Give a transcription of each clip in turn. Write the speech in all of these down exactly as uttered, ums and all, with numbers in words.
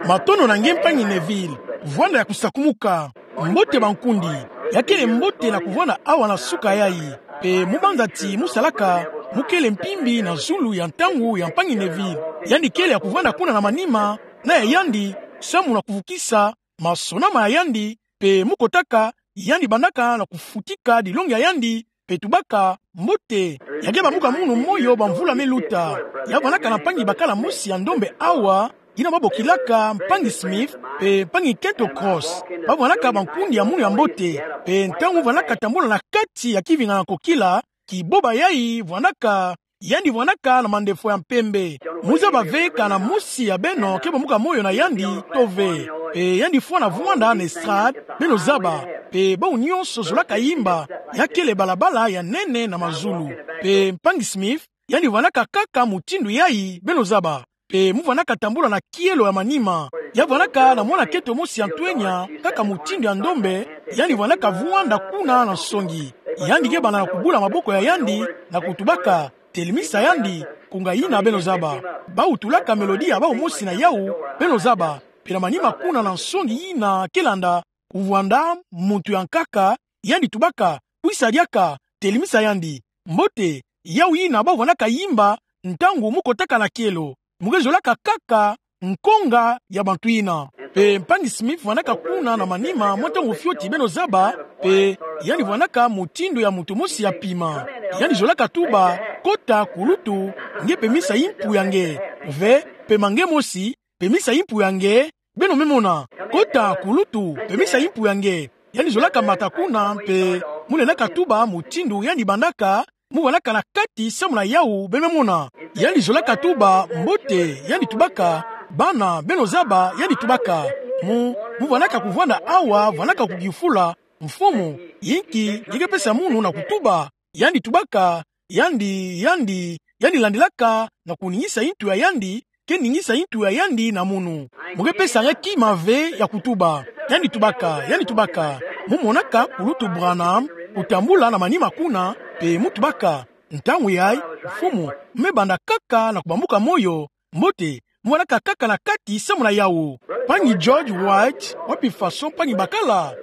Matondo na nge mpangi Neville. Vwanda ya kusakumuka. Mbote bankundi. Ya kele mbote na kuvwanda awa na suka yayi. Pe mu banza ti mu salaka, mu kele mpimbi na zulu ya ntangu ya mpangi Neville. Yandi kele ya kuvwanda kuna na manima, na ya yandi, samu na kuvukisa masonama ya yandi, pe mu kotaka, yandi bandaka na kufutika dilongi ya yandi, pe tubaka, mbote, ya ke bambuka munu moyo bamvula me luta. Ya vwandaka na mpangi bakala mosi ya ndombe awa, yina babokilaka mpangi Smith, pe mpangi Kento Cross. Bavwandaka bankundi ya munu ya mbote, pe ntangu vwandaka tambula na kati ya kivingana kokila, kiboba yayi vwandaka, yandi vwandaka na mandefo ya mpembe. Mu zaba ve kana mosi ya beno ke bambuka moyo na yandi to ve. Pe yandi fwana vwanda na estrade, beno zaba. Pe bawu nyonso zolaka yimba, ya kele balabala ya nene na mazulu. Pe mpangi Smith, yandi vwandaka kaka mutindu yayi, beno zaba. Pe mu vwandaka tambula na kielo ya manima. Ya vwandaka na mwana kento mosi ya ntwenya, kaka mutindu ya ndombe, yandi vwandaka vwanda kuna na nsongi. Yandi ke banda na kubula maboko ya yandi, na kutubaka, telemisa yandi, nkunga yina beno zaba. Bawu tulaka melodi ya bawu mosi na yawu, beno zaba. Pe na manima kuna na nsongi yina ke landa, kuvwanda muntu ya nkaka, yandi tubaka, kwisa diaka, telemisa yandi. Mbote, yawu yina bavwandaka yimba, ntangu mu kotaka na kielo. Mu ke zolaka kaka, nkonga ya bantu yina. Pe mpangi Smith vwandaka kuna na manima mwa ntangu fioti beno zaba, pe yandi vwandaka mutindu ya muntu mosi ya pima. Yandi zolaka tuba, kota kulutu, nge pemisa yimpu ya nge. Ve, pema nge mosi, pemisa yimpu ya nge, beno me mona. Kota kulutu, pemisa yimpu ya nge. Yandi zolaka mata kuna, pe mu lendaka tuba mutindu yandi bandaka, mu vwandaka na kati samu na yawu, beno me mona. Yandi zolaka tuba mbote, yandi tubaka, bana, beno zaba, yandi tubaka. Mu, mu vwandaka kuvwanda awa, vwandaka kukifula, mfumu, yinki, nge ke pesa munu na kutuba. Yandi tubaka, yandi, yandi, yandi landilaka, na kuningisa yintu ya yandi, ke ningisa yintu ya yandi na munu. Mu ke pesa nge kima ve ya kutuba. Yandi tubaka, yandi tubaka. Mu monaka kulutu Branham, kutambula na manima kuna, pe mu tubaka. Ntangu yayi, mfumu, me banda kaka na kubambuka moyo, mbote, mu vwandaka kaka na kati samu na yawu. Mpangi George White, wapi faso mpangi bakala?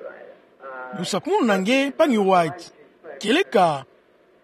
Lusakumunu na nge, mpangi White. Kieleka.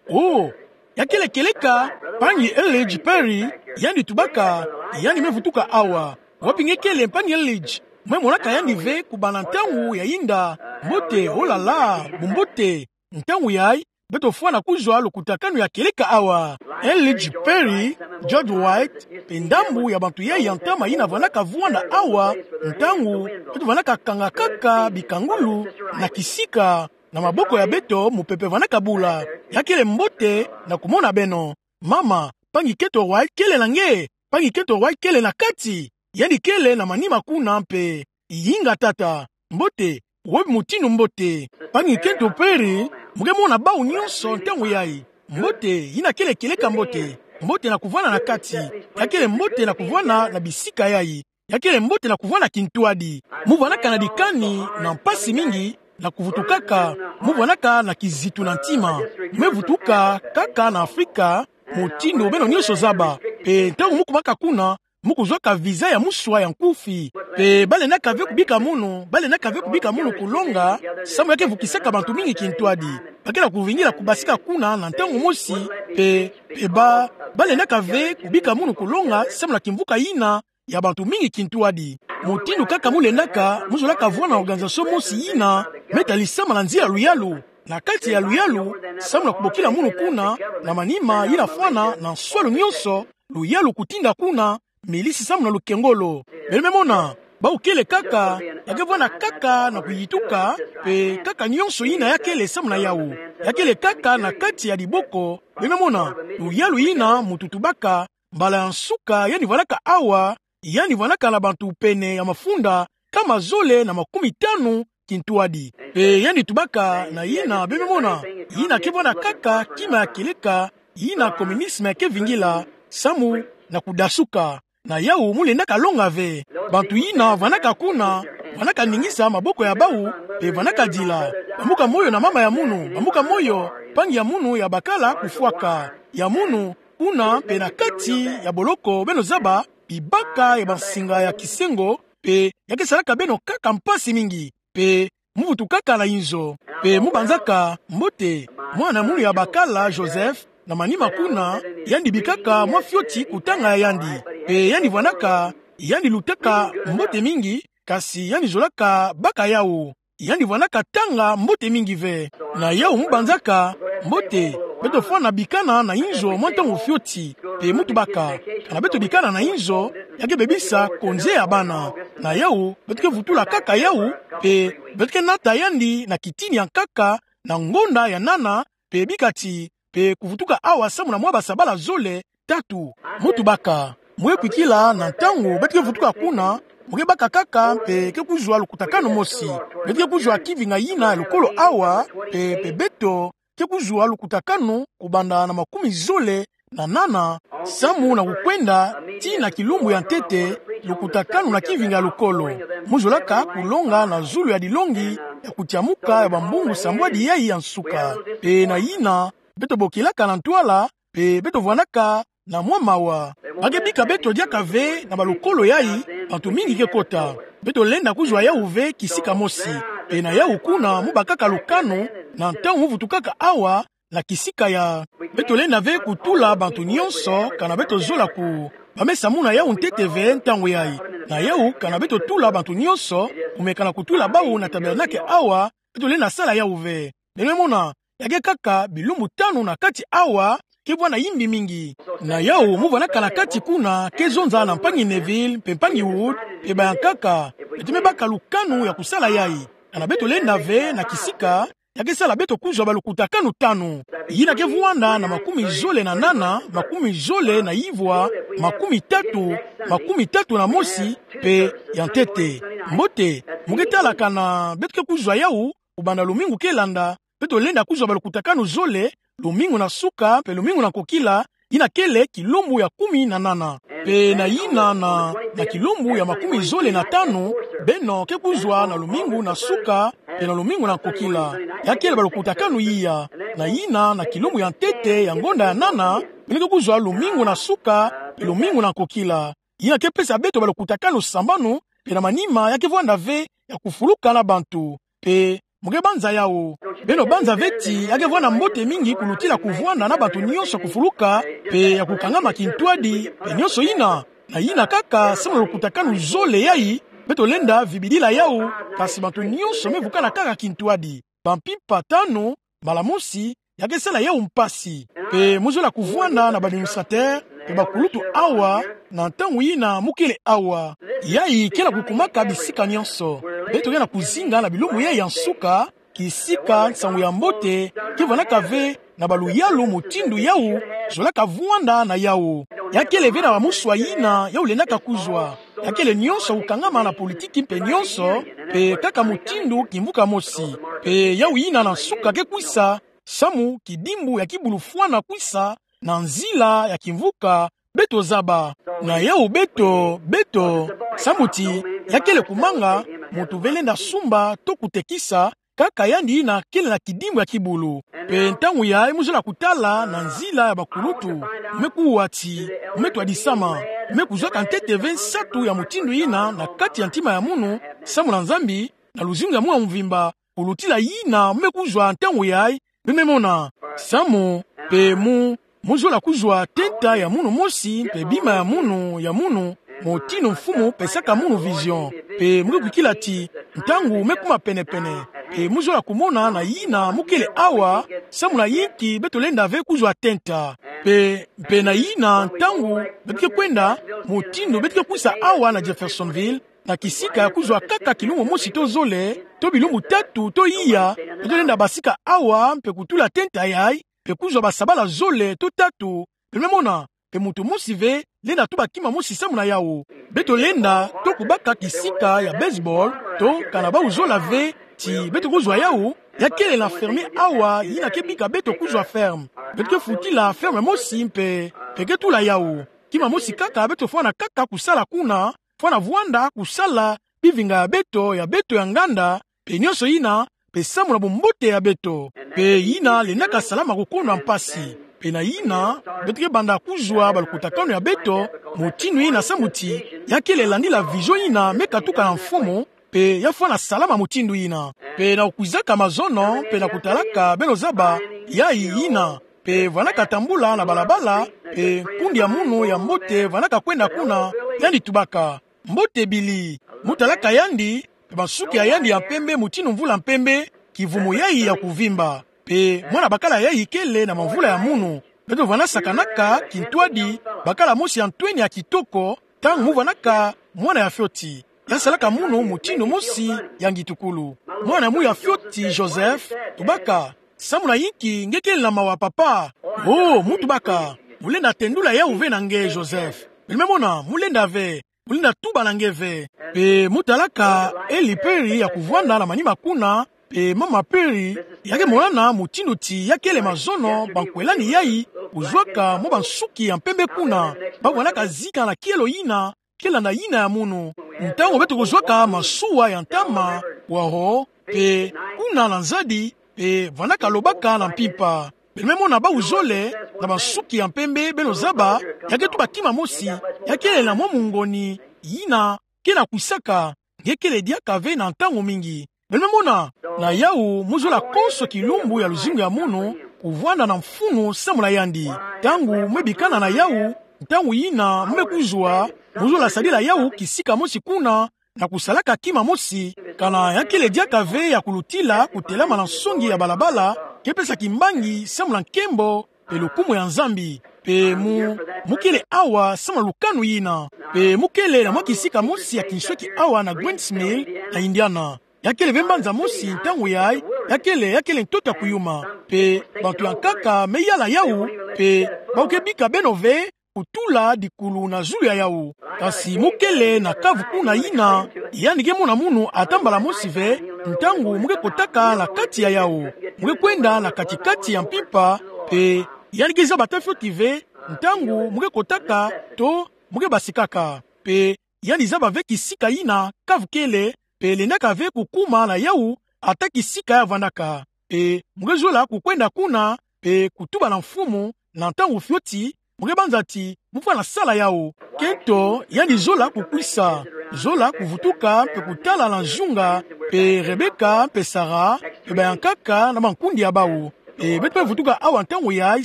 Oh, ya kele kieleka, mpangi Eldridge Perry, yandi tubaka, yandi me vutuka awa. Wapi nge kele mpangi Eldridge? Me monaka yandi ve kubanda ntangu ya yinda, mbote, oh là là, bumbote. Ntangu yayi, beto fwana kuzwa lukutakanu ya kieleka awa. Eldridge Perry, George White, pe ndambu ya bantu yayi ya ntama yina vwandaka vwanda awa, ntangu, beto vwandaka kanga kaka bikangulu, na kisika, na maboko ya beto mupepe vwandaka bula. Ya kele mbote na kumona beno. Mama, mpangi Kento White kele na nge, mpangi Kento White kele na kati, yandi kele na manima kuna mpe. Yinga tata, mbote, wapi mutindu mbote. Mpangi Kento Perry, mu ke mona bawu nyonso ntangu yayi. Mbote, yina kele kieleka mbote. Mbote na kuvwanda na kati. Ya kele mbote na kuvwanda na bisika yayi. Ya kele mbote na kuvwanda kintwadi. Mu vwandaka na dikani, na mpasi mingi, na kuvutukaka, mu vwandaka na kizitu na ntima. Me vutuka, kaka na Afrika, mutindu beno nyonso zaba. Pe ntangu mu kumaka kuna, mu kuzwaka visa ya muswa ya nkufi. Pe balendaka ve kubika munu, balendaka ve kubika munu kulonga, samu ya ke vukisaka bantu mingi kintwadi. Ba ke na kuvingila kubasika kuna na ntangu mosi, pe, pe ba, balendaka ve kubika munu kulonga, samu na kimvuka yina, ya bantu mingi kintwadi. Mutindu kaka mu lendaka, mu zolaka vwanda na organisation mosi yina, me talisama na nzila luyalu, na kati ya luyalu, samu na kubokila munu kuna, na manima yina fwana, na nswalu nyonso, luyalu kutinda kuna, milisi samu na lukengolo. Beno me mona, bawu kele kaka, ya ke vwanda kaka na kuyituka, pe kaka nyonso yina ya kele samu na yawu. Ya kele kaka na kati ya diboko, beno me mona, luyalu yina muntu tubaka, mbala ya nsuka, yandi vwandaka awa, yandi vwandaka na bantu pene ya mafunda, nkama zole na makumitanu, kintwadi. Pe yandi tubaka na yina, beno me mona, yina ke vwanda kaka, kima ya kieleka, yina communisme ya ke vingila, samu, na kudasuka. Na yawu mu lendaka longa ve. Bantu yina vwandaka kuna, vwandaka ningisa maboko ya bawu, pe vwandaka dila. Bambuka moyo na mama ya munu, bambuka moyo, mpangi ya munu ya bakala kufwaka. Ya munu, kuna pe na kati ya boloko beno zaba, bibaka ya bansinga ya kisengo, pe ya ke salaka beno kaka mpasi mingi, pe mu vutukaka na inzo, pe mu banzaka mbote mwana munu ya bakala Joseph, na manima kuna, yandi bikaka mwa fioti kutanga ya yandi, pe yandi vwanaka, yandi lutaka mbote mingi, kasi yandi zolaka baka yawu. Yandi vwanaka tanga mbote mingi ve. Na yawu mu banzaka mbote, beto fwana bikana na inzo mwa ntangu fioti, pe mu tubaka, kana beto bikana na inzo, ya ke bebisa konze ya bana. Na yawu, beto ke vutula kaka yawu, pe beto ke nata yandi na kitini ya nkaka, na ngonda ya nana, pe bika ti, pe kuvutuka awa samu na mwa basabala zole, tatu. Mu tubaka, mu ke kwikila na ntangu beto ke vutuka kuna, mu ke baka kaka mpe ke kuzwa lukutakanu mosi. Beto ke kuzwa kivinga yina ya lukolo awa, pe, pe beto ke kuzwa lukutakanu kubanda na makumi zole na nana, samu na kukwenda tii na kilumbu ya ntete, lukutakanu na kivinga ya lukolo. Mu zolaka kulonga na zulu ya dilongi ya kutiamuka ya bambungu sambwadi yayi ya nsuka. Pe na yina, beto bokilaka na ntwala, pe beto vwanaka na mwa mawa. Ba ke bika beto diaka ve na balukolo yayi, bantu mingi ke kota. Beto lenda kuzwa yawu ve kisika mosi. Pe na yawu kuna mu bakaka lukanu, na ntangu mu vutukaka awa, na kisika ya. Beto lenda ve kutula bantu nyonso, kana beto zola ku. Ba me samuna yawu ntete ve ntangu yayi. Na yawu kana beto tula bantu nyonso, kumeka na kutula bawu na tabernacle awa, beto lenda sala yawu ve. Beno me mona, ya ke kaka bilumbu tanu na kati awa, ke vwanda yimbi mingi. Na yawu mu vwanaka na kati kuna, ke zonza na mpangi Neville, mpe mpangi Wood, mpe bayankaka, beto me baka lukanu ya kusala yayi. Kana beto lenda ve na kisika, ya ke sala beto kuzwa balukutakanu tanu. Yina ke vwanda na makumi zole na nana, makumi zole na ivwa, makumi tatu, makumi tatu na mosi, mpe ya ntete. Mbote, mu ke tala kana beto ke kuzwa yawu, kubanda lumingu ke landa, beto lenda kuzwa balukutakanu zole, lumingu na suka, mpe lumingu na nkokila, yina kele kilumbu ya kumi na nana. Mpe na yina na, na kilumbu ya makumi zole na tanu, beno ke kuzwa na lumingu na suka, mpe na lumingu na nkokila. Ya kele balukutakanu iya, na yina na kilumbu ya ntete ya ngonda ya nana, beno ke kuzwa lumingu na suka, mpe lumingu na nkokila. Yina ke pesa beto balukutakanu sambanu, mpe na manima ya ke vwanda ve ya kufuluka na bantu. Mpe mu ke banza yawu. Beno banza ve ti ya ke vwanda mbote mingi kulutila kuvwanda na bantu nyonso kufuluka, mpe ya kukangama kintwadi, mpe nyonso yina. Na yina kaka samu na lukutakanu zole yayi, beto lenda vibidila yawu, kasi bantu nyonso me vukana kaka kintwadi. Bampimpa tanu, mbala mosi, ya ke sala yawu mpasi. Mpe mu zola kuvwanda na ba administrateur, mpe bakulutu awa, na ntangu yina mu kele awa. Yayi ke na kukumaka bisika nyonso. Beto ke na kuzinga na bilumbu yayi ya nsuka, kisika nsangu ya mbote ke vwanaka ve na baluyalu mutindu yawu zolaka vwanda na yawu. Ya kele ve na bamuswa yina yawu lendaka kuzwa. Ya kele nyonso kukangama na politiki mpe nyonso, mpe kaka mutindu kimvuka mosi. Mpe yawu yina na nsuka ke kwisa, samu kidimbu ya kibulufwana kwisa, na nzila ya kimvuka, beto zaba. Na yawu beto, beto, samu ti, ya kele kumanga, muntu ve lenda sumba, to kutekisa, kaka yandi yina kele na kidimbu ya kibulu. Mpe ntangu yayi mu zola kutala na nzila ya bakulutu, mu me kuwa ti, mu me twadisama, mu me kuzwaka ntete ve nsatu ya mutindu yina na kati ya ntima ya munu, samu na Nzambi, na luzingu ya munu mvimba, kulutila yina mu me kuzwa ntangu yayi, beno me mona, samu, mpe mu, mu zola kuzwa tenta ya munu mosi, mpe bima ya munu, ya munu, motinu Mfumu pesaka munu vision. Mpe mu ke kwikila ti, ntangu me kuma penepene. Mpe mu zola kumona na yina mu kele awa, samu na yinki beto lenda ve kuzwa tenta. Mpe, mpe na yina ntangu beto ke kwenda, mutindu beto ke kwisa awa na Jeffersonville, na kisika ya kuzwa kaka kilumbu mosi to zole, to bilumbu tatu, to iya, beto lenda basika awa, mpe kutula tenta yayi, mpe kuzwa basabala zole, to tatu, beno me mona, mpe muntu mosi ve, lenda tuba kima mosi samu na yawu. Beto lenda, to kubaka kisika ya baseball, to, kana bawu zola ve, ti, beto kuzwa yawu, ya kele na ferme awa, yina ke bika beto kuzwa ferme. Beto ke futila ferme mosi mpe, mpe ke tula yawu. Kima mosi kaka beto fwana kaka kusala kuna, fwana vwanda kusala bivinga ya beto, ya beto ya nganda, mpe nyonso yina, mpe samu na bumbote ya beto. Mpe yina lendaka salama kukono mpasi. Pe na yina, beto ke banda kuzwa balukutakanu ya beto mutindu yina, samu ti ya kele landila vision yina me katuka na mfumu, pe ya fwana salama mutindu yina. Pe na kukwizaka mazono, pe na kutalaka beno zaba yayi yina, pe vwanaka tambula na balabala, pe nkundi ya munu ya mbote vwanaka kwenda kuna, yandi tubaka: Mbote Billy. Mu talaka yandi, pe bansuki ya yandi ya mpembe mutindu mvula mpembe, kivumu yayi ya kuvimba. Pe mwana bakala yayi kele na mamvula ya munu. Beto vwanda sakanaka kintwadi, bakala mosi ya ntwenia kitoko, ntangu mu vwanaka mwana ya fioti. Ya salaka munu mutindu mosi ya ngitukulu. Mwana ya mu ya fioti, Joseph, tubaka: Samu na yinki nge kele na mawa, papa? Oh, mu tubaka: Mu lenda tendula yawu ve na nge, Joseph. Beno me mona, mu lenda ve, mu lenda tuba na nge ve. Pe mu talaka Halle Perry ya kuvwanda na manima kuna, pe mama Perry, ya ke monana mutindu ti ya kele mazono bankwelani yayi, kuzwaka mwa bansuki ya mpembe kuna, ba vwanaka zika na kielo yina, kele na yina ya munu. Ntangu beto kuzwaka masuwa ya ntama, waho, pe kuna na nzadi, pe vwanaka lobaka na mpimpa. Beno me mona bawu zole, na bansuki ya mpembe, beno zaba, ya ke tuba kima mosi, ya kele na mwa mungoni yina ke na kwisaka, nge kele diaka ve na ntangu mingi. Beno me mona, na yawu mu zola konso kilumbu ya luzingu ya munu, kuvwanda na mfunu samu na yandi. Ntangu mu me bikana na yawu, ntangu yina mu me kuzwa, mu zola sadila yawu kisika mosi kuna, na kusalaka kima mosi, kana ya kele diaka ve ya kulutila kutelama na nsongi ya balabala, ke pesa kimbangi samu na nkembo pe lukumu ya Nzambi. Pe mu, mu kele awa samu na lukanu yina. Pe mu kele na mwa kisika mosi ya kinsweki awa na Grants Mill, na Indiana. Ya kele ve mbanza mosi ntangu yayi, ya kele, ya kele ntoto ya kuyuma. Pe bantu ya nkaka me yala yawu, pe bawu ke bika beno ve kutula dikulu na zulu ya yawu. Kasi mu kele na kavu kuna yina, yandi ke mona munu ata mbala mosi ve, ntangu mu ke kotaka na kati ya yawu. Mu ke kwenda na kati-kati ya mpimpa, pe yandi ke zaba ata fioti ve ntangu mu ke kotaka to mu ke basikaka. Pe yandi zaba ve kisika yina kavu kele, pe lendaka ve kukuma na yawu ata kisika ya vwandaka. Pe mu ke zola kukwenda kuna, pe kutuba na mfumu, na ntangu fioti, mu ke banza ti mu fwana sala yawu. Kento, yandi zola kukwisa, zola kuvutuka, pe kutala na nzunga, pe Rebecca, pe Sarah, pe ba ya nkaka na bankundi ya bawu. Pe beto me vutuka awa ntangu yayi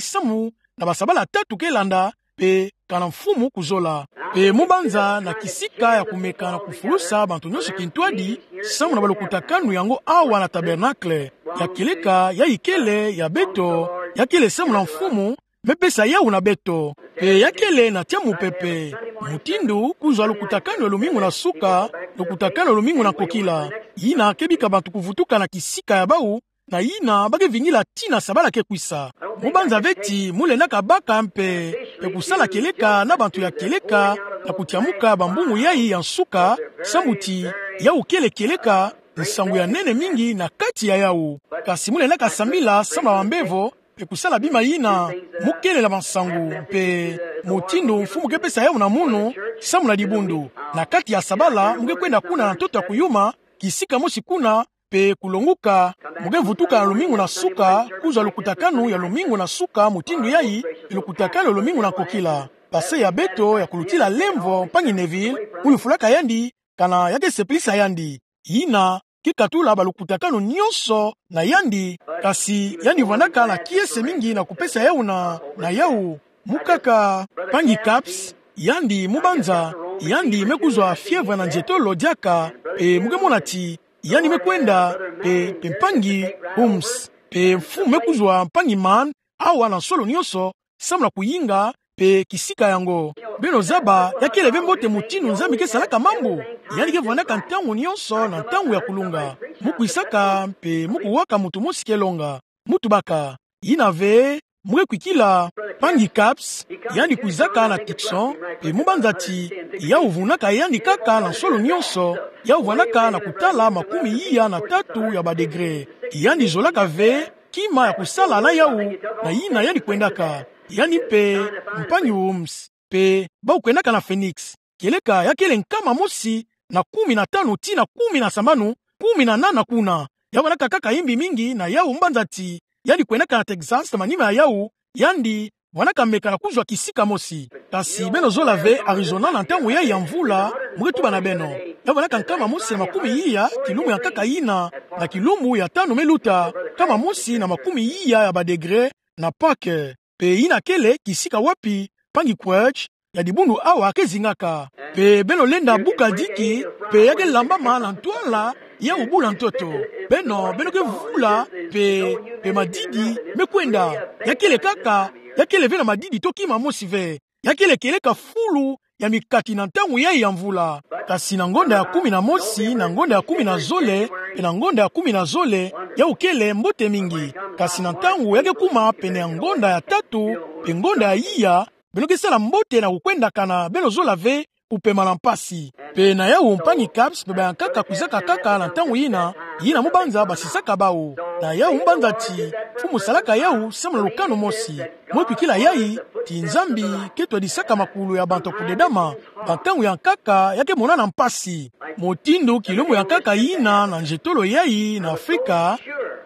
samu na basabala tatu ke landa, pe kana mfumu kuzola. Pe mu banza na kisika ya kumeka na kufulusa bantu nyonso kintwadi, samu na balukutakanu yango awa na Tabernacle. Ya kieleka yayi kele ya beto, ya kele samu na mfumu me pesa yawu na beto. Pe ya kele na tia mupepe. Mutindu kuzwa lukutakanu ya lumingu na suka, lukutakanu ya lumingu na nkokila. Yina ke bika bantu kuvutuka na kisika ya bawu, na yina ba ke vingila tii na sabala ke kwisa. Mu banza ve ti mu lendaka baka mpe, mpe kusala kieleka na bantu ya kieleka, na kutiamuka bambungu yayi ya nsuka, samu ti yawu kele kieleka, nsangu ya nene mingi na kati ya yawu. Kasi mu lendaka sambila samu na bambevo, mpe kusala bima yina, mu kele na bansangu, mpe mutindu mfumu ke pesa yawu na munu, samu na dibundu. Na kati ya sabala, mu ke kwenda kuna na ntoto ya kuyuma, kisika mosi kuna, mpe kulonguka, mu ke vutuka na lumingu na suka, kuzwa lukutakanu ya lumingu na suka mutindu yayi, lukutakanu ya lumingu na nkokila. Pase ya beto ya kulutila lemvo, mpangi Neville, mu lufulaka yandi, kana ya ke sepelisa yandi. Yina ke katula balukutakanu nyonso na yandi, kasi yandi vwandaka na kiese mingi na kupesa yawu na, na yawu. Mu nkaka, mpangi Capps, yandi mu banza, yandi me kuzwa fièvre na nzietolo diaka, mpe mu ke mona ti yandi me kwenda, mpe, mpe mpangi Holmes, mpe mfumu me kuzwa mpangi Mann, awa na nsolo nyonso, samu na kuyinga mpe kisika yango. Beno zaba, ya kele ve mbote mutindu Nzambi ke salaka mambu. Yandi ke vwandaka ntangu nyonso na ntangu ya kulunga. Mu kwisaka mpe mu kuwaka muntu mosi ke longa. Mu tubaka. Yina ve, mu ke kwikila, mpangi Capps, yandi kwizaka na Tucson, mpe mu banza ti yawu vunaka yandi nkaka na nsolo nyonso, yawu vwandaka na kutala makumi iya na tatu ya ba degré. Yandi zolaka ve kima ya kusala na yawu, na yina yandi kwendaka. Yandi mpe mpangi Holmes, mpe bawu kwendaka na Phoenix. Kieleka ya kele nkama mosi na kumi na tanu tii na kumi na sambanu, kumi na nana kuna. Ya vwandaka nkaka imbi mingi na yawu mu banza ti yandi kwendaka na Texas na manima ya yawu, yandi vwanaka meka na kuzwa kisika mosi. Kasi beno zola ve, Arizona na ntangu yai ya mvula, mu ke tuba na beno, ya vwanaka nkama mosi na makumi iya, kilumbu ya nkaka yina, na kilumbu ya tanu me luta, nkama mosi na makumi iya ya ba degré na Pâques. Pe yina kele kisika wapi mpangi Crouch ya dibundu awa ke zingaka. Pe beno lenda buka diki, pe ya ke lambama na ntwala ya obula ntoto. Beno, beno ke vula, pe, pe madidi me kwenda. Ya kele kaka, ya kele ve na madidi to kima mosi ve. Ya kele kieleka fulu ya mikati na ntangu yai ya mvula. Kasi na ngonda ya kumi na mosi, na ngonda ya kumi na zole, pe na ngonda ya kumi na zole, yau kele mbote mingi. Kasi na ntangu ya ke kuma pene ya ngonda ya tatu, pe ngonda ya iya, beno ke sala mbote na kukwendakana, beno zola ve kupema na mpasi. Pe na yau mpangi Capps pe bayankaka kwizaka kaka na ntangu yina, yina mu banza basisaka bau. Na yau mu banza ti, mfumu salaka yau samu na lukanu mosi. Mu kwikila yai, ti Nzambi ke twadisaka makulu ya bantu kudedama, ba ntangu ya nkaka ya ke monana mpasi. Mutindu kilumbu ya nkaka yina na nzietolo yai na Afrika,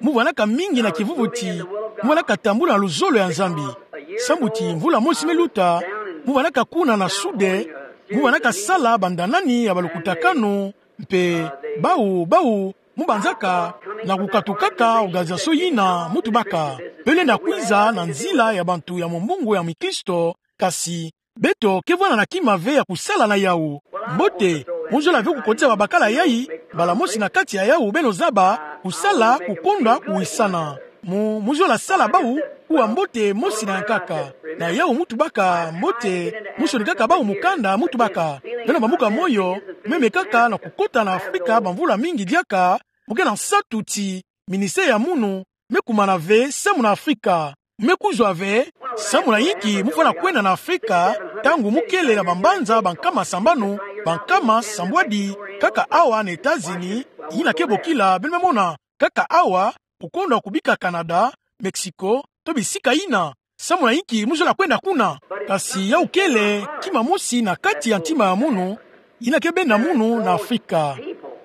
mu vwanaka mingi na kivuvu ti, mu vwanaka tambula na luzolo ya Nzambi. Sambu ti mvula mosi me luta, mu vwanaka kuna na Sude, mu vwanaka sala bandanani ya balukutakanu, mpe bau, bau, mu banzaka na kukatukaka organisation yina mu tubaka. Beno lenda kwiza na nzila ya bantu ya mumbungu ya mikristo, kasi beto ke vwanda na kima ve ya kusala na yau. Mbote, mu zola ve kukotisa babakala yai, mbala mosi na kati ya yau beno zaba, kusala, kukondwa, kuwisana. Mu, mu zola sala bau, kuwa mbote mosi na ya nkaka. Na yau mu tubaka mbote, mu sonikaka bau mukanda mu tubaka. Beno bambuka moyo, meme kaka na kukota na Afrika bamvula mingi diaka, mu ke na nsatu ti, ministère ya munu, me kumana ve, samu na Afrika. Me kuzwa ve, samu na yinki mu fwana kwenda na Afrika, ntangu mu kele na bambanza bankama sambanu, bankama sambwadi, kaka awa na États-Unis, yina ke bokila, beno me mona, kaka awa, kukondwa kubika Canada, Mexico, to bisika yina, samu na yinki mu zola kwenda kuna. Kasi yau kele kima mosi na kati ya ntima ya munu, yina ke benda munu na Afrika.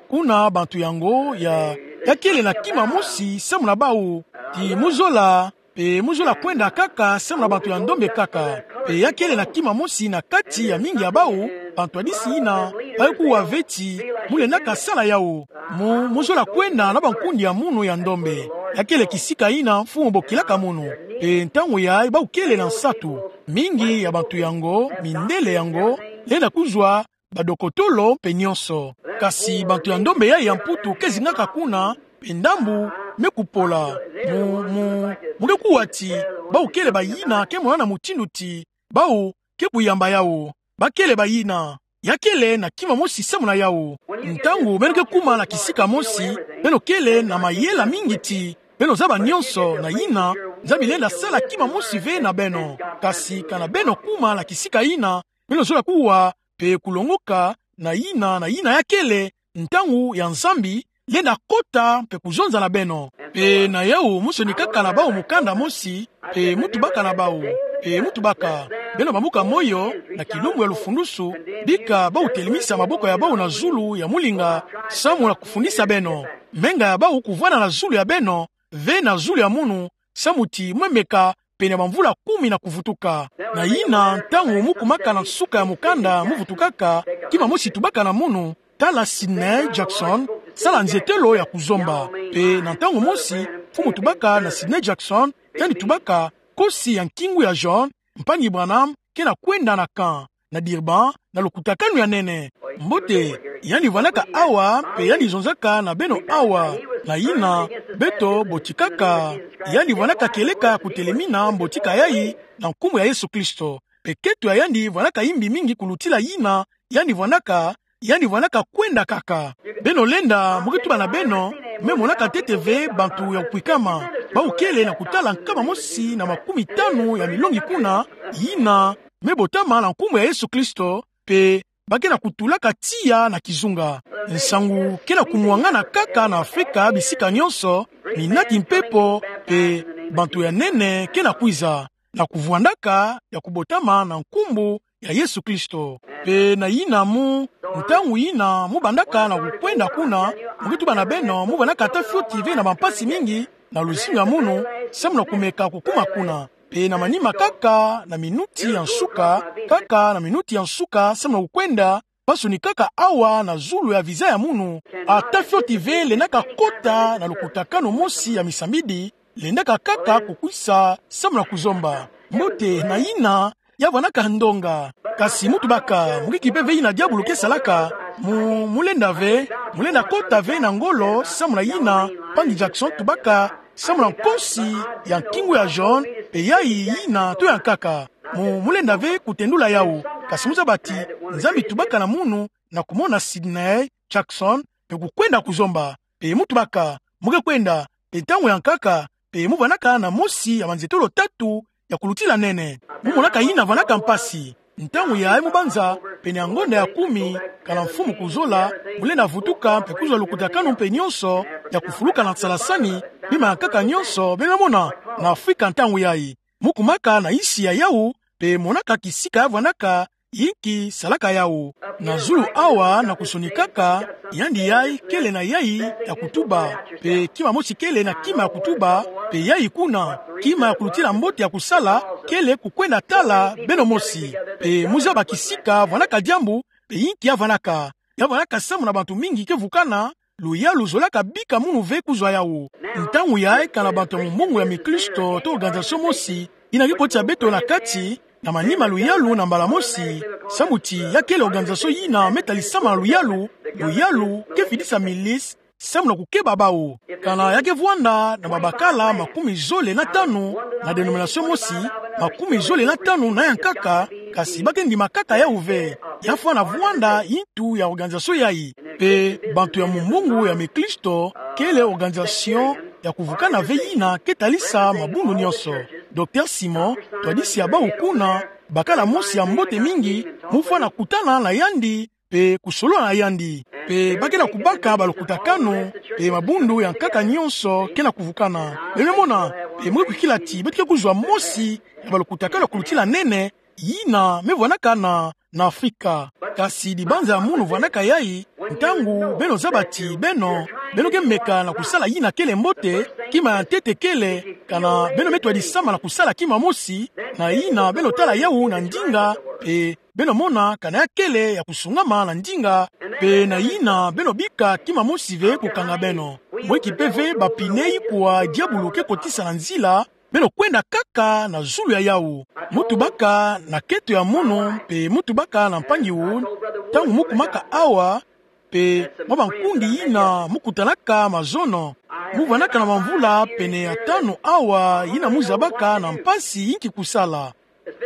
Kuna bantu yango ya, ya kele na kima mosi samu na bau, ti mu zola, pe mu zola kwenda kaka samu na bantu ya ndombe kaka. Pe ya kele na kima mosi na kati ya mingi ya bau, bantu ya disi yina, ba ke kuwa ve ti, mu lendaka sala yau. Mu, mu zola kwenda na bankundi ya munu ya ndombe. Ya kele kisika yina mfumu bokilaka munu. Pe ntangu yai bau kele na nsatu. Mingi ya bantu yango, mindele yango, lenda kuzwa, badokotolo mpe nyonso. Kasi bantu ya ndombe yai ya Mputu ke zingaka kuna, pe ndambu me kupola. Mu, mu, mu ke kuwa ti, bau kele bayina ke monana mutindu ti, bau ke kuyamba yau. Ba kele bayina. Ya kele na kima mosi samu na yau. Ntangu beno ke kuma na kisika mosi, beno kele na mayela mingi ti, beno zaba nyonso na yina, Nzambi lenda sala kima mosi ve na beno. Kasi kana beno kuma na kisika yina, beno zola kuwa, pe kulongoka, na yina, na yina ya kele, ntangu ya Nzambi, lenda kota, pe kuzonza na beno. Pe na yau mu sonikaka na bau mukanda mosi, pe mu tubaka na bau, pe mu tubaka. Beno bambuka moyo, na kilumbu ya lufundusu, bika bau telemisa maboko ya bau na zulu ya mulinga, samu na kufundisa beno. Menga ya bau kuvwanda na zulu ya beno, ve na zulu ya munu, samu ti mwe meka, pene bamvula kumi na kuvutuka. Na yina ntangu mu kumaka na nsuka ya mukanda mu vutukaka, kima mosi tubaka na munu, tala Sidney Jackson, sala nzietelo ya kuzomba. Pe na ntangu mosi, mfumu tubaka na Sidney Jackson, yandi tubaka, kosi ya nkingu ya John, mpangi Branham, ke na kwenda na camp, na Durban, na lukutakanu ya nene. Mbote, yandi vwandaka awa, pe yandi zonzaka na beno awa, na yina, beto, botikaka, yandi vwandaka kieleka kutelemina mbotika yai, na nkumbu ya Yesu Kristo. Pe keto ya yandi vwandaka imbi mingi kulutila yina, yandi vwandaka, yandi vwandaka kwenda kaka. Beno lenda, mu ke tuba na beno, me monaka ntete ve bantu ya kukwikama. Bau kele na kutala nkama mosi na makumi tanu ya milongi kuna, yina, me botama na nkumbu ya Yesu Kristo, pe ba ke na kutulaka tiya na kizunga. Nsangu ke na kumwangana kaka na Afrika bisika nyonso, minati mpepo, pe bantu ya nene ke na kwiza, na kuvwandaka ya kubotama na nkumbu ya Yesu Kristo. Pe na yina mu, ntangu yina mu bandaka na kukwenda kuna, mu ke tuba na beno, mu vwandaka ata fioti ve na bampasi mingi, na luzingu ya munu, samu na kumeka kukuma kuna. Pe na manima kaka na minuti ya nsuka, kaka na minuti ya nsuka, samu na kukwenda, bansoni kaka awa na zulu ya visa ya munu, ata fioti ve lendaka kota na lukutakanu mosi ya misambidi, lendaka kaka kukwisa samu na kuzomba. Mbote na yina, ya vwanaka ndonga. Kasi muntu baka, mukiki pe ve yina diabulu ke salaka, mu, mu lenda ve, mu lenda kota ve na ngolo, samu na yina, mpangi Jackson tubaka, samu na nkosi ya nkingu ya jaune, pe yayi yina to ya nkaka. Mu, mu lenda ve kutendula yawu, kasi mu zaba ti, Nzambi tubaka na munu, na kumona Sidney, Jackson, pe kukwenda kuzomba. Pe muntu baka, mu ke kwenda, pe ntangu ya nkaka, pe mu vwanaka na mosi ya manzetolo tatu ya kulutila nene. Mu monaka yina vwanaka mpasi. Ntangu yayi mu banza, pene ya ngonda ya kumi, kana mfumu kuzola, mu lenda vutuka, pe kuzwa lukutakanu mpe nyonso, ya kufuluka na nsalasani, bima ya nkaka nyonso, beno mona, na Afrika ntangu yayi. Mu kumaka na nsi ya yawu, pe monaka kisika ya vwanaka, yinki salaka yawu. Na zulu awa na kusonikaka, yandi yayi kele na yayi ya kutuba. Pe kima mosi kele na kima ya kutuba, pe yayi kuna, kima ya kulutila mbote ya kusala, kele kukwenda tala beno mosi. Pe mu zaba kisika vwanaka diambu, pe yinki ya vwanaka. Ya vwanaka samu na bantu mingi ke vukana, luyalu zolaka bika munu ve kuzwa yawu. Ntangu yayi kana bantu ya mumbungu ya mikristo to organisation mosi, yina ke kotisa beto na kati, na manima luyalu na mbala mosi, samu ti ya kele organisation yina me talisama na luyalu, luyalu ke fidisa milice, samu na kukeba bawu. Kana ya ke vwanda na babakala makumi zole na tanu na denomination mosi, makumi zole na tanu na ya nkaka, kasi ba ke ndima kaka yawu ve. Ya fwana vwanda yintu ya organisation yayi. Pe bantu ya mumbungu ya mikristo, kele organisation ya kuvukana ve yina ke talisa mabundu nyonso. Docteur Simon, twadisi ya bawu kuna, bakala mosi ya mbote mingi, mu fwana kutana na yandi, pe kusolola na yandi. Pe ba ke na kubaka balukutakanu, pe mabundu ya nkaka nyonso ke na kuvukana. Beno mona, pe mu ke kwikila ti, beto ke kuzwa mosi ya balukutakanu ya kulutila nene, yina me vwanaka na, na Afrika. Kasi dibanza ya munu vwanaka yayi, ntangu beno zaba ti beno, beno ke meka na kusala yina kele mbote, kima ya ntete kele, kana beno me twadisama na kusala kima mosi, na yina beno tala yawu na ndinga, pe beno mona kana ya kele ya kusungama na ndinga, pe na yina beno bika kima mosi ve kukanga beno. Mweki pe ve bapine ikwa diabulu ke kotisa na nzila, beno kwenda kaka na zulu ya yawu. Mu tubaka na keto ya munu, pe mu tubaka na mpangi Wood, ntangu mu kumaka awa, pe mwa bankundi yina mu kutanaka mazono, mu vwanaka na bamvula pene ya tanu awa yina mu zabaka na mpasi yinki kusala.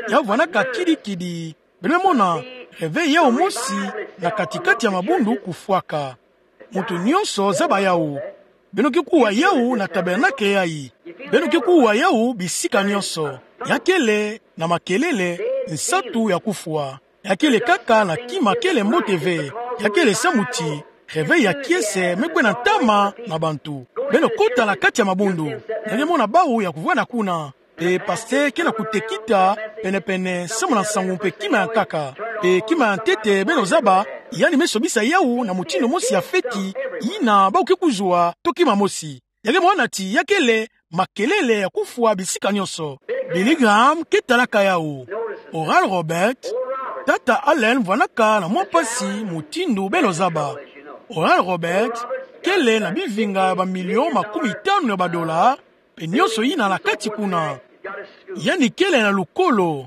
Ya vwanaka kidi-kidi, beno mona, réveil yawu mosi na kati-kati ya mabundu kufwaka. Muntu nyonso zaba yawu. Beno ke kuwa yawu na tabernacle yayi. Beno ke kuwa yawu bisika nyonso. Ya kele na makelele nsatu ya kufwa. Ya kele kaka na kima kele mbote ve. Ya kele samu ti réveil ya kiese me kwenda ntama na bantu. Beno kota na kati ya mabundu. Ya ke mona bawu ya kuvwanda kuna. Pe pasteur ke na kutekita pene-pene samu na nsangu mpe kima ya nkaka. Pe kima ya ntete beno zaba, yandi me sobisa yawu na mutindu mosi ya feti, yina bawu ke kuzwa to kima mosi. Ya ke mona ti ya kele makelele ya kufwa bisika nyonso. Billy Graham ke talaka yawu. Oral Roberts, tata Allen vwanaka na mwa mpasi mutindu beno zaba. Oral Roberts kele na bivinga ya bamilio makumi tanu ya badola, pe nyonso yina na kati kuna. Yandi kele na lukolo,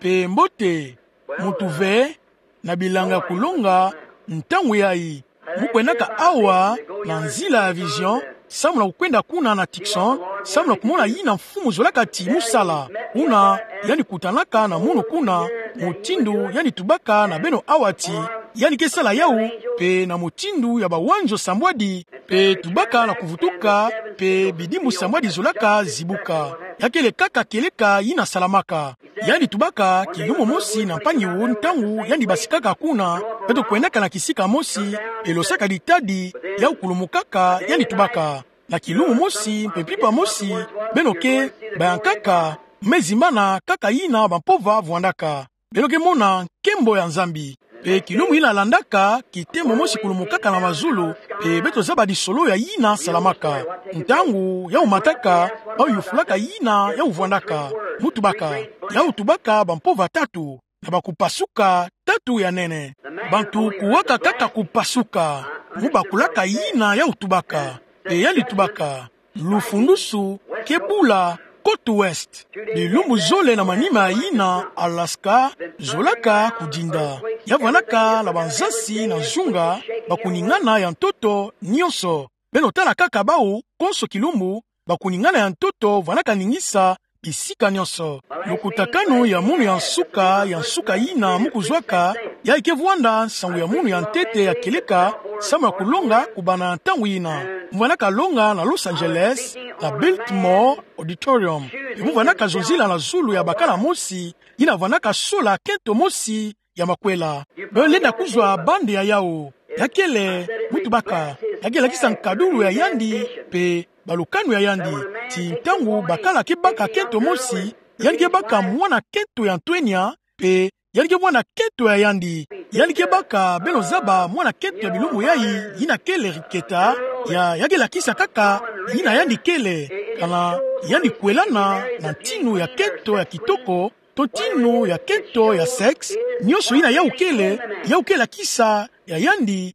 pe mbote, muntu ve, na bilanga ya kulonga, ntangu yayi. Mu kwendaka awa, na nzila ya Vision, samu na kukwenda kuna na Tucson, samu na kumona yina mfumu zolaka ti mu sala. Kuna, yandi kutanaka na munu kuna, mutindu yandi tubaka na beno awa ti, yandi ke sala yawu, pe na mutindu ya bawanzo sambwadi, pe tubaka na kuvutuka, pe bidimbu sambwadi zolaka zibuka. Ya kele kaka kieleka yina salamaka. Yandi tubaka kilumbu mosi na mpangi Wood ntangu yandi basikaka kuna, beto kwendaka na kisika mosi, pe losaka ditadi, yawu kulumukaka, yandi tubaka. Na kilumbu mosi, mpe mpimpa mosi, beno ke, bayankaka, me zimbana kaka yina bampova vwandaka. Beno ke mona nkembo ya Nzambi. Pe kilumbu ina landaka, kitemo mosi kulumukaka na mazulu, pe beto zaba disolo ya ina salamaka. Ntangu yawu mataka, bawu yufulaka ina yawu vwandaka. Mu tubaka, yawu tubaka bampova tatu, na bakupasuka tatu ya nene. Bantu kuwaka kaka kupasuka, mu bakulaka ina yawu tubaka. Pe yandi tubaka: Lufundusu ke bula, côte ouest. Bilumbu zole na manima ya ina, Alaska zolaka kudinda. Ya vwandaka na banzasi na nzunga, bakuningana ya ntoto nyonso. Beno tala kaka bawu, konso kilumbu, bakuningana ya ntoto vwandaka ningisa bisika nyonso. Lukutakanu ya munu ya nsuka, ya nsuka ina mu kuzwaka, yayi ke vwanda nsangu ya munu ya ntete ya kieleka, samu ya kulonga kubanda ntangu ina. Mu vwandaka longa na Los Angeles, na Biltmore Auditorium. Pe mu vwandaka zonzila na zulu ya bakala mosi, ina vwandaka sola kento mosi ya makwela. Beno lenda kuzwa bande ya yawu. Ya kele, mu tubaka, ya ke lakisa nkadulu ya yandi, pe balukanu ya yandi. Ti ntangu bakala ke baka kento mosi, yandi ke baka mwana kento ya ntwenya, pe yandi ke mwana kento ya yandi. Yandi ke baka, beno zaba, mwana kento ya bilumbu yayi, ina kele riketa, ya, ya ke lakisa kaka ina yandi kele, kana yandi kwelana na ntinu ya kento ya kitoko, to ntinu ya kento ya sexe, nyonso ina yawu kele, yawu ke lakisa ya yandi,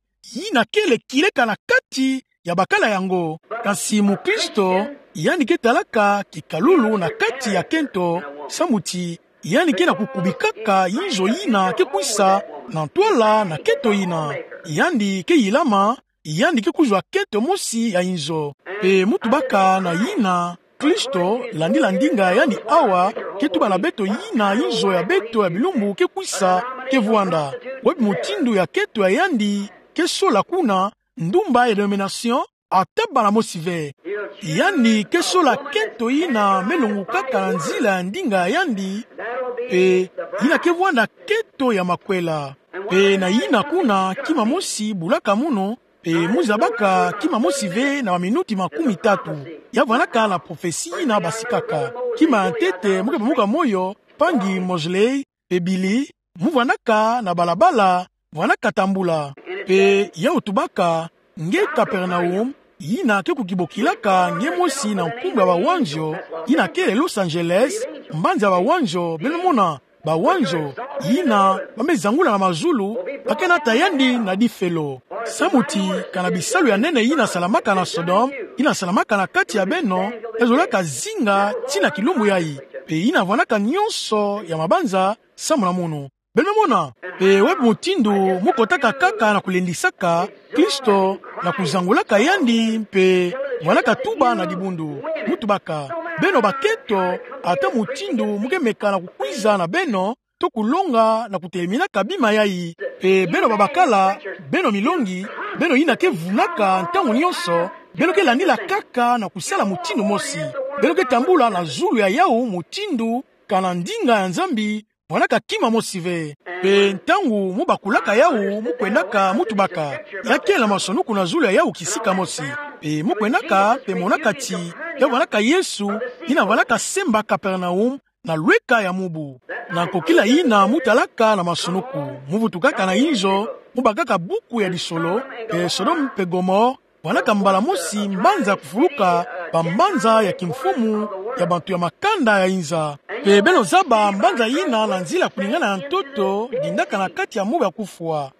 ina kele kieleka na kati ya bakala yango. Kasi mukristo, yandi ke talaka kikalulu na kati ya kento, samu ti yandi ke na kukubikaka inzo ina ke kwisa na ntwala na kento ina. Yandi ke yilama, yandi ke kuzwa kento mosi ya inzo. Pe mu tubaka na ina, Kristo, landila ndinga ya yandi awa, ke tuba na beto ina inzo ya beto ya bilumbu ke kwisa, ke vwanda. Webi mutindu ya kento ya yandi ke sola kuna, ndumba ya dénomination, ata bala mosi ve. Yandi ke sola kento ina me longukaka na nzila ya ndinga ya yandi, pe ina ke vwanda kento ya makwela. Pe na ina kuna, kima mosi bulaka munu, pe mu zabaka kima mosi ve na baminuti makumi tatu. Ya vwandaka na prophetie ina basikaka. Kima ya ntete, mu ke pamuka moyo, mpangi Mosley, pe Billy, mu vwandaka na balabala, vwandaka tambula. Pe yawu tubaka, nge Capernaum, ina ke kukibokilaka nge mosi na nkumbu ya bawanzo, ina kele Los Angeles, mbanza ya bawanzo, beno mona, bawanzo, ina ba me zangula na mazulu, ba ke nata yandi na difelo. Samu ti, kana bisalu ya nene ina salamaka na Sodome, ina salamaka na kati ya beno, ezolaka zinga tii na kilumbu yayi. Pe ina vwandaka nyonso ya mabanza, samu na munu. Beno mona, pe webi mutindu mu kotaka kaka na kulendisaka Kristo, na kuzangulaka yandi, pe vwandaka tuba na dibundu. Mu tubaka, beno bakento, ata mutindu mu ke meka na kukwiza na beno, to kulonga na kuteleminaka bima yayi, pe beno babakala, beno milongi, beno ina ke vunaka ntangu nyonso, beno ke landila kaka na kusala mutindu mosi. Beno ke tambula na zulu ya yawu mutindu, kana ndinga ya Nzambi, vwandaka kima mosi ve. Pe ntangu mu bakulaka yawu, mu kwendaka, mu tubaka, ya kele masonuku na zulu ya yawu kisika mosi. Pe mu kwendaka, pe monaka ti, ya vwandaka Yesu, ina vwandaka semba Capernaum, na lweka ya mubu. Na nkokila ina mu talaka na masonuku, mu vutukaka na inzo, mu bakaka buku ya disolo, pe Sodome pe Gomorrhe, vwandaka mbala mosi mbanza kufuluka, bambanza ya kimfumu, ya bantu ya makanda ya inza. Pe beno zaba mbanza ina na nzila kuningana ya ntoto, dindaka na kati ya mobu ya kufwa.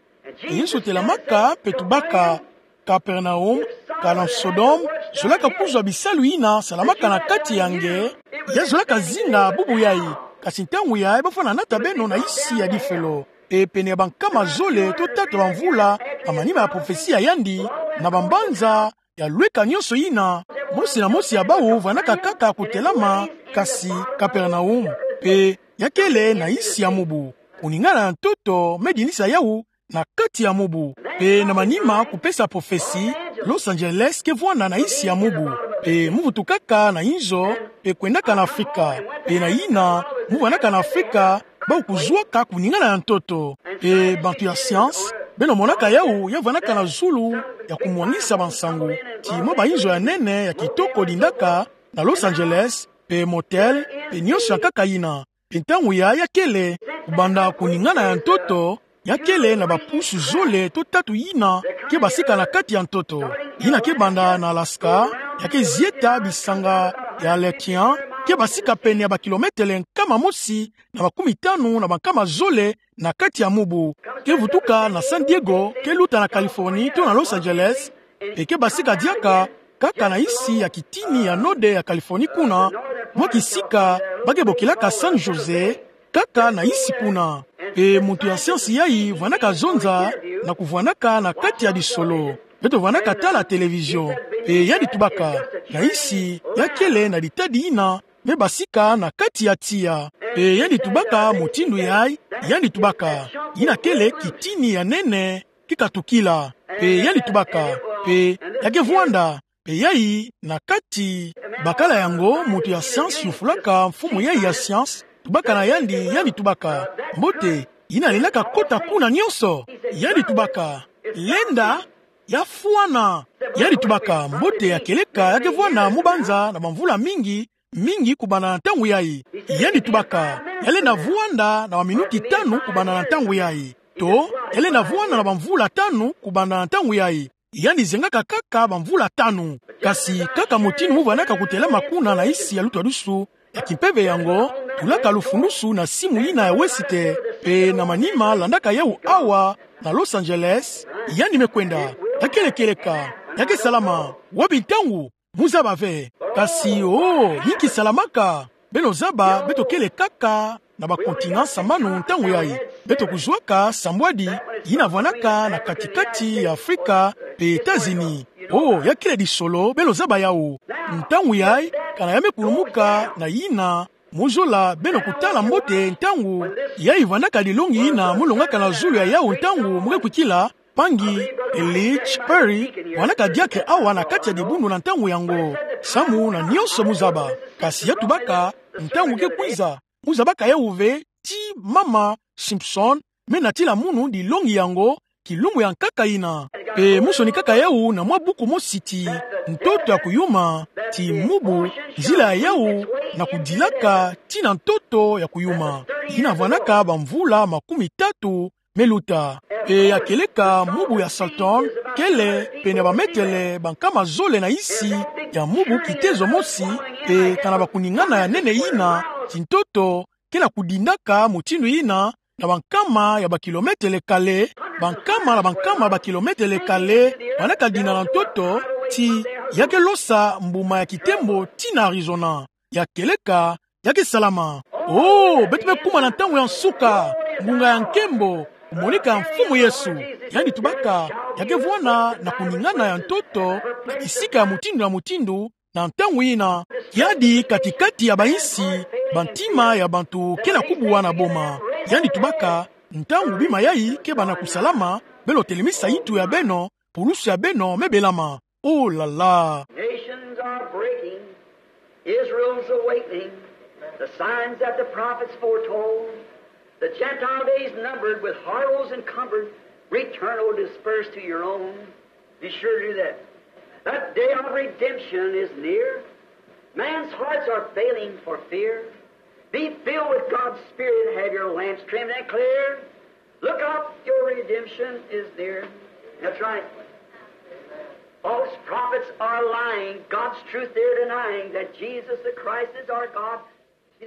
Yesu telamaka, pe tubaka, Capernaum, kana Sodome, zolaka kuzwa bisalu ina salamaka na kati ya nge, ya zolaka zinga bubu yayi, kasi ntangu yayi ba fwana nata beno na isi ya difelo. E pene ya bankama zole to tatu ya bamvula, na manima ya prophetie ya yandi, na bambanza ya lweka nyonso ina, mosi na mosi ya bawu vwandaka kaka kutelama, kasi Capernaum, pe ya kele na isi ya mubu. Kuningana ya ntoto, me dinisa yawu, na kati ya mubu. Pe na manima kupesa prophetie, Los Angeles ke vwanda na isi ya mubu. Pe mu vutukaka na inzo, pe kwendaka na Afrika. Pe na ina, mu vwandaka na Afrika, bawu kuzwaka kuningana ya ntoto. Pe bantu ya science, beno monaka yawu, ya vwandaka na zulu, ya kumwangisa bansangu. Ti mwa bainzo ya nene, ya kitoko dindaka, na Los Angeles, pe motel, pe nyonso ya nkaka ina. Pe ntangu yayi ya kele, kubanda kuningana ya ntoto, ya kele na bapusu zole to tatu yina ke basika na kati ya ntoto. Yina ke banda na Alaska, ya ke zieta bisanga ya Aleutian, ke basika pene ya bakilometele nkama mosi na makumi tanu na bankama zole na kati ya mubu. Ke vutuka na San Diego, ke luta na Californie to na Los Angeles, mpe ke basika diaka kaka na insi ya kitini ya node ya Californie kuna, mwa kisika ba ke bokilaka San Jose, kaka na insi kuna. Mpe muntu ya siansi yayi vwanaka zonza na kuvwanaka na kati ya disolo. Beto vwanaka tala televizio. Mpe yandi tubaka, na insi ya kele na ditadi yina me basika na kati ya tiya. Mpe yandi tubaka mutindu yayi, yandi tubaka, yina kele kitini ya nene ke katukila. Mpe yandi tubaka, mpe ya ke vwanda, mpe yayi na kati. Bakala yango muntu ya siansi yufulaka mfumu yayi ya siansi, tubaka na yandi, yandi tubaka: Mbote, yina lendaka kota kuna nionso? Yandi tubaka: Lenda, ya fwana. Yandi tubaka: Mbote, ya kieleka ya ke vwanda mu banza na bamvula mingi, mingi kubanda na ntangu yayi. Yandi tubaka: Ya lenda vwanda na baminuti tanu kubanda na ntangu yayi, to ya lenda vwanda na bamvula tanu kubanda na ntangu yayi. Yandi zengaka kaka bamvula tanu. Kasi kaka mutindu mu vwanaka kutelama kuna na insi ya lutwadusu ya kimpeve yango, tulaka lufundusu na simu yina ya Wesite, mpe na manima landaka yawu awa na Los Angeles. Yandi me kwenda. Ya kele kieleka, ya ke salama. Wapi ntangu? Mu zaba ve. Kasi, oh, yinki salamaka? Beno zaba, beto kele kaka na bakontina sambanu ntangu yayi. Beto kuzwaka sambwadi yina vwanaka na kati-kati ya Afrika mpe Etats-Unis. Oh, ya kele disolo, beno zaba yawu. Ntangu yayi, kana ya me kulumuka na yina mu zola, beno kutala mbote ntangu yayi vwanaka dilongi yina mu longaka na zulu ya yawu ntangu mu ke kwikila, mpangi Elich Perry, vwanaka diaka awa na kati ya dibundu na ntangu yango. Samu na nionso mu zaba. Kasi ya tubaka, ntangu ke kwiza, mu zabaka yawu ve, ti mama Simpson me natila munu dilongi yango, kilumbu ya nkaka yina. Mpe mu sonikaka yawu na mwa buku mosi ti: Ntoto ya kuyuma, ti mubu, nzila ya yawu na kudilaka tii na ntoto ya kuyuma, yina vwanaka bamvula makumi tatu me luta. Mpe ya kieleka mubu ya Salton kele pene ya bametele bankama zole na insi ya mubu kitezo mosi, mpe kana bakuningana ya nene yina, ti ntoto ke na kudindaka mutindu yina na bankama ya bakilometele kale, bankama na bankama ya bakilometele kale, vwanaka dina na ntoto, ti ya ke losa mbuma ya kitembo tii na Arizona. Ya kieleka, ya ke salama. Oh, beto me kuma na ntangu ya nsuka, ngunga ya nkembo, kumonika ya Mfumu Yesu. Yandi tubaka, ya ke vwanda na kuningana ya ntoto na bisika ya mutindu na mutindu, na ntangu yina, kiadi kati-kati ya bainsi, bantima ya bantu ke na kubuwa na boma. Yandi tubaka, ntangu bima yayi ke banda kusalama, beno telemisa yintu ya beno, pulusu ya beno me belama. Oh là là. Nations are breaking. Israel's awakening. The signs that the prophets foretold. The Gentile days numbered with horrors encumbered. Return, O dispersed, to your own. Be sure to do that. That day of redemption is near. Man's hearts are failing for fear. Be filled with God's Spirit and have your lamps trimmed and clear. Look up, your redemption is near. That's right. False prophets are lying, God's truth they're denying, that Jesus the Christ is our God.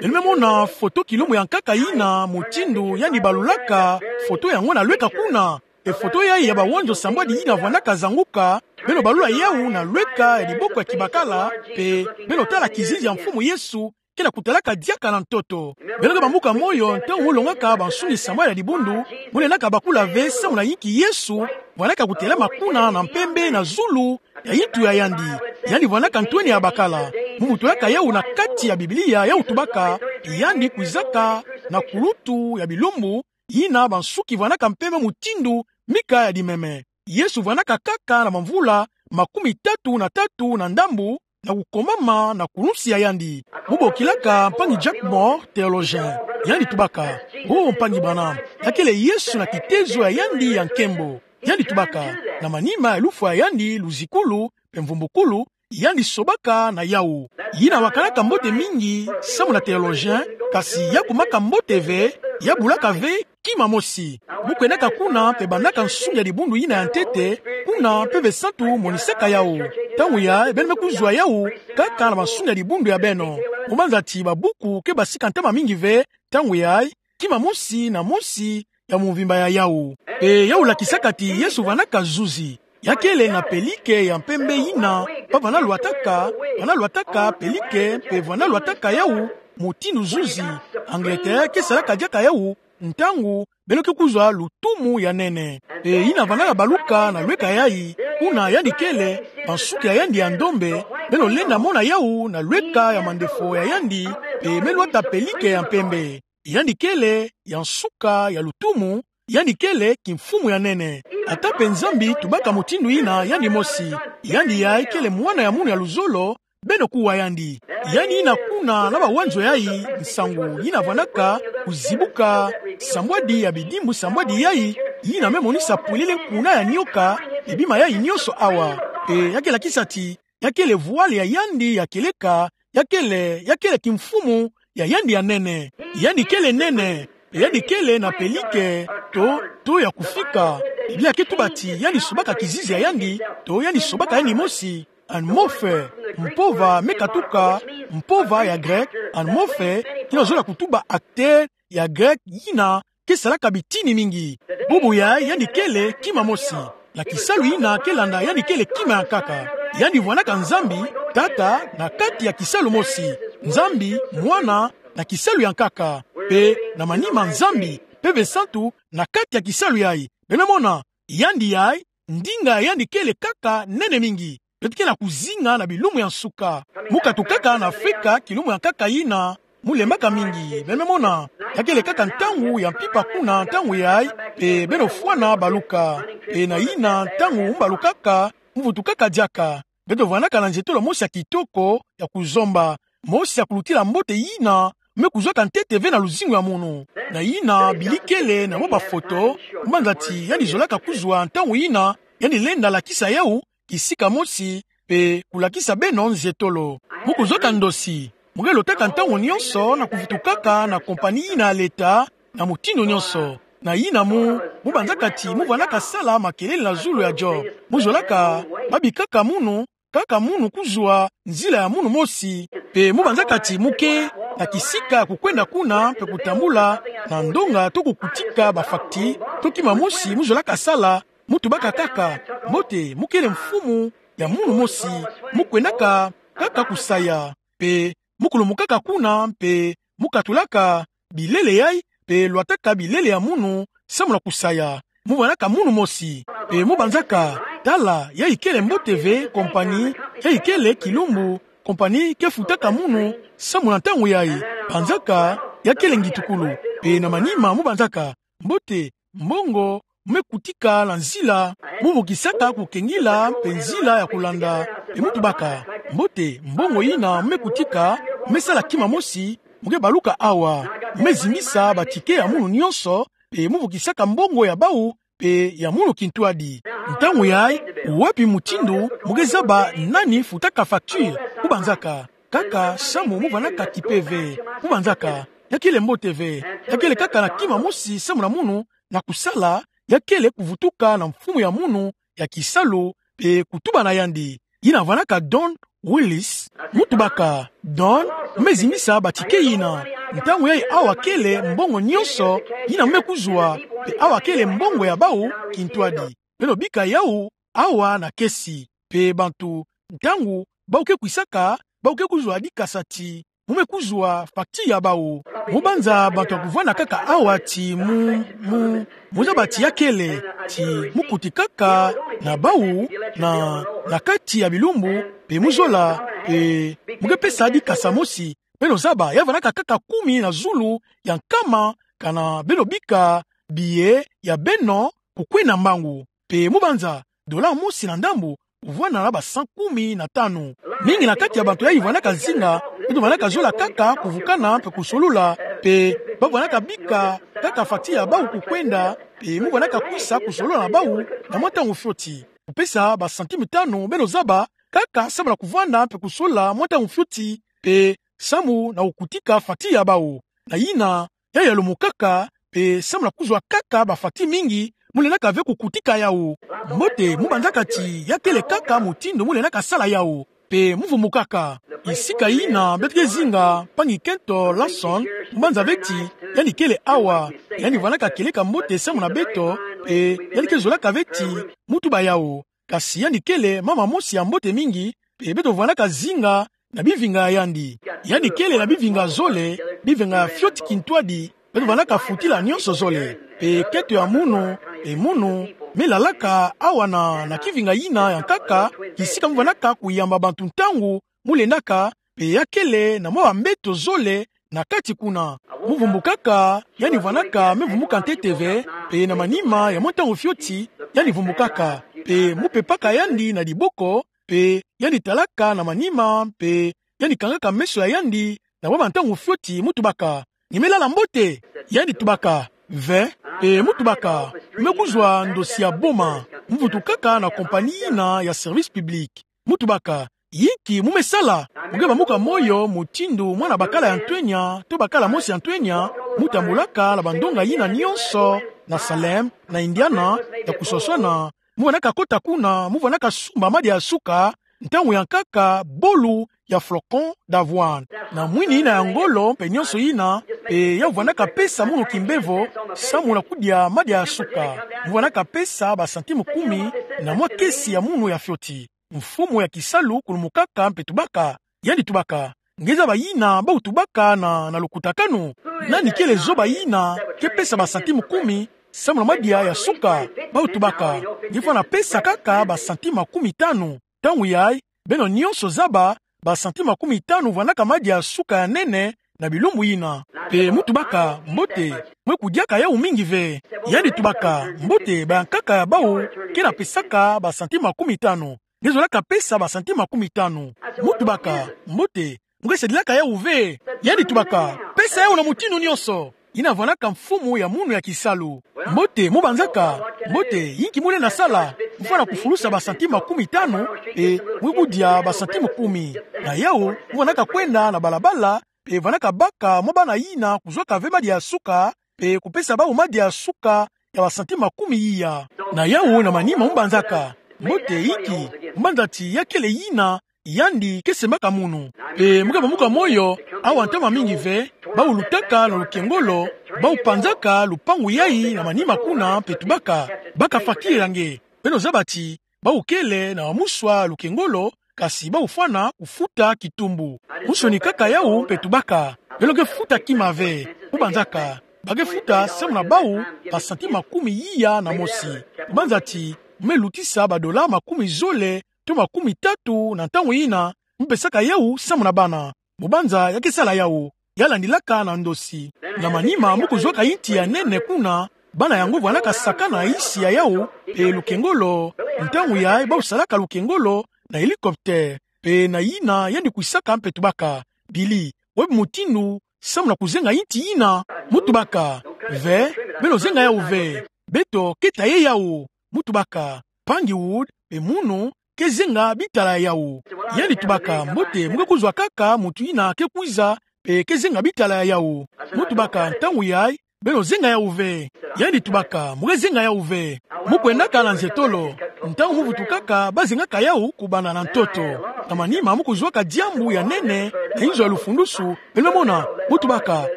Beno me mona foto kilumbu ya nkaka yina, mutindu yandi balulaka foto yango na lweka kuna. E foto yayi ya bawanzo sambwadi yina vwandaka zanguka, beno balula yawu na lweka ya diboko ya kibakala, mpe beno tala kizizi ya Mfumu Yesu ke na kutalaka diaka na ntoto. Beno ke bambuka moyo ntangu mu longaka bansungi sambwadi ya dibundu, mu lendaka bakula ve samu na yinki Yesu vwandaka kutelama kuna na mpembe na zulu ya yintu ya yandi. Yandi vwandaka ntwenia ya bakala. Mu butulaka yawu na kati ya Biblia, yawu tubaka, yandi kwizaka na kulutu ya bilumbu, yina bansuki vwandaka mpembe mutindu mika ya dimeme. Yesu vwandaka kaka na bamvula makumi tatu na tatu na ndambu, na kukomama na kulunsi ya yandi. Mu bokilaka mpangi Jack Moore, théologien. Yandi tubaka: Oh, mpangi Branham, ya kele Yesu na kitezo ya yandi ya nkembo. Yandi tubaka, na manima ya lufwa ya yandi, luzikulu, mpe mvumbukulu, yandi sobaka na yawu. Yina wakanaka mbote mingi samu na théologien, kasi ya kumaka mbote ve, ya bulaka ve kima mosi. Mu kwendaka kuna mpe bandaka nsungi ya dibundu yina ya ntete, kuna mpeve santu monisaka yawu. Ntangu yayi, beno me kuzwa yawu kaka na bansungi ya dibundu ya beno. Mu banza ti babuku ke basika ntama mingi ve, ntangu yayi, kima mosi na mosi ya mvimba ya yawu. Mpe yawu lakisaka ti Yesu vandaka zuzi. Ya kele na pelike ya mpembe yina bavana lwataka, vana lwataka pelike, mpe vana lwataka yawu mutindu zuzi. Angleterre ke salaka diaka yawu ntangu beno ke kuzwa lutumu ya nene. Mpe yina vandaka baluka na lweka yayi, kuna yandi kele, bansuki ya yandi ya ndombe, beno lenda mona yawu na lweka ya mandefo ya yandi, mpe me lwata pelike ya mpembe. Yandi kele ya nsuka ya lutumu, yandi kele kimfumu ya nene. Ata mpe Nzambi tubaka mutindu yina yandi mosi. Yandi yayi kele mwana ya munu ya luzolo, beno kuwa yandi. Yandi yina kuna na bawanzo yayi, nsangu yina vandaka kuzibuka sambwadi ya bidimbu, sambwadi yayi yina me monisa pwelele nkuna ya nioka, mpe bima yayi nyonso awa. Mpe ya ke lakisa ti ya kele voile ya yandi ya kieleka, ya kele, ya kele kimfumu ya yandi ya nene. Yandi kele nene, mpe yandi kele na pelike to, to ya kufika. Biblia ke tuba ti yandi sobaka kizizi ya yandi, to yandi sobaka yandi mosi. Anmorphe, mpova me katuka mpova ya grec, anmorphe, yina zola kutuba acteur ya grec yina ke salaka bitini mingi. Bubu yayi yandi kele kima mosi. Na kisalu yina ke landa yandi kele kima ya nkaka. Yandi vwanaka Nzambi, Tata, na kati ya kisalu mosi. Nzambi, Mwana, na kisalu ya nkaka. Mpe na manima Nzambi, Mpeve Santu, na kati ya kisalu yayi. Beno mona, yandi yayi, ndinga ya yandi kele kaka nene mingi. Beto ke na kuzinga na bilumbu ya nsuka. Mu katukaka na Afrika, kilumbu ya nkaka yina mu lembaka mingi. Beno me mona, ya kele kaka ntangu ya mpimpa kuna ntangu yayi, mpe beno fwana baluka. Mpe na yina ntangu mu balukaka, mu vutukaka diaka. Beto vwanaka na nzietolo mosi ya kitoko ya kuzomba. Mosi ya kulutila mbote yina me kuzwaka ntete ve na luzingu ya munu. Na yina bili kele na mwa bafoto, mu banza ti yandi zolaka kuzwa ntangu yina yandi lenda lakisa yawu kisika mosi, mpe kulakisa beno nzietolo. Mu kuzwaka ndosi, mu ke lotaka ntangu nyonso na kuvutukaka na kompani yina ya leta, na mutindu nyonso. Na yina mu, mu banzaka ti mu vwanaka sala makelele na zulu ya Job. Mu zolaka, babikaka munu, kaka munu kuzwa nzila ya munu mosi. Mpe mu banzaka ti mu ke na kisika kukwenda kuna mpe kutambula na ndonga to kukutika bafacture, to kima mosi mu zolaka sala, mu tubaka kaka, mbote, mu kele mfumu ya munu mosi, mu kwendaka kaka kusaya, mpe mu kulumukaka kuna, mpe mu katulaka bilele yayi, mpe lwataka bilele ya munu, samu na kusaya. Mu vwanaka munu mosi, mpe mu banzaka, tala, yayi kele mbote ve kompani, yayi kele kilumbu, kompani ke futaka munu, samu na ntangu yayi, banzaka, ya kele ngitukulu, mpe na manima mu banzaka, mbote, mbongo, mu me kutika na nzila, mu vukisaka kukengila mpe nzila ya kulanda, mpe mu tubaka, mbote, mbongo yina mu me kutika, mu me sala kima mosi, mu ke baluka awa, mu me zimbisa batike ya munu nyonso, mpe mu vukisaka mbongo ya bawu, mpe ya munu kintwadi. Ntangu yayi, wapi mutindu mu ke zaba nani futaka facture, mu banzaka, kaka samu mu vwanaka kipe ve, mu banzaka, ya kele mbote ve, ya kele kaka na kima mosi samu na munu, na kusala, ya kele kuvutuka na mfumu ya munu, ya kisalu, mpe kutuba na yandi. Yina vwanaka Don Willis, mu tubaka, Don, mu me zimbisa batike yina. Ntangu yayi awa kele mbongo nyonso, yina mu me kuzwa, mpe awa kele mbongo ya bawu kintwadi. Beno bika yawu, awa na kesi. Mpe bantu, ntangu, bawu ke kwisaka, bawu ke kuzwa dikasa ti mu me kuzwa facture ya bawu. Mu banza bantu ya kuvwanda kaka awa ti mu, mu, mu zaba ti ya kele, ti mu kutikaka na bawu, na, na kati ya bilumbu, mpe mu zola, mpe mu ke pesa dikasa mosi. Beno zaba, ya vwandaka kaka kumi na zulu ya nkama, kana beno bika billet ya beno kukwenda mbangu. Mpe mu banza, dollar mosi na ndambu, kuvwanda na ba cent kumi na tanu. Mingi na kati ya bantu yayi vwandaka zinga, beto vwandaka zola kaka kuvukana mpe kusolola, mpe ba vwandaka bika kaka facture ya bawu kukwenda, mpe mu vwandaka kwisa kusolola na bawu na mwa ntangu fioti. Kupesa ba centime tanu, beno zaba, kaka samu na kuvwanda mpe kusolola mwa ntangu fioti, mpe samu na kukutika facture ya bawu. Na yina, ya yalumukaka, Pe samu na kuzwa kaka bafacture mingi, mu lendaka ve kukutika yawu. Mbote, mu banzaka ti ya kele kaka mutindu mu lendaka sala yawu. Pe mu vumbukaka. Kisika yina beto ke zinga mpangi kento Larson, mu banza ve ti yandi kele awa, yandi vwandaka kieleka mbote samu na beto, pe yandi ke zolaka ve ti mu tuba yawu. Kasi yandi kele mama mosi ya mbote mingi, pe beto vwandaka zinga na bivinga ya yandi. Yandi kele na bivinga zole, bivinga fioti kintwadi, beto vwandaka futila nionso zole. Pe kento ya munu, pe munu me lalaka awa na, na kivinga yina ya nkaka, kisika mu vwandaka kuyamba bantu ntangu mu lendaka, pe ya kele na mwa bambeto zole na kati kuna. Mu vumbukaka, yandi vwandaka me vumbuka ntete ve, pe na manima ya mwa ntangu fioti, yandi vumbukaka. Pe mu pepaka yandi na diboko, pe yandi talaka na manima, pe yandi kangaka meso ya yandi na mwa bantangu fioti, mu tubaka: Nge me lala mbote? Yandi tubaka: Ve. Pe mu tubaka: Mu me kuzwa ndosi ya boma, mu vutukaka na compagnie yina ya service public. Mu tubaka: Yinki mu me sala? Mu nge bamuka moyo mutindu mwana bakala ya ntwenya, to bakala mosi ya ntwenya, mu tambulaka na bandonga yina nionso, na Salem, na Indiana, ya kuswaswana, mu vwandaka kota kuna, mu vwandaka sumba madia ya suka, ntangu ya nkaka bolu ya flocon d'avoine. Na mwini yina ya ngolo, mpe nionso yina, pe yawu vwandaka pesa munu kimbevo, samu na kudia madia ya suka. Mu vwandaka pesa ba centime kumi, na mwa kesi ya munu ya fioti. Mfumu ya kisalu kulumukaka mpe tubaka, yandi tubaka: Nge zaba yina bawu tubaka na, na lukutakanu? Nani kele zoba yina ke pesa ba centime kumi samu na madia ya suka? Bawu tubaka: Nge fwana pesa kaka ba centime makumi tanu. Ntangu yayi, beno nionso zaba, ba centime makumi tanu vwandaka madia ya suka ya nene na bilumbu yina. Pe mu tubaka: Mbote, mu me kudiaka yawu mingi ve. Yandi tubaka: Mbote, ba ya nkaka ya bawu ke na pesaka ba centime makumi tanu. Nge zolaka pesa ba centime makumi tanu. Mu tubaka: Mbote, mu ke sadilaka yawu ve. Yandi tubaka: Pesa yawu na mutindu nionso. Yina vwandaka mfumu ya munu ya kisalu. Mbote, mu banzaka? Mbote, yinki mu lenda sala? Mu fwana kufulusa ba centime makumi tanu, pe mu ke kudia ba centime kumi. Na yawu, mu vwandaka kwenda na balabala, pe vwandaka baka mwa bana yina kuzwaka ve madia ya suka, pe kupesa bawu madia ya suka ya ba centime makumi iya. Na yawu na manima mu banzaka: Mbote, yinki? Mu banza ti ya kele yina yandi ke sembaka munu. Pe mu ke bamuka moyo, awa ntama mingi ve, bawu lutaka na lukengolo, bawu panzaka lupangu yayi na manima kuna, mpe tubaka: Baka facture ya nge. Beno zaba ti bawu kele na wamuswa lukengolo, kasi bawu fwana kufuta kitumbu. Mu sonikaka yawu mpe tubaka: Beno ke futa kima ve. Mu banzaka: Ba ke futa samu na bawu ba centime makumi iya na mosi. Mu banza ti mu me lutisa ba dola makumi zole to makumi tatu na ntangu yina, mu pesaka yawu samu na bana. Mu banza ya ke sala yawu, ya landilaka na ndosi. Na manima mu kuzwaka inti ya nene kuna, bana yango vwandaka sakana isi ya yawu, pe lukengolo, ntangu yayi bawu salaka lukengolo na hélicoptère, pe na yina yandi kwisaka mpe tubaka: Billy, webi mutindu samu na kuzenga inti yina? Mu tubaka: Ve, beno zenga yawu ve. Beto ke taye yawu. Mu tubaka: Mpangi Wood, pe munu, ke zenga bitala ya yawu. Yandi tubaka: Mbote, mu ke kuzwa kaka muntu yina ke kwiza, pe ke zenga bitala ya yawu. Mu tubaka: Ntangu yayi, beno zenga yawu ve. Yandi tubaka: Mu ke zenga yawu ve. Mu kwendaka na nzietolo. Ntangu mu vutukaka, ba zengaka yawu kubanda na ntoto. Na manima mu kuzwaka diambu ya nene na inzo ya lufundusu, beno mona. Mu tubaka: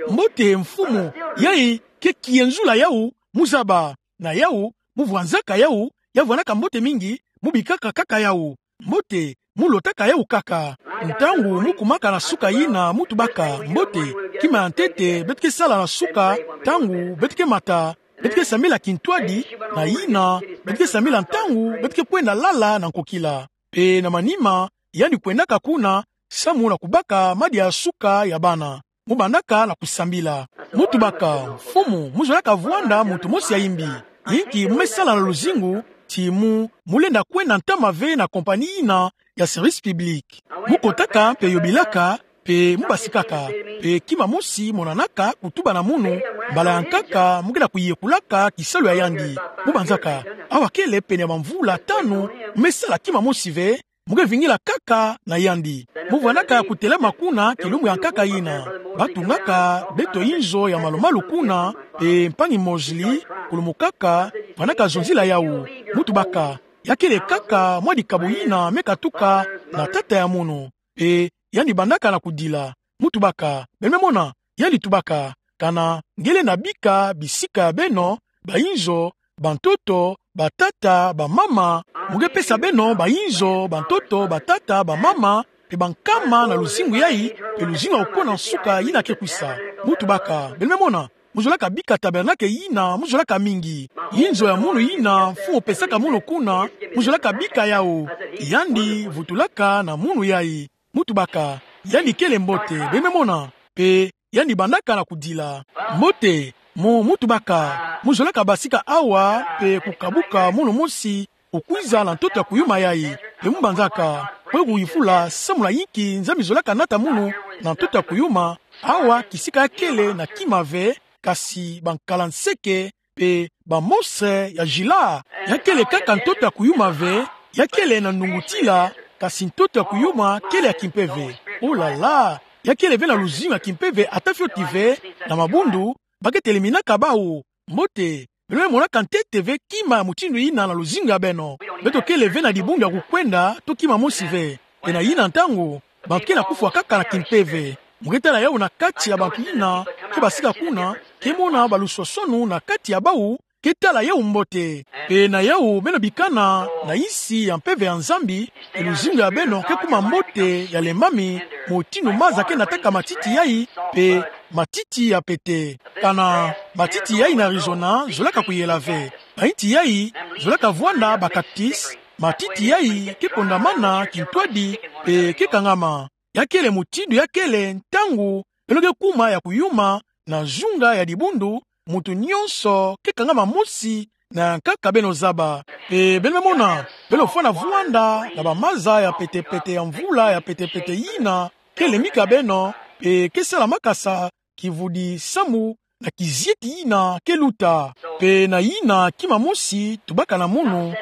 Mbote mfumu, yayi ke kienzula yawu, mu zaba. Na yawu, mu vwanzaka yawu, ya vwanaka mbote mingi, mu bikaka kaka yawu. Mbote, mu lotaka yawu kaka. Ntangu mu kumaka na suka yina, mu tubaka: Mbote, kima ya ntete beto ke sala na suka, ntangu beto ke mata, beto ke sambila kintwadi, na yina beto ke sambila ntangu beto ke kwenda lala na nkokila. Pe na manima, yandi kwendaka kuna, samu na kubaka madia ya suka ya bana. Mu bandaka na kusambila. Mu tubaka: Mfumu, mu zolaka vwanda muntu mosi ya imbi. Inki mu me sala na luzingu, ti mu, mu lenda kwenda ntama ve na compagnie yina ya service public? Mu kotaka mpe yobilaka, pe mu basikaka, pe kima mosi monanaka kutuba na munu, mbala ya nkaka mu kenda kuyekulaka kisalu ya yandi. Mu banzaka: Awa kele pene ya bamvula tanu, mu me sala kima mosi ve, Mu ke vingila kaka na yandi. Mu vwanaka ya kutelama kuna kilumbu ya nkaka yina. Batungaka beto inzo ya malumalu kuna, pe mpangi Mosley, kulumukaka, vwanaka zonzila yawu. Mu tubaka, ya kele kaka mwa dikabu yina me katuka na tata ya munu. Pe yandi bandaka na kudila. Mu tubaka, beno me mona, yandi tubaka, kana nge lenda bika bisika ya beno, bainzo, bantoto, batata, bamama, mu ke pesa beno bainzo, bantoto, batata, bamama, pe bankama na luzingu yayi, pe luzingu ya kukona nsuka yina ke kwisa. Mu tubaka, beno me mona, mu zolaka bika tabernacle yina, mu zolaka mingi. Inzo ya munu yina, mfumu pesaka munu kuna, mu zolaka bika yawu. Yandi vutulaka na munu yayi. Mu tubaka, yandi kele mbote, beno me mona, pe yandi bandaka na kudila. Mbote, mu, mu tubaka, mu zolaka basika awa, pe kukabuka munu mosi, kukwiza na ntoto ya kuyuma yayi, pe mu banzaka, kwe kuyifula, samu na yinki Nzambi zolaka nata munu na ntoto ya kuyuma, awa kisika ya kele na kima ve, kasi bankala nseke, pe bamostre ya jila. Ya kele kaka ntoto ya kuyuma ve, ya kele na nungutila, kasi ntoto ya kuyuma kele ya kimpeve. Oh là là, ya kele ve na luzingu ya kimpeve ata fioti ve, na mabundu, ba ke teleminaka bawu. Mbote, beno me monaka ntete ve kima ya mutindu yina na luzingu ya beno. Beto kele ve na dibundu ya kukwenda, to kima mosi ve. Pe na yina ntangu, bantu ke na kufwa kaka na kimpeve. Mu ke tala yawu na kati ya bantu yina ke basika kuna, ke mona baluswaswanu na kati ya bawu ke tala yawu mbote. Pe na yawu beno bikana na insi ya mpeve ya Nzambi, pe luzingu ya beno ke kuma mbote ya lembami, mutindu maza ke nataka matiti yayi, pe matiti ya pete. Kana matiti yayi na Arizona zolaka kuyela ve. Bainti yayi zolaka vwanda bacactus, matiti yayi ke kondamana kintwadi, pe ke kangama. Ya kele mutindu ya kele ntangu beno ke kuma ya kuyuma na zunga ya dibundu, muntu nyonso ke kangama mosi na nkaka beno zaba. Pe beno me mona, beno fwana vwanda na bamaza ya pete-pete ya mvula ya pete-pete yina ke lemika beno, pe ke sala makasa kivudi samu na kizieti yina ke luta. Pe na yina kima mosi tubaka na munu,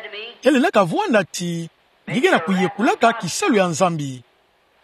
ya lendaka vwanda ti, nge ke na kuyekulaka kisalu ya Nzambi.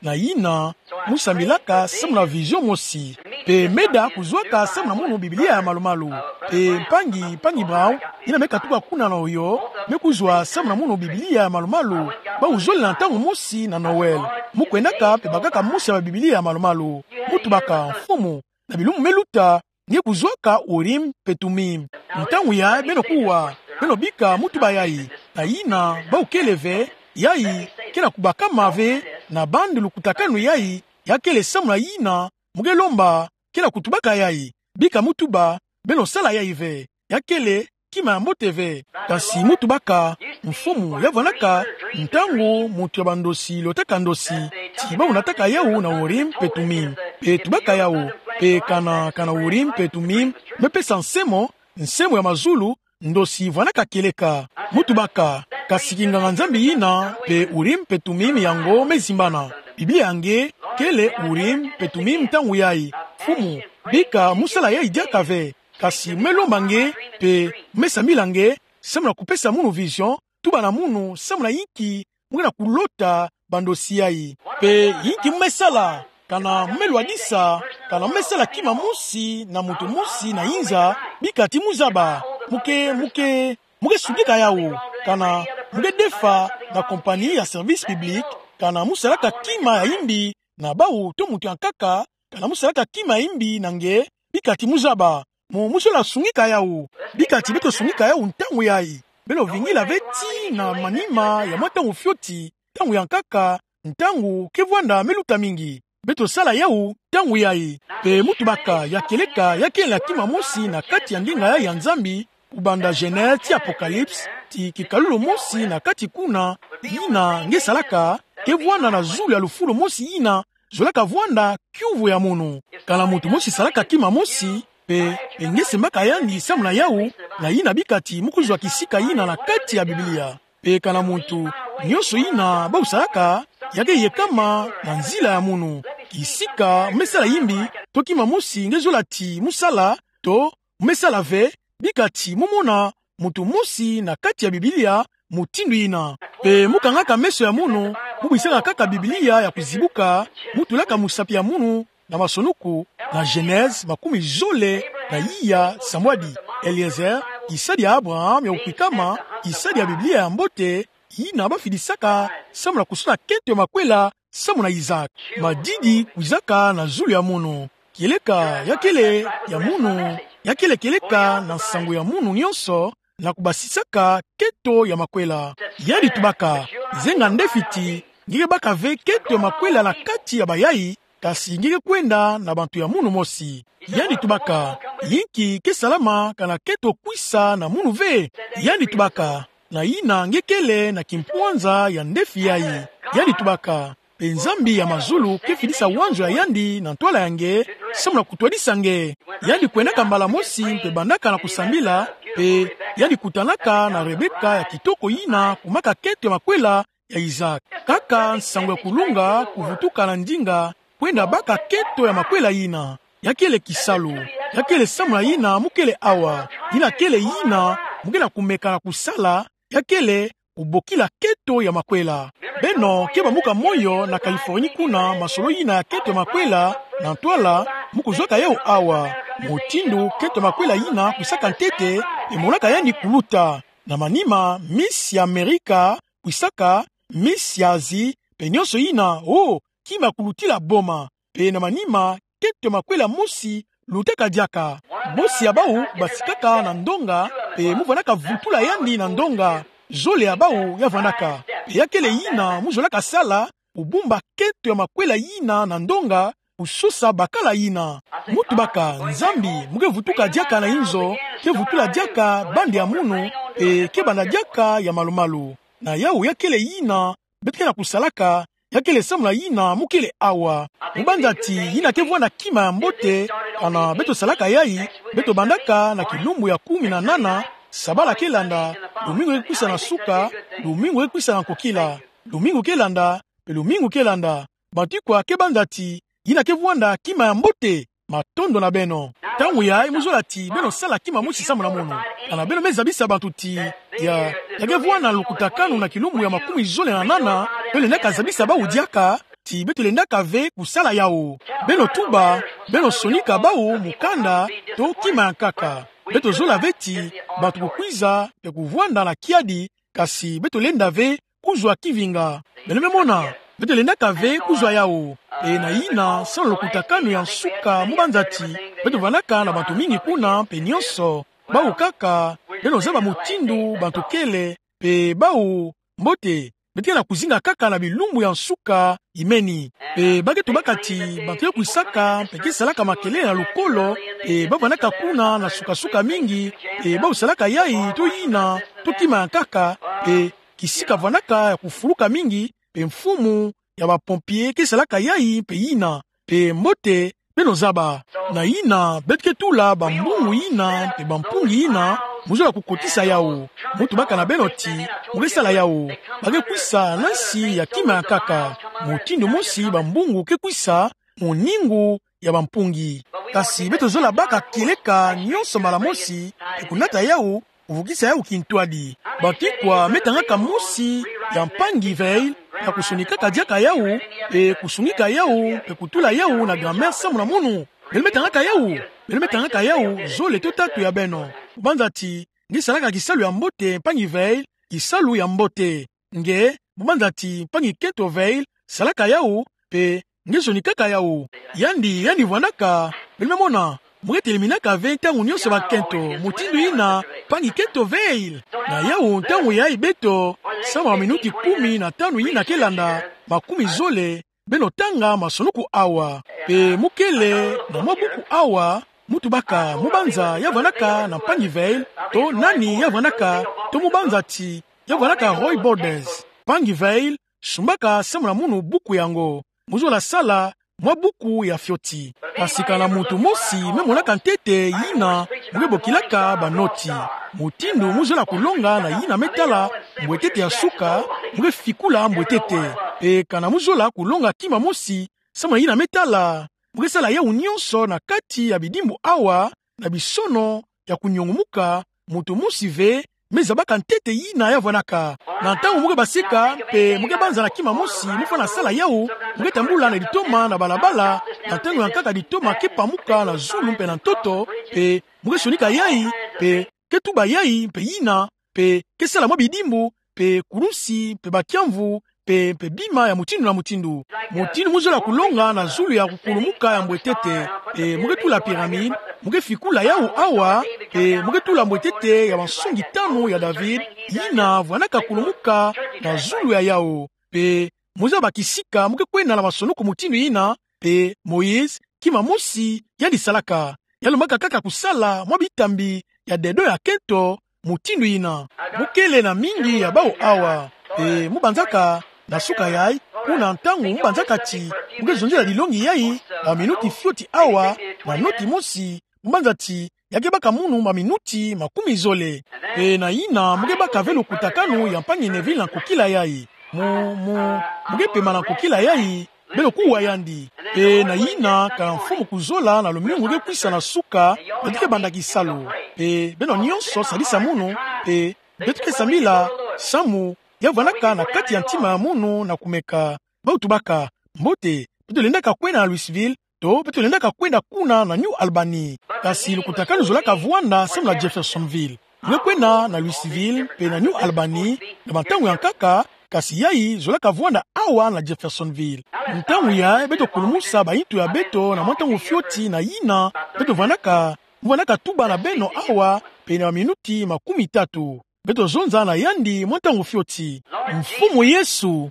Na yina, mu sambilaka samu na vision mosi. Pe meda kuzwaka samu na munu Biblia ya malumalu. Pe mpangi, mpangi Brown, yina me katuka kuna na Ohio, me kuzwa samu na munu Biblia ya malumalu. Bawu zolele na ntangu mosi na Noël. Mu kwendaka pe bakaka mosi ya Biblia ya malumalu. Mu tubaka, mfumu, na bilumbu me luta, nge kuzwaka Urim pe Tumim. Ntangu yayi beno kuwa, beno bika mu tuba yayi. Na yina, bawu kele ve, yayi ke na kubakama ve, na bande lukutakanu yayi, ya kele samu na yina, mu ke lomba, ke na kutubaka yayi. Bika mu tuba, beno sala yayi ve. Ya kele kima ya mbote ve. Kasi mu tubaka, mfumu, ya vwanaka ntangu muntu ya bandosi lotaka ndosi, ti bawu nataka yawu na Urim pe Tumim. Pe tubaka yawu, pe kana, kana Urim pe Tumim me pesa nsemo, nsemo ya mazulu, ndosi vwanaka kieleka. Mu tubaka, kasi kinganga-Nzambi yina, pe Urim pe Tumim yango me zimbana. Biblia ya nge kele Urim pe Tumim ntangu yayi. Mfumu, bika mu sala yayi diaka ve. Kasi mu me lomba nge, pe mu me sambila nge, samu na kupesa munu vision, tuba na munu, samu na yinki mu ke na kulota bandosi yayi. Pe yinki mu me sala, kana mu me lwadisa, kana mu me sala kima mosi na muntu mosi na inza, bika ti mu zaba, mu ke, mu ke, mu ke sungika yawu, kana mu ke defa na compagnie ya service public, kana mu salaka kima ya imbi na bawu to muntu ya nkaka, kana mu salaka kima ya imbi na nge, bika ti mu zaba. Mu, mu zola sungika yawu. Bika ti beto sungika yawu ntangu yayi. Beno vingila ve tii na manima ya mwa ntangu fioti, ntangu ya nkaka, ntangu ke vwanda me luta mingi. Beto sala yawu ntangu yayi. Pe mu tubaka, ya kieleka, ya kele kima mosi na kati ya nginga yayi ya Nzambi, kubanda Genèse tii Apocalypse, ti kikalulu mosi na kati kuna, yina nge salaka, ke vwanda na zulu ya lufulu mosi yina zolaka vwanda kiuvu ya munu. Kana muntu mosi salaka kima mosi, pe, pe nge sembaka yandi samu na yawu, na yina bika ti mu kuzwa kisika yina na kati ya Biblia. Pe kana muntu nyonso yina bawu salaka, ya ke yekama na nzila ya munu. Kisika mu me sala imbi, to kima mosi nge zola ti mu sala, to mu me sala ve, bika ti mu mona muntu mosi na kati ya Biblia mutindu yina. Pe mu kangaka meso ya munu, Mu bwisaka kaka Biblia ya kuzibuka, mu tulaka musapi ya munu na masonuku, na Genèse makumi zole na iya sambwadi. Eliezer, kisadi ya Abraham ya kukwikama, kisadi ya Biblia ya mbote, yina bafidisaka samu na kusona kento ya makwela samu na Isaac. Madidi kwizaka na zulu ya munu. Kieleka ya kele ya munu, ya kele kieleka na nsangu ya munu nyonso, na kubasisaka kento ya makwela. Yandi tubaka, zenga nde fiti, nge ke baka ve kento ya makwela na kati ya bayai, kasi nge ke kwenda na bantu ya munu mosi. Yandi tubaka, yinki ke salama kana kento kwisa na munu ve? Yandi tubaka, na yina nge kele na kimpwanza ya ndefi yai. Yandi tubaka, mpe Nzambi ya mazulu ke fidisa wanzo ya yandi na ntwala ya nge, samu na kutwadisa nge. Yandi kwendaka mbala mosi mpe bandaka na kusambila, mpe yandi kutanaka na Rebeka ya kitoko yina kumaka kento ya makwela ya Isaac. Kaka nsangu ya kulunga kuvutuka na ndinga, kwenda baka kento ya makwela yina. Ya kele kisalu, ya kele samu na yina mu kele awa, yina kele yina mu ke na kumeka na kusala, ya kele kubokila kento ya makwela. Beno ke bamuka moyo na Californie kuna masolo yina ya kento ya makwela, na ntwala mu kuzwaka yau awa. Mutindu kento ya makwela yina kwisaka ntete, mpe monaka yandi kuluta. Na manima, Miss ya Amerika kwisaka, Miss ya Asie, mpe nyonso yina, oh, kima kulutila boma. Mpe na manima, kento ya makwela mosi lutaka diaka. Mosi ya bau basikaka na ndonga, mpe mu vandaka vutula yandi na ndonga. Zole ya bau ya vandaka. Mpe ya kele yina mu zolaka sala, kubumba kento ya makwela yina na ndonga, kusosa bakala yina. Mu tubaka, Nzambi mu ke vutuka diaka na inzo, ke vutula diaka bande ya munu, mpe ke banda diaka ya malu-malu. Na yau ya kele yina beto ke na kusalaka, ya kele samu na yina mu kele awa. Mu banza ti yina ke vwanda kima ya mbote, kana beto salaka yai, beto bandaka na kilumbu ya kumi na nana, sabala ke landa, lumingu ke kwisa na suka, lumingu ke kwisa na nkokila, lumingu ke landa, mpe lumingu ke landa. Bantu ikwa ke banza ti yina ke vwanda kima ya mbote? Matondo na beno. Ntangu yai mu zola ti beno sala kima mosi samu na munu. Kana beno me zabisa bantu ti ya, ya ke vwanda na lukutakanu na kilumbu ya makumi zole na nana, beno lendaka zabisa bau diaka ti beto lendaka ve kusala yau. Beno tuba, beno sonika bau mukanda to kima ya nkaka. Beto zola ve ti bantu kukwiza mpe kuvwanda na kiadi, kasi beto lenda ve kuzwa kivinga. Beno me mona, beto lendaka ve kuzwa yau. Mpe na yina, samu na lukutakanu ya nsuka mu banza ti beto vandaka na bantu mingi kuna, mpe nyonso, bau kaka, beno zaba mutindu bantu kele, mpe bau, mbote, beto ke na kuzinga kaka na bilumbu ya nsuka imeni. Mpe ba ke tubaka ti bantu ke kwisaka, mpe ke salaka makelele na lukolo, mpe ba vandaka kuna na suka-suka mingi, mpe bau salaka yai to yina, to kima ya nkaka, mpe kisika vandaka ya kufuluka mingi, mpe mfumu ya ba pompier ke salaka yai mpe yina, mpe mbote, beno zaba. Na yina, beto ke tula bambungu yina mpe bampungi yina, mu zola kukotisa yau. Mu tubaka na beno ti mu ke sala yau. Ba ke kwisa na nsi ya kima ya nkaka. Mutindu mosi bambungu ke kwisa, muningu ya bampungi. Kasi beto zola baka kieleka nyonso mbala mosi, mpe kunata yau, kuvukisa yau kintwadi. Bantu ikwa me tangaka mosi ya mpangi Vayle, ya kusonikaka diaka yau, mpe kusungika yau, mpe kutula yau na grammaire samu na munu? Beno me tangaka yau? Beno me tangaka yau, zole to tatu ya beno. Mu banza ti nge salaka kisalu ya mbote, mpangi Vayle, kisalu ya mbote. Nge, mu banza ti mpangi kento Vayle salaka yau, mpe nge sonikaka yau. Yandi, yandi vwandaka, beno me mona, mu ke teleminaka ve ntangu nyonso bakento, mutindu yina, mpangi kento Vayle. Na yau ntangu yai beto, samu na minuti kumi na tanu yina ke landa, makumi zole, beno tanga masonuku awa. Mpe mu kele na mwa buku awa, mu tubaka, mu banza ya vwandaka na mpangi Vayle, to nani ya vwandaka, to mu banza ti ya vwandaka Roy Borders. Mpangi Vayle, sumbaka samu na munu buku yango. Mu zola sala mwa buku ya fioti. Kasi kana muntu mosi me monaka ntete yina, mu ke bokilaka banoti. Mutindu mu zola kulonga na yina me tala mbwetete ya suka, mu ke fikula mbwetete. Mpe kana mu zola kulonga kima mosi samu na yina me tala, mu ke sala yau nyonso na kati ya bidimbu awa, na bisono ya kunyongumuka, muntu mosi ve me zabaka ntete yina ya vwanaka. Na ntangu mo ke basika, mpe mo ke banza na kima mosi, mo fana sala yawu, mo ke tambula na litoma na balabala, na ntangu ya nkaka litoma ke pamuka na zulu mpe na ntoto, mpe mo ke sonika yayi, mpe ke tuba yayi, mpe yina, mpe ke sala mwa bidimbu, mpe kulusi, mpe bakiamvu, mpe, mpe bima ya mutindu na mutindu. Mutindu mo zola kulonga na zulu ya kukulumuka ya mbwetete, mpe mo ke tula pyramide, mo ke fikula yawu awa, mpe mo ke tula mbwetete ya mansongi tanu ya David, yina vwanaka kulumuka na zulu ya yawu. Mpe mo zaba kisika mo ke kwenda na masonoko mutindu yina, mpe Moïse, kima mosi, yandi salaka. Ya lombaka kaka kusala mwa bitambi ya dedo ya kento, mutindu yina. Mo kele na mingi ya bawu awa. Mpe mo banzaka, na suka yayi, kuna ntangu mo banzaka ti mo ke zonzela dilongi yayi, na minuti fioti awa, na noti mosi, mo banza ti ya ke baka munu ba minuti makumi zole. Mpe na yina mo ke baka ve lukutakanu ya mpangi Neville na nkokila yayi. Mo, mo, mo ke pema na nkokila yayi, beno kuwa yandi. Mpe na yina, kana mfumu kuzola na lumingu ke kwisa na suka, beto ke banda kisalu. Mpe beno nyonso sadisa munu, mpe beto ke sambila samu ya vwanaka na kati ya ntima ya munu na kumeka. Bawu tubaka, mbote, beto lendaka kwenda na Louisville, to beto lendaka kwenda kuna na New Albany. Kasi lukutakanu zolaka vwanda samu na Jeffersonville. Mo ke kwenda na Louisville mpe na New Albany na bantangu ya nkaka, kasi yayi zolaka vwanda awa na Jeffersonville. Ntangu yayi beto kulumusa bayintu ya beto na mwa ntangu fioti, na yina beto vwanaka, mo vwanaka tuba na beno awa pene ya minuti makumi tatu. Beto zonza na yandi mwa ntangu fioti. Mfumu Yesu,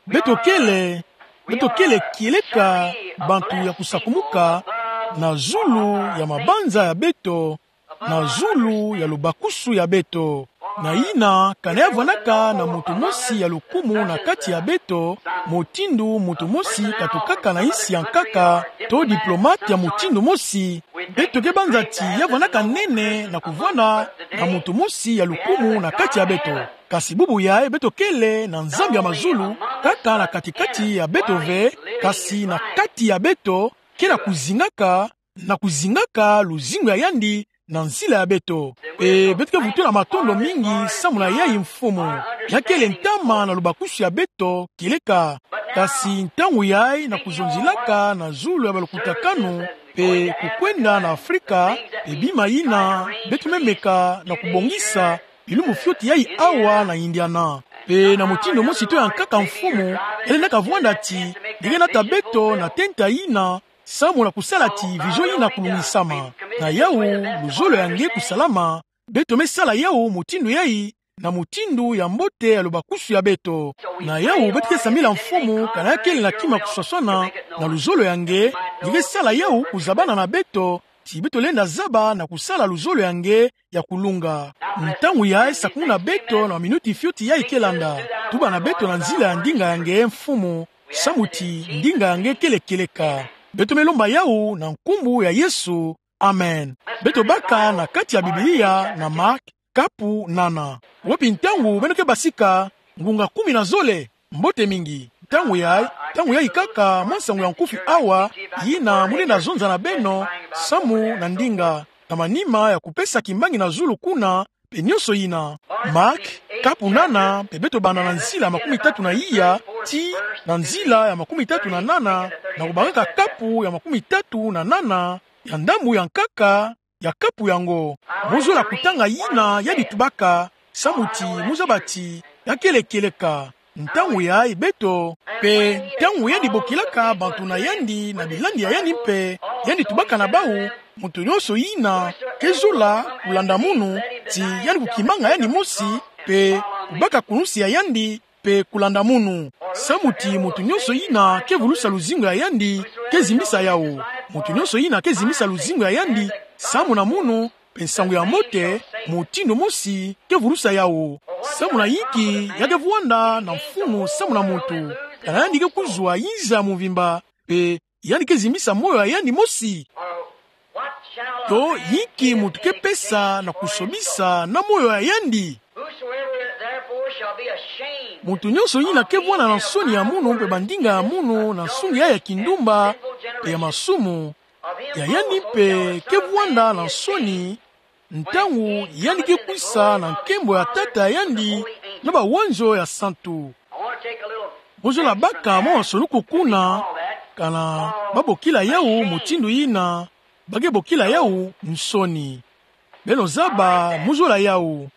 beto kele, beto kele kieleka bantu ya kusakumuka na zulu ya mabanza ya beto, na zulu ya lubakusu ya beto. Na yina, kana ya vwanaka na muntu mosi ya lukumu na kati ya beto, mutindu muntu mosi katukaka na yinsi ya nkaka, to diplomate ya mutindu mosi, beto ke banza ti ya vwanaka nene na kuvwanda na muntu mosi ya lukumu na kati ya beto. Kasi bubu yayi beto kele na Nzambi ya mazulu, kaka na kati-kati ya beto ve, kasi na kati ya beto, ke na kuzingaka, na kuzingaka luzingu ya yandi na nzila ya beto. Mpe beto ke vutula matondo mingi samu na yayi, Mfumu. Ya kele ntama na lubakusu ya beto kieleka. Kasi ntangu yayi, na kuzonzilaka na zulu ya balukutakanu mpe kukwenda na Afrika, mpe bima yina beto me meka na kubongisa, bilumbu fioti yayi awa na Indiana. Mpe na mutindu mosi to ya nkaka, Mfumu, ya lendaka vwanda ti ni ke nata beto na tenta yina, samu na kusala ti vision yina kulungisama. Na yawu, luzolo ya nge kusalama, beto me sala yawu mutindu yayi, na mutindu ya mbote ya lubakusu ya beto. Na yawu beto ke sambila, Mfumu, kana ya kele na kima kuswaswana na luzolo ya nge, ni ke sala yawu kuzabana na beto, ti beto lenda zaba na kusala luzolo ya nge ya kulunga. Ntangu yayi, sakumuna beto na minuti fioti yayi ke landa. Tuba na beto na nzila ya ndinga ya nge, Mfumu, samu ti ndinga ya nge kele kieleka. Beto me lomba yawu na nkumbu ya Yesu. Amen. Beto baka na kati ya Biblia na Mark, kapu nana. Wapi ntangu beno ke basika? Ngunga kumi na zole. Mbote mingi. Ntangu yayi, ntangu yayi kaka, mwa nsangu ya nkufi awa, yina mu lenda zonza na beno, samu na ndinga, na manima ya kupesa kimbangi na zulu kuna, mpe nyonso yina. Mark, kapu nana, mpe beto banda na nzila makumi tatu na iya, tii na nzila ya makumi tatu na nana, na kubakaka kapu ya makumi tatu na nana ya ndambu ya nkaka ya kapu yango. Mo zola kutanga yina yandi tubaka, samu ti mo zaba ti ya kele kieleka. Ntangu yayi beto, mpe ntangu yandi bokilaka bantu na yandi na bilandi ya yandi mpe, yandi tubaka na bawu, muntu nyonso yina ke zola kulanda munu, ti yandi kukimanga yandi mosi, mpe kubaka kulunsi ya yandi, mpe kulanda munu. Samu ti muntu nyonso yina ke vulusa luzingu ya yandi, ke zimbisa yawu. Muntu nyonso yina ke zimbisa luzingu ya yandi samu na munu, mpe nsangu ya mbote, mutindu mosi, ke vulusa yawu. Samu na yinki ya ke vwanda na mfunu samu na muntu? Kana yandi ke kuzwa yinza ya muvimba, mpe yandi ke zimbisa moyo ya yandi mosi? To yinki muntu ke pesa na kusobisa na moyo ya yandi? Whosoever therefore shall be ashamed Muntu nyonso yina ke vwanda na nsoni ya munu mpe bandinga ya munu na nsungi ya ya kindumba mpe ya masumu, ya yandi mpe ke vwanda na nsoni, ntangu yandi ke kwisa na nkembo ya Tata yandi na bawanzo ya santu. Mozola baka mwa masoni kuku kuna, kana babokila yawu mutindu yina ba ke bokila yawu nsoni. Beno zaba mozola yawu.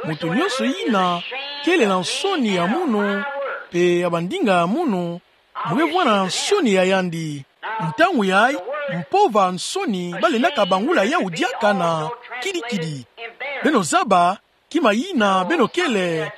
Moto nyonso yina kele na nsoni ya munu, mpe ya bandinga ya munu, mu ke vwanda na nsoni ya yandi. Ntangu yayi, mpova nsoni balendaka bangula yawu diaka na kidikidi. Beno zaba, kima yina beno kele,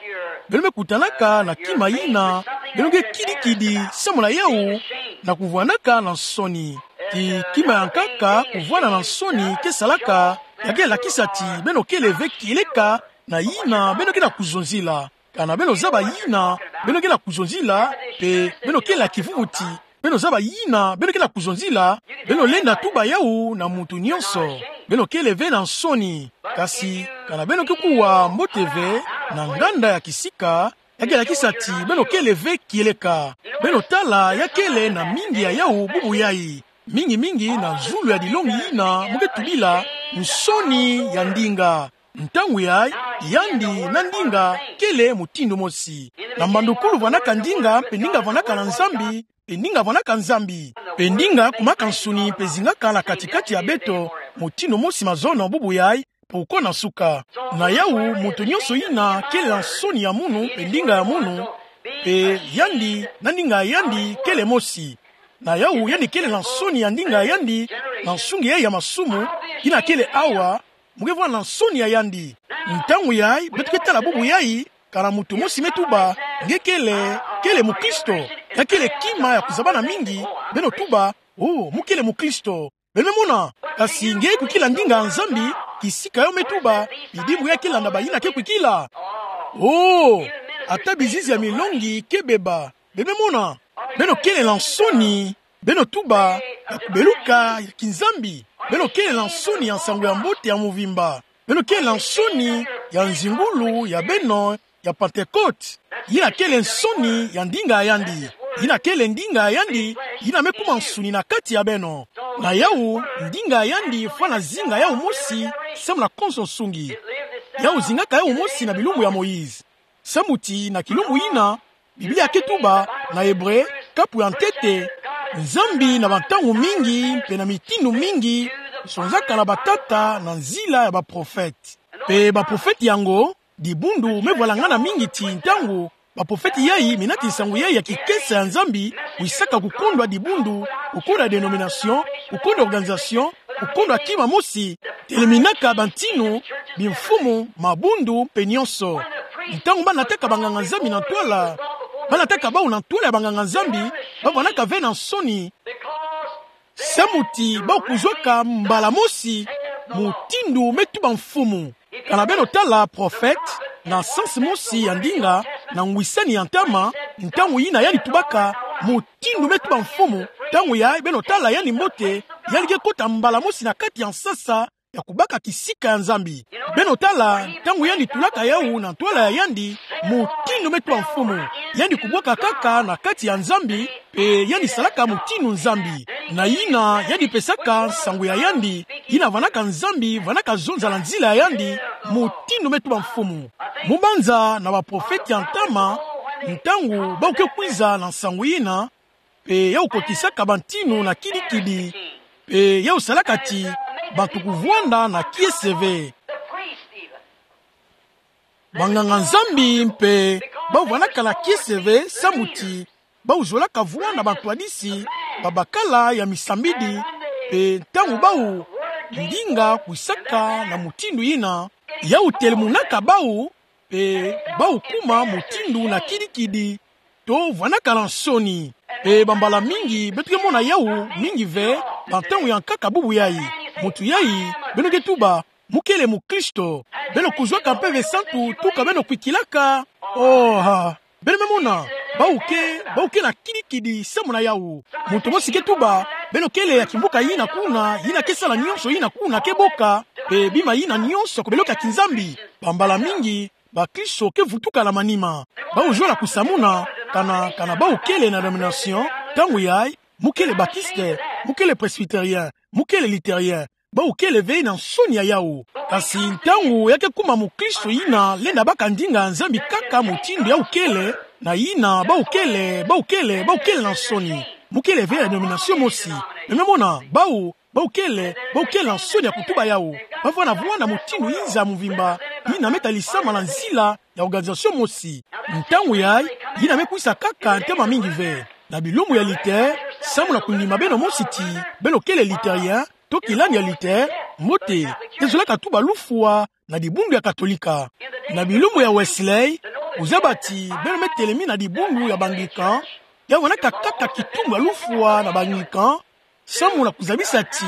beno me kutanaka na kima yina beno ke kidikidi samu na yawu, na kuvwandaka na nsoni. Ti kima ya nkaka kuvwanda na nsoni ke salaka, ya ke lakisa ti beno kele ve kieleka na yina beno ke na kuzonzila. Kana beno zaba yina beno ke na kuzonzila, mpe beno kele na kivuvuti, beno zaba yina beno ke na kuzonzila, beno lenda tuba yawu na muntu nyonso. Beno kele ve na nsoni. Kasi kana beno ke kuwa mbote ve na nganda ya kisika, ya ke lakisa ti beno kele ve kieleka. Beno tala ya kele na mingi ya yawu bubu yayi. Mingi-mingi na zulu ya dilongi yina mu ke tubila nsoni ya ndinga. Ntangu yayi, yandi na ndinga kele mutindu mosi. Na mbandukulu vwandaka ndinga, mpe ndinga vwandaka na Nzambi, mpe ndinga vwandaka Nzambi. Mpe ndinga kumaka nsuni mpe zingaka na kati-kati ya beto, mutindu mosi mazono bubu yayi, mpe uko na suka. Na yawu, muntu nyonso yina kele na nsoni ya munu, mpe ndinga ya munu, mpe yandi na ndinga ya yandi kele mosi. Na yawu, yandi kele na nsoni ya ndinga ya yandi, na nsungi yayi ya masumu, yina kele awa, mu ke vwanda na nsoni ya yandi. Ntangu yayi, beto ke tala bubu yayi, kana muntu mosi me tuba, nge kele, kele mukristo, ya kele kima ya kuzabana mingi, beno tuba, oh, mu kele mukristo. Beno me mona, kasi nge kwikila ndinga ya Nzambi, kisika yo me tuba, bidimbu ya ke landa bayina ke kwikila. Oh, ata bizizi ya milongi ke beba. Beno me mona, beno kele na nsoni, beno tuba, ya kubeluka ya kiNzambi. Beno kele na nsoni ya nsangu ya mbote ya muvimba. Beno kele na nsoni ya nzingulu ya beno ya Pentecote. Yina kele nsoni ya ndinga ya yandi. Yina kele ndinga ya yandi, yina me kuma nsuni na kati ya beno. Na yawu, ndinga ya yandi fwana zinga yawu mosi, samu na konso nsungi. Yawu zingaka yawu mosi na bilumbu ya Moïse. Samu ti na kilumbu yina, Biblia ke tuba, na Ebre, kapu ya ntete, Nzambi na bantangu mingi, mpe na mitindu mingi, sonzaka na batata na nzila ya baprofete. Mpe baprofete yango, dibundu me vwalangana mingi ti ntangu baprofete yayi, minati nsangu yayi ya kikesa ya Nzambi, kwisaka kukondwa dibundu, kukondwa dénomination, kukondwa organisation, kukondwa kima mosi, teleminaka bantinu, bimfumu, mabundu, mpe nyonso. Ntangu banataka banganga-Nzambi na ntwala, banataka bawu na ntwala ya banganga-Nzambi, bavwandaka ve na nsoni, samu ti bawu kuzwaka mbala mosi mutindu me tuba mfumu. Kana beno tala prophète, na sens mosi ya ndinga, na ngwisani ya ntama, ntangu yina yandi tubaka mutindu me tuba mfumu, ntangu yayi beno tala yandi mbote, yandi ke kota mbala mosi na kati ya nsasa ya kubaka kisika ya Nzambi. Beno tala, ntangu yandi tulaka yawu na ntwala ya yandi, mutindu me tuba mfumu, yandi kubwaka kaka na kati ya Nzambi, mpe yandi salaka mutindu Nzambi. Na yina yandi pesaka nsangu ya yandi, yina vandaka Nzambi, vandaka zonza na nzila ya yandi, mutindu me tuba mfumu. Mu banza na baprofete ya ntama, ntangu bawu ke kwiza na nsangu yina, mpe yawu kotisaka bantinu na kidi-kidi, mpe yawu salaka ti bantu kuvwanda na kiese ve. Banganga-Nzambi mpe bawu vandaka na kiese ve, samu ti bawu zolaka vwanda bantwadisi, babakala ya misambidi, mpe ntangu bawu ndinga kwisaka na mutindu yina, yawu telemunaka bawu, mpe bawu kuma mutindu na kidi-kidi, to vandaka na nsoni. Mpe bambala mingi beto ke mona yawu mingi ve, bantangu ya nkaka bubu yayi. Muntu yayi, beno ke tuba, mu kele mukristo. Beno kuzwaka Mpeve Santu tuka beno kwikilaka. Oh, ha. Beno me mona, bawu ke, bawu ke na kidi-kidi samu na yawu. Muntu mosi ke tuba, beno kele ya kimvuka yina kuna, yina ke sala nyonso yina kuna, ke boka, mpe bima yina nyonso kobeleka kiNzambi. Bambala mingi, bakristo ke vutuka na manima. Bawu zola kusamuna, kana, kana bawu kele na dénomination, ntangu yayi, mu kele baptiste, mu kele presbytérien, mu kele luthérien, bau kele ve na nsoni ya yawu. Kasi ntangu ya ke kuma mukristo yina lenda baka ndinga ya Nzambi kaka mutindu yawu kele, na yina bau kele, bau kele, bau kele na nsoni. Mu kele ve na denomination mosi. Beno me mona, bau, bau kele, bau kele na nsoni ya kutuba yawu. Bavwanda vwanda mutindu inza muvimba, yina me talisama na nzila ya organisation mosi. Ntangu yayi, yina me kwisa kaka ntama mingi ve. Na bilumbu ya Luther, samu na kundima beno mosi ti beno kele Lutherien, to kilandi ya Luther, mbote, ke zolaka tuba lufwa na dibundu ya Katolika. Na bilumbu ya Wesley, kuzaba ti beno me telemi na dibundu ya ba Anglican, ya vwandaka kaka kitumbu ya lufwa na ba Anglican, samu na kuzabisa ti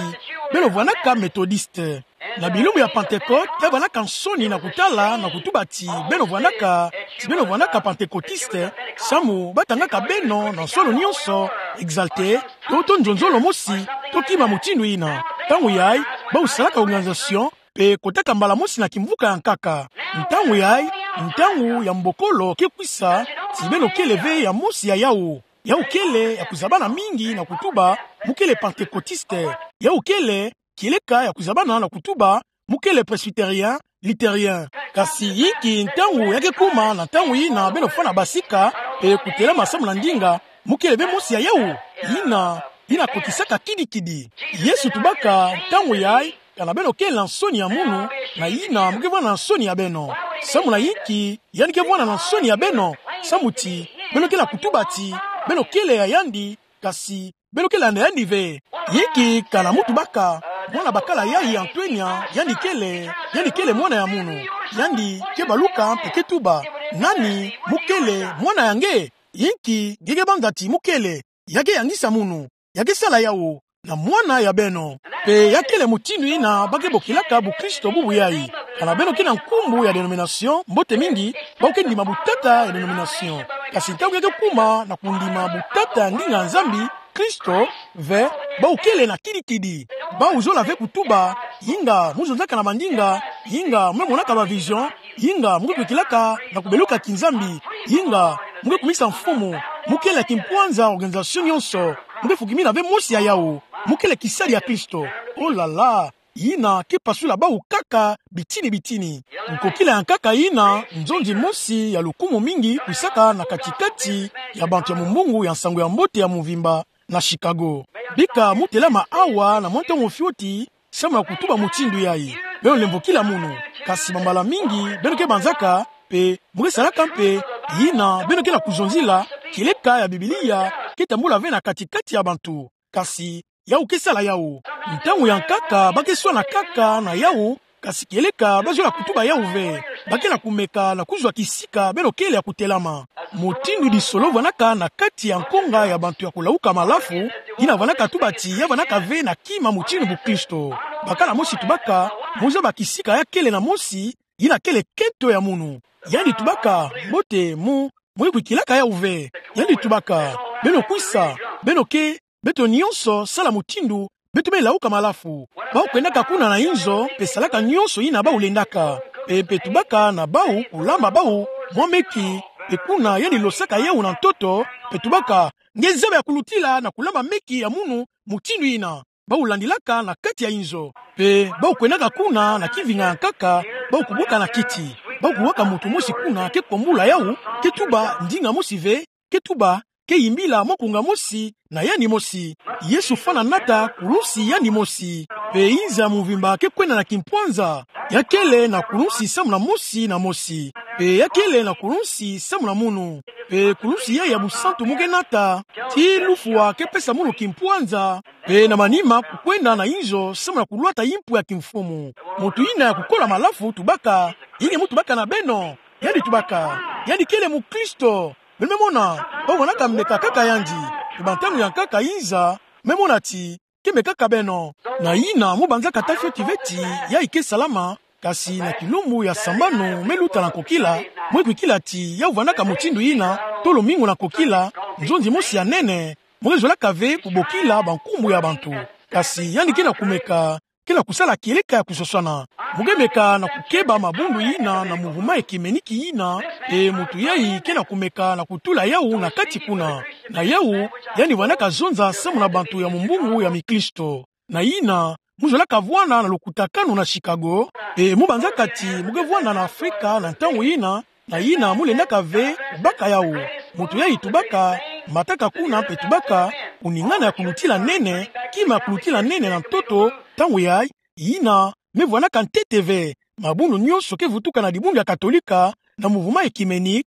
beno vwandaka Methodiste. Na bilumbu ya Pentecôte, ya vwandaka nsoni na kutala na kutuba ti beno vwandaka, ti beno vwandaka Pentecôtiste, samu batangaka beno na nsolo nyonso, exalté, to, to nzonzolo mosi, to kima mutindu yina. Ntangu yayi, bau salaka organisation, mpe kotaka mbala mosi na kimvuka ya nkaka. Ntangu yayi, ntangu ya mbokolo ke kwisa, ti beno kele ve ya mosi ya yawu. Yawu kele ya kuzabana mingi na kutuba, mu kele Pentecôtiste. Yawu kele, kieleka ya kuzabana na kutuba, mu kele Presbytérien, Lutherien. Kasi yinki ntangu ya ke kuma na ntangu yina beno fwana basika, mpe kutelama samu na ndinga, mu kele ve mosi ya yawu. Yina, yina kotisaka kidikidi. Yesu tubaka, ntangu yayi, kana beno kele na nsoni ya munu, na yina mu ke vwanda na nsoni ya beno. Samu na yinki yandi ke vwanda na nsoni ya beno? Samu ti beno ke na kutuba ti beno kele ya yandi, kasi beno ke landa yandi ve. Yinki kana mu tubaka, mwana bakala yayi Antonia, yandi kele, yandi kele mwana ya munu. Yandi ke baluka mpe ke tuba: Nani mu kele mwana ya nge? Yinki nge ke banza ti mu kele? Ya ke yangisa munu. Ya ke sala yawu na mwana ya beno. Mpe ya kele mutindu yina ba ke bokilaka bukristo bubu yayi. Kana beno ke na nkumbu ya denomination, mbote mingi, bau ke ndima butata ya denomination. Kasi ntangu ya ke kuma na kundima butata ya ndinga ya Nzambi, Kristo, ve, bau kele na kidikidi. Bau zola ve kutuba: Inga mu zonzaka na mandinga, inga mu monaka ba vision, inga mu ke kwikilaka na kubeluka kinzambi, inga mu ke kumisa Mfumu, mu kele kimpwanza organisation nyonso, mu ke fukimina ve mosi ya yawu, mu kele kisadi ya Kristo. Oh là là, yina ke pasula bau kaka bitini bitini. Nkokila ya nkaka yina, nzonzi mosi ya lukumu mingi kwisaka na kati-kati ya bantu ya mumbungu ya nsangu ya mbote ya muvimba na Chicago. Bika mu telama awa na mwa ntangu fioti, samu na kutuba mutindu yayi. Beno lemvokila munu, kasi bambala mingi beno ke banzaka, mpe mu ke salaka mpe yina beno ke na kuzonzila, kieleka ya Biblia ke tambula ve na kati-kati ya bantu. Kasi yawu ke sala yawu. Ntangu ya nkaka ba ke swana kaka na yawu, kasi kieleka ba zola kutuba yawu ve, ba ke na kumeka na kuzwa kisika beno kele ya kutelama. Mutindu disolo vwandaka na kati ya nkonga ya bantu ya kulawuka malafu, yina vwandaka tuba ti ya vwandaka ve na kima mutindu bukristo. Bakala mosi tubaka: Mu zaba kisika ya kele na mosi, yina kele kento ya munu. Yandi tubaka: Mbote, mu, mu ke kwikilaka yawu ve. Yandi tubaka: Beno kwisa, beno ke, beto nyonso sala mutindu beto me lawuka malafu. Bau kwendaka kuna na inzo mpe salaka nyonso yina bau lendaka. Mpe, mpe tubaka na bau kulamba bau mwa meki, mpe kuna yandi losaka yawu na ntoto, mpe tubaka: Nge zaba ya kulutila na kulamba meki ya munu mutindu yina. Bau landilaka na kati ya inzo. Mpe bau kwendaka kuna na kivinga ya nkaka, bau kubwaka na kiti. Bau kuwaka muntu mosi kuna ke kombula yawu, ke tuba ndinga mosi ve, ke tuba, ke yimbila mwa nkunga mosi na yandi mosi. Yesu fana nata kulunsi yandi mosi. Mpe inza muvimba ke kwenda na kimpwanza. Ya kele na kulunsi samu na mosi na mosi. Mpe ya kele na kulunsi samu na munu. Mpe kulunsi yayi ya busantu mu ke nata, ti lufwa ke pesa munu kimpwanza. Mpe na manima kukwenda na inzo samu na kulwata yimpu ya kimfumu. Muntu yina ya kukola malafu tubaka: Yenge mu tubaka na beno? Yandi tubaka: Yandi kele mukristo. Beno me mona, bau vwandaka meka kaka yandi. Mpe bantangu ya nkaka inza, me mona ti ke meka kaka beno. Na yina mu banzaka ta fioti ve ti yayi ke salama, kasi na kilumbu ya sambanu me luta na nkokila, mu ke kwikila ti yawu vwandaka mutindu yina, to lumingu na nkokila, nzonzi mosi ya nene, mu ke zolaka ve kubokila bankumbu ya bantu. Kasi yandi ke na kumeka, ke na kusala kieleka ya kusoswana. Mu ke meka na kukeba mabundu yina na muvuma ekimeniki yina, mpe muntu yayi ke na kumeka na kutula yawu na kati kuna. Na yawu, yandi vwandaka zonza samu na bantu ya mumbungu ya mikristo. Na yina, mu zolaka vwanda na lokutakanu na Chicago, mpe mu banzaka ti mu ke vwanda na Afrika na ntangu yina, na yina mu lendaka ve baka yawu. Moto yayi tubaka, mataka kuna mpe tubaka, kuningana ya kulutila nene, kima ya kulutila nene na ntoto, ntangu yayi, yina me vwandaka ntete ve. Mabundu nyonso ke vutuka na dibundu ya Katolika, na mouvement œcuménique,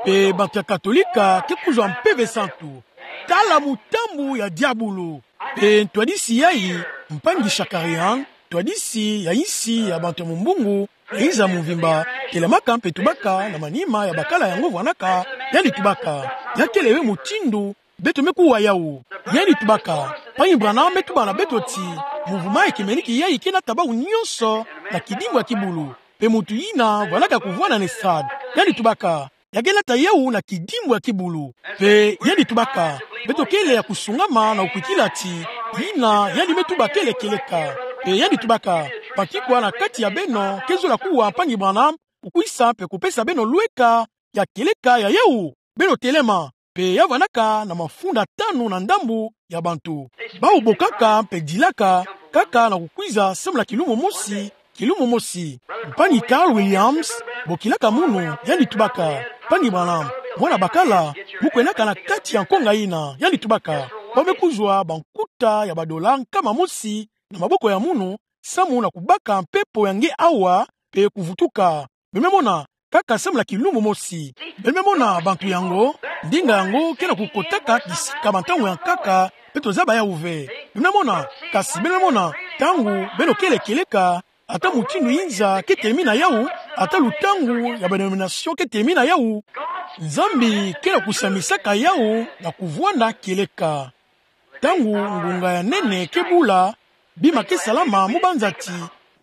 mpe bantu ya Katolika ke kuzwa Mpeve Santu. Tala mutambu ya diabulu. Mpe ntwadisi yayi, mpangi Shakarian, ntwadisi ya insi ya bantu ya mumbungu, ya inza mvimba, telamaka mpe tubaka na manima ya bakala yango vwandaka, yandi tubaka: Ya kele ve mutindu beto me kuwa yawu. Yandi tubaka: Mpangi Branham me tuba na beto ti mouvement œcuménique yayi ke nata bawu nyonso na kidimbu ya kibulu. Mpe mutu yina vwandaka kuvwanda na estrade. Yandi tubaka: Ya ke nata yawu na kidimbu ya kibulu. Mpe yandi tubaka: Beto kele ya kusungama na kukwikila ti yina yandi me tuba kele kieleka. Mpe yandi tubaka: Banki kwa na kati ya beno ke zola kuwa Mpangi Branham, kukwisa mpe kupesa beno lweka ya kieleka ya yawu? Beno telema. Mpe ya vwandaka na mafunda tanu na ndambu ya bantu. Bawu bokaka mpe dilaka, kaka na kukwiza samu na kilumbu mosi, kilumbu mosi. Mpangi Carl Williams, bokilaka munu, yandi tubaka: Mpangi Branham, mwana bakala, mu kwendaka na kati ya nkonga yina, yandi tubaka, bau me kuzwa bankuta ya badola nkama mosi na maboko ya munu, samu na kubaka mpepo ya nge awa, mpe kuvutuka. Beno me mona, kaka samu na kilumbu mosi. Beno me mona bantu yango, ndinga yango ke na kukotaka kisika bantangu ya nkaka, beto zaba yawu ve. Beno me mona, kasi beno me mona, ntangu beno kele kieleka, ata mutindu inza ke telemina yawu, ata lutangu ya ba dénomination ke telemina yawu, Nzambi ke na kusambisaka yawu na kuvwanda kieleka. Ntangu ngunga ya nene ke bula, bima ke salama mu banza ti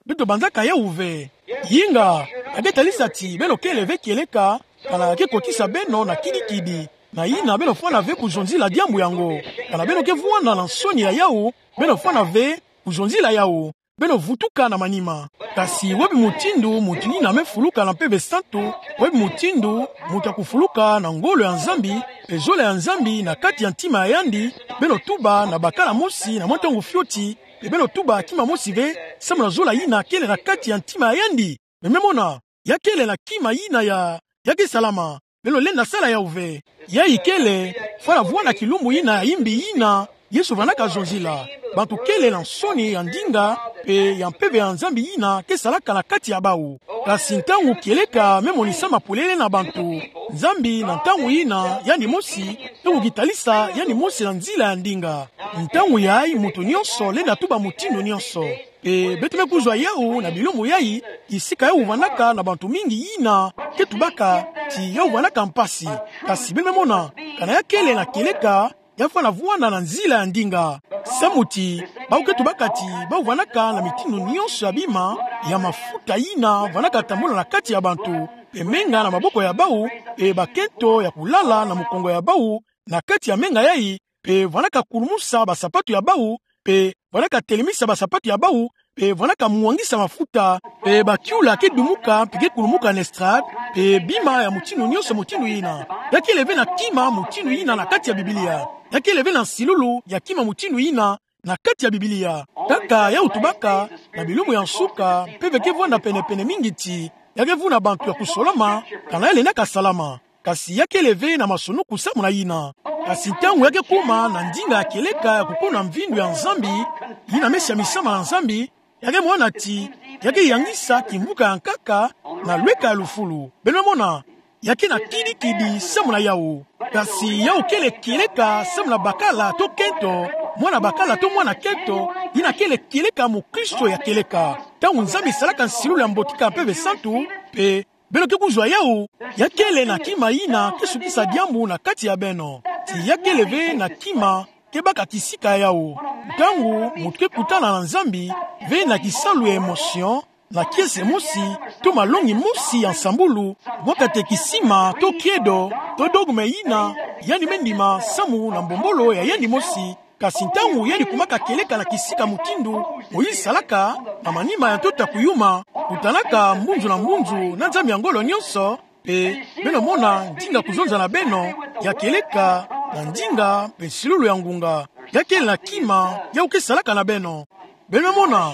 beto banzaka yawu ve. Yinga, ya ke talisa ti beno kele ve kieleka, kana ya ke kotisa beno na kidikidi, na yina beno fwana ve kuzonzila diambu yango. Kana beno ke vwanda na nsoni ya yawu, beno fwana ve kuzonzila yawu, beno vutuka na manima. Kasi wapi mutindu mutu yina me fuluka na Mpeve Santu, wapi mutindu mutu ya kufuluka na ngolo ya Nzambi, mpe zola ya Nzambi na kati ya ntima ya yandi? Beno tuba na bakala mosi na mwa ntangu fioti, mpe beno tuba kima mosi ve, samu na zola yina kele na kati ya ntima ya yandi. Beno me mona, ya kele na kima yina ya, ya ke salama. Beno lenda sala yawu ve. Yayi kele, fwana vwanda kilumbu yina ya imbi yina Yesu vandaka zonzila. Bantu kele na nsoni ya ndinga, mpe ya Mpeve ya Nzambi yina ke salaka na kati ya bawu. Kasi ntangu kieleka me monisama polele na bantu, Nzambi na ntangu yina yandi mosi, ntangu ke talisa yandi mosi na nzila ya ndinga. Ntangu yayi mutu nyonso lenda tuba mutindu nyonso. Mpe beto me kuzwa yawu na bilumbu yayi, kisika yawu vandaka na bantu mingi yina ke tubaka ti yawu vandaka mpasi. Kasi beno me mona, kana ya kele na kieleka, ya fwana vwanda na nzila ya ndinga. Samu ti bawu ke tubaka ti bawu vandaka na mitindu nyonso ya bima ya mafuta yina vandaka tambula na kati ya bantu, mpe menga na maboko ya bawu, mpe bakento ya kulala na mukongo ya bawu, na kati ya menga yayi, mpe vandaka kulumusa basapatu ya bawu, mpe vandaka telemisa basapatu ya bawu, mpe vandaka mwangisa mafuta, mpe bakiula ke dumuka, mpe ke kulumuka na estrade, mpe bima ya mutindu nyonso mutindu yina. Ya kele ve na kima mutindu yina na kati ya Biblia. Ya kele ve na nsilulu ya kima mutindu yina na kati ya Biblia. Kaka yawu tubaka, na bilumbu ya nsuka, mpeve ke vwanda pene-pene mingi ti ya ke vuna bantu ya kusolama, kana ya lendaka salama. Kasi ya kele ve na masunuku samu na yina. Kasi ntangu ya ke kuma na ndinga ya kieleka ya kukuna mvindu ya Nzambi, yina me siamisama na Nzambi, ya ke mona ti ya ke yangisa kimvuka ya nkaka na lweka ya lufulu. Beno me mona, ya ke na kidikidi samu na yawu. Kasi yawu kele kieleka samu na bakala to kento, mwana bakala to mwana kento, yina kele kieleka mukristo ya kieleka. Ntangu Nzambi salaka nsilulu ya mbotika Mpeve Santu, mpe beno ke kuzwa yawu, ya kele na kima yina ke sukisa diambu na kati ya beno. Ti ya kele ve na kima ke baka kisika ya yawu. Ntangu mutu ke kutana na Nzambi, ve na kisalu ya émotion, na kiese mosi, to malongi mosi ya nsambulu, mwa katekisima, to credo, to dogme yina yandi me ndima samu na mbombolo ya yandi mosi, kasi ntangu yandi kumaka kieleka na kisika mutindu Moïse salaka, na manima ya ntoto ya kuyuma, kutanaka mbunzu na mbunzu na Nzambi ya ngolo nyonso, mpe beno mona ndinga kuzonza na beno ya kieleka na ndinga mpe nsilulu ya ngunga. Ya kele na kima yawu ke salaka na beno. Beno mona,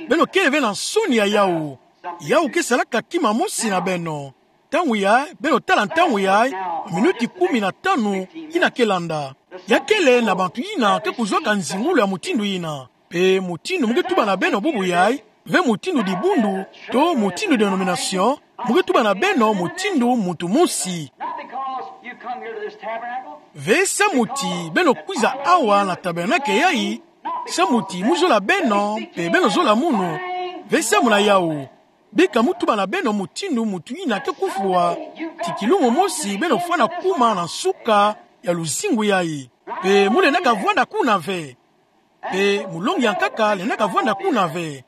beno kele ve na nsoni ya yawu. Yawu ke salaka kima mosi na beno. Ntangu yayi, beno tala ntangu yayi, minuti kumi na tanu yina ke landa. Ya kele na bantu yina ke kuzwaka nzingulu ya mutindu yina. Pe mutindu mu ke tuba na beno bubu yayi, ve mutindu dibundu, to mutindu denomination, mu ke tuba na beno mutindu muntu mosi. Not because you come here to this tabernacle. Ve samu ti beno kwiza awa na tabernakle yayi, samu ti mu zola beno, pe beno zola munu. Ve samu na yawu. Bika mu tuba na beno mutindu muntu yina ke kufwa, ti kilumbu mosi beno fwana kuma na nsuka ya luzingu yayi. Pe mu lendaka vwanda kuna ve. Pe mulongi ya nkaka lendaka vwanda kuna ve.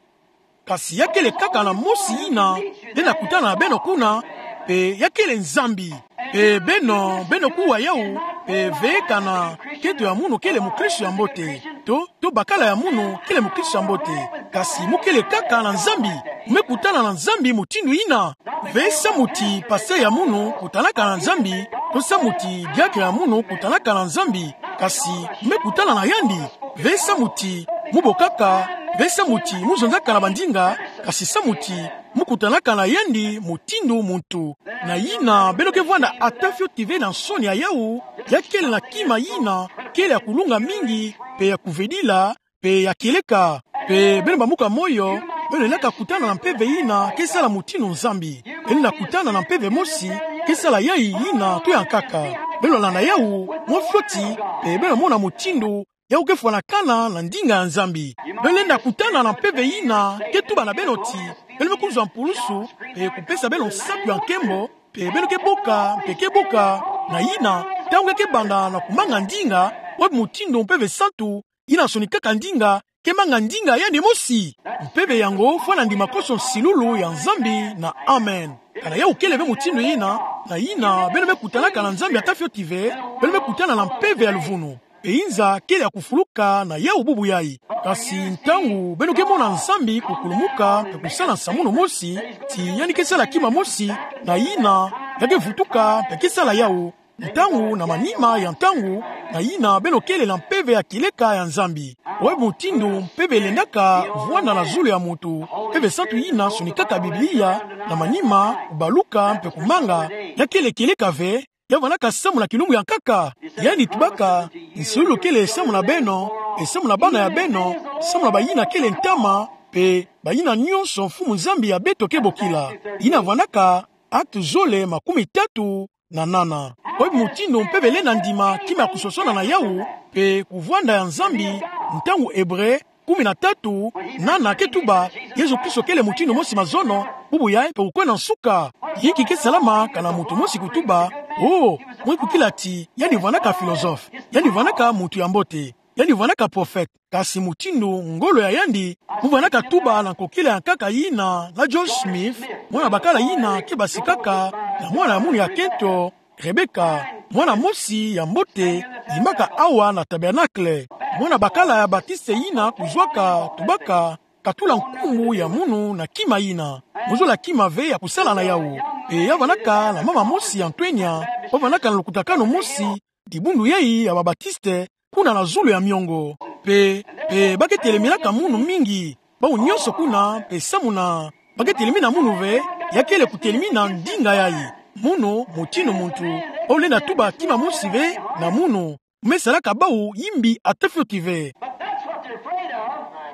Kasi ya kele kaka na mosi yina lenda kutana na beno kuna, pe ya kele Nzambi. Pe beno, beno kuwa yawu, pe ve kana kento ya munu kele mukristo ya mbote. To, to bakala ya munu kele mukristo ya mbote. Kasi mu kele kaka na Nzambi, mu me kutana na Nzambi mutindu yina. Ve samu ti pasteur ya munu kutanaka na Nzambi, to samu ti diakre ya munu kutanaka na Nzambi, kasi mu me kutana na yandi. Ve samu ti mu bokaka, ve samu ti mu zonzaka na bandinga, kasi samu ti mu kutanaka na yandi mutindu muntu. Na yina, beno ke vwanda ata fioti ve na nsoni ya yawu, ya kele na kima yina kele ya kulunga mingi, pe ya kuvedila, pe ya kieleka. Pe beno bambuka moyo, beno lendaka kutana na mpeve yina ke sala mutindu Nzambi. Beno lenda kutana na mpeve mosi ke sala yayi yina to ya nkaka. Beno landa yawu mwa fioti, pe beno mona mutindu yawu ke fwanakana na ndinga ya Nzambi. Beno lenda kutana na mpeve yina ke tuba na beno ti beno me kuzwa mpulusu, pe kupesa beno nsatu ya nkembo, pe beno ke boka, pe ke boka. Na yina, ntangu ya ke banda na kumanga ndinga, oyo mutindu Mpeve Santu yina sonikaka ndinga ke manga ndinga ya yandi mosi. Mpeve yango fwana ndima konso nsilulu ya Nzambi na amen. Kana yawu kele ve mutindu yina, na yina beno me kutanaka na Nzambi ata fioti ve, beno me kutana na mpeve ya luvunu. Pe inza kele ya kufuluka na yawu bubu yayi. Kasi ntangu beno ke mona Nzambi kukulumuka pe kusala nsamunu mosi, ti yandi ke sala kima mosi, na yina ya ke vutuka pe ke sala yawu. Ntangu na manima ya ntangu, na yina beno kele na mpeve ya kieleka ya Nzambi. Oyo mutindu mpeve lendaka vwanda na zulu ya muntu, Mpeve Santu yina sonikaka Biblia, na manima kubaluka pe kumanga, ya kele kieleka ve, ya vandaka samu na kilumbu ya nkaka. Yandi tubaka, nsilulu kele samu na beno, pe samu na bana ya beno, samu na bayina kele ntama, pe bayina nyonso Mfumu Nzambi ya beto ke bokila. Yina vandaka Actes zole makumi tatu na nana. Oyo mutindu mpeve lenda ndima kima ya kusosona na yawu, pe kuvwanda ya Nzambi, ntangu Ebre kumi na tatu, nana ke tuba, Yezu Kristo kele mutindu mosi mazono, bubu yayi pe kukwenda nsuka. Inki ke salama kana muntu mosi kutuba, oh, mwe kukila ti yandi vandaka philosophe, yandi vandaka muntu ya mbote, yandi vandaka prophète, kasi mutindu ngolo ya yandi, mu vandaka tuba na nkokila ya nkaka yina na Joseph Smith, mwana bakala yina ke basikaka na mwana ya munu ya kento, Rebecca, mwana mosi ya mbote, yimbaka awa na tabernacle. Mwana bakala ya Baptiste yina kuzwaka tubaka, katula nkumbu ya munu na kima yina. Mu zola kima ve ya kusala na yawu. Pe ya vandaka na mama mosi ya ntwenya, ba vandaka na lukutakanu mosi, dibundu yayi ya ba Baptiste, kuna na zulu ya miongo. Pe, pe ba ke teleminaka munu mingi, bawu nyonso kuna, pe samu na ba ke telemina munu ve, ya kele kutelemina ndinga yayi. Munu, mutindu muntu, bawu lenda tuba kima mosi ve na munu. Mu me salaka bawu yimbi ata fioti ve.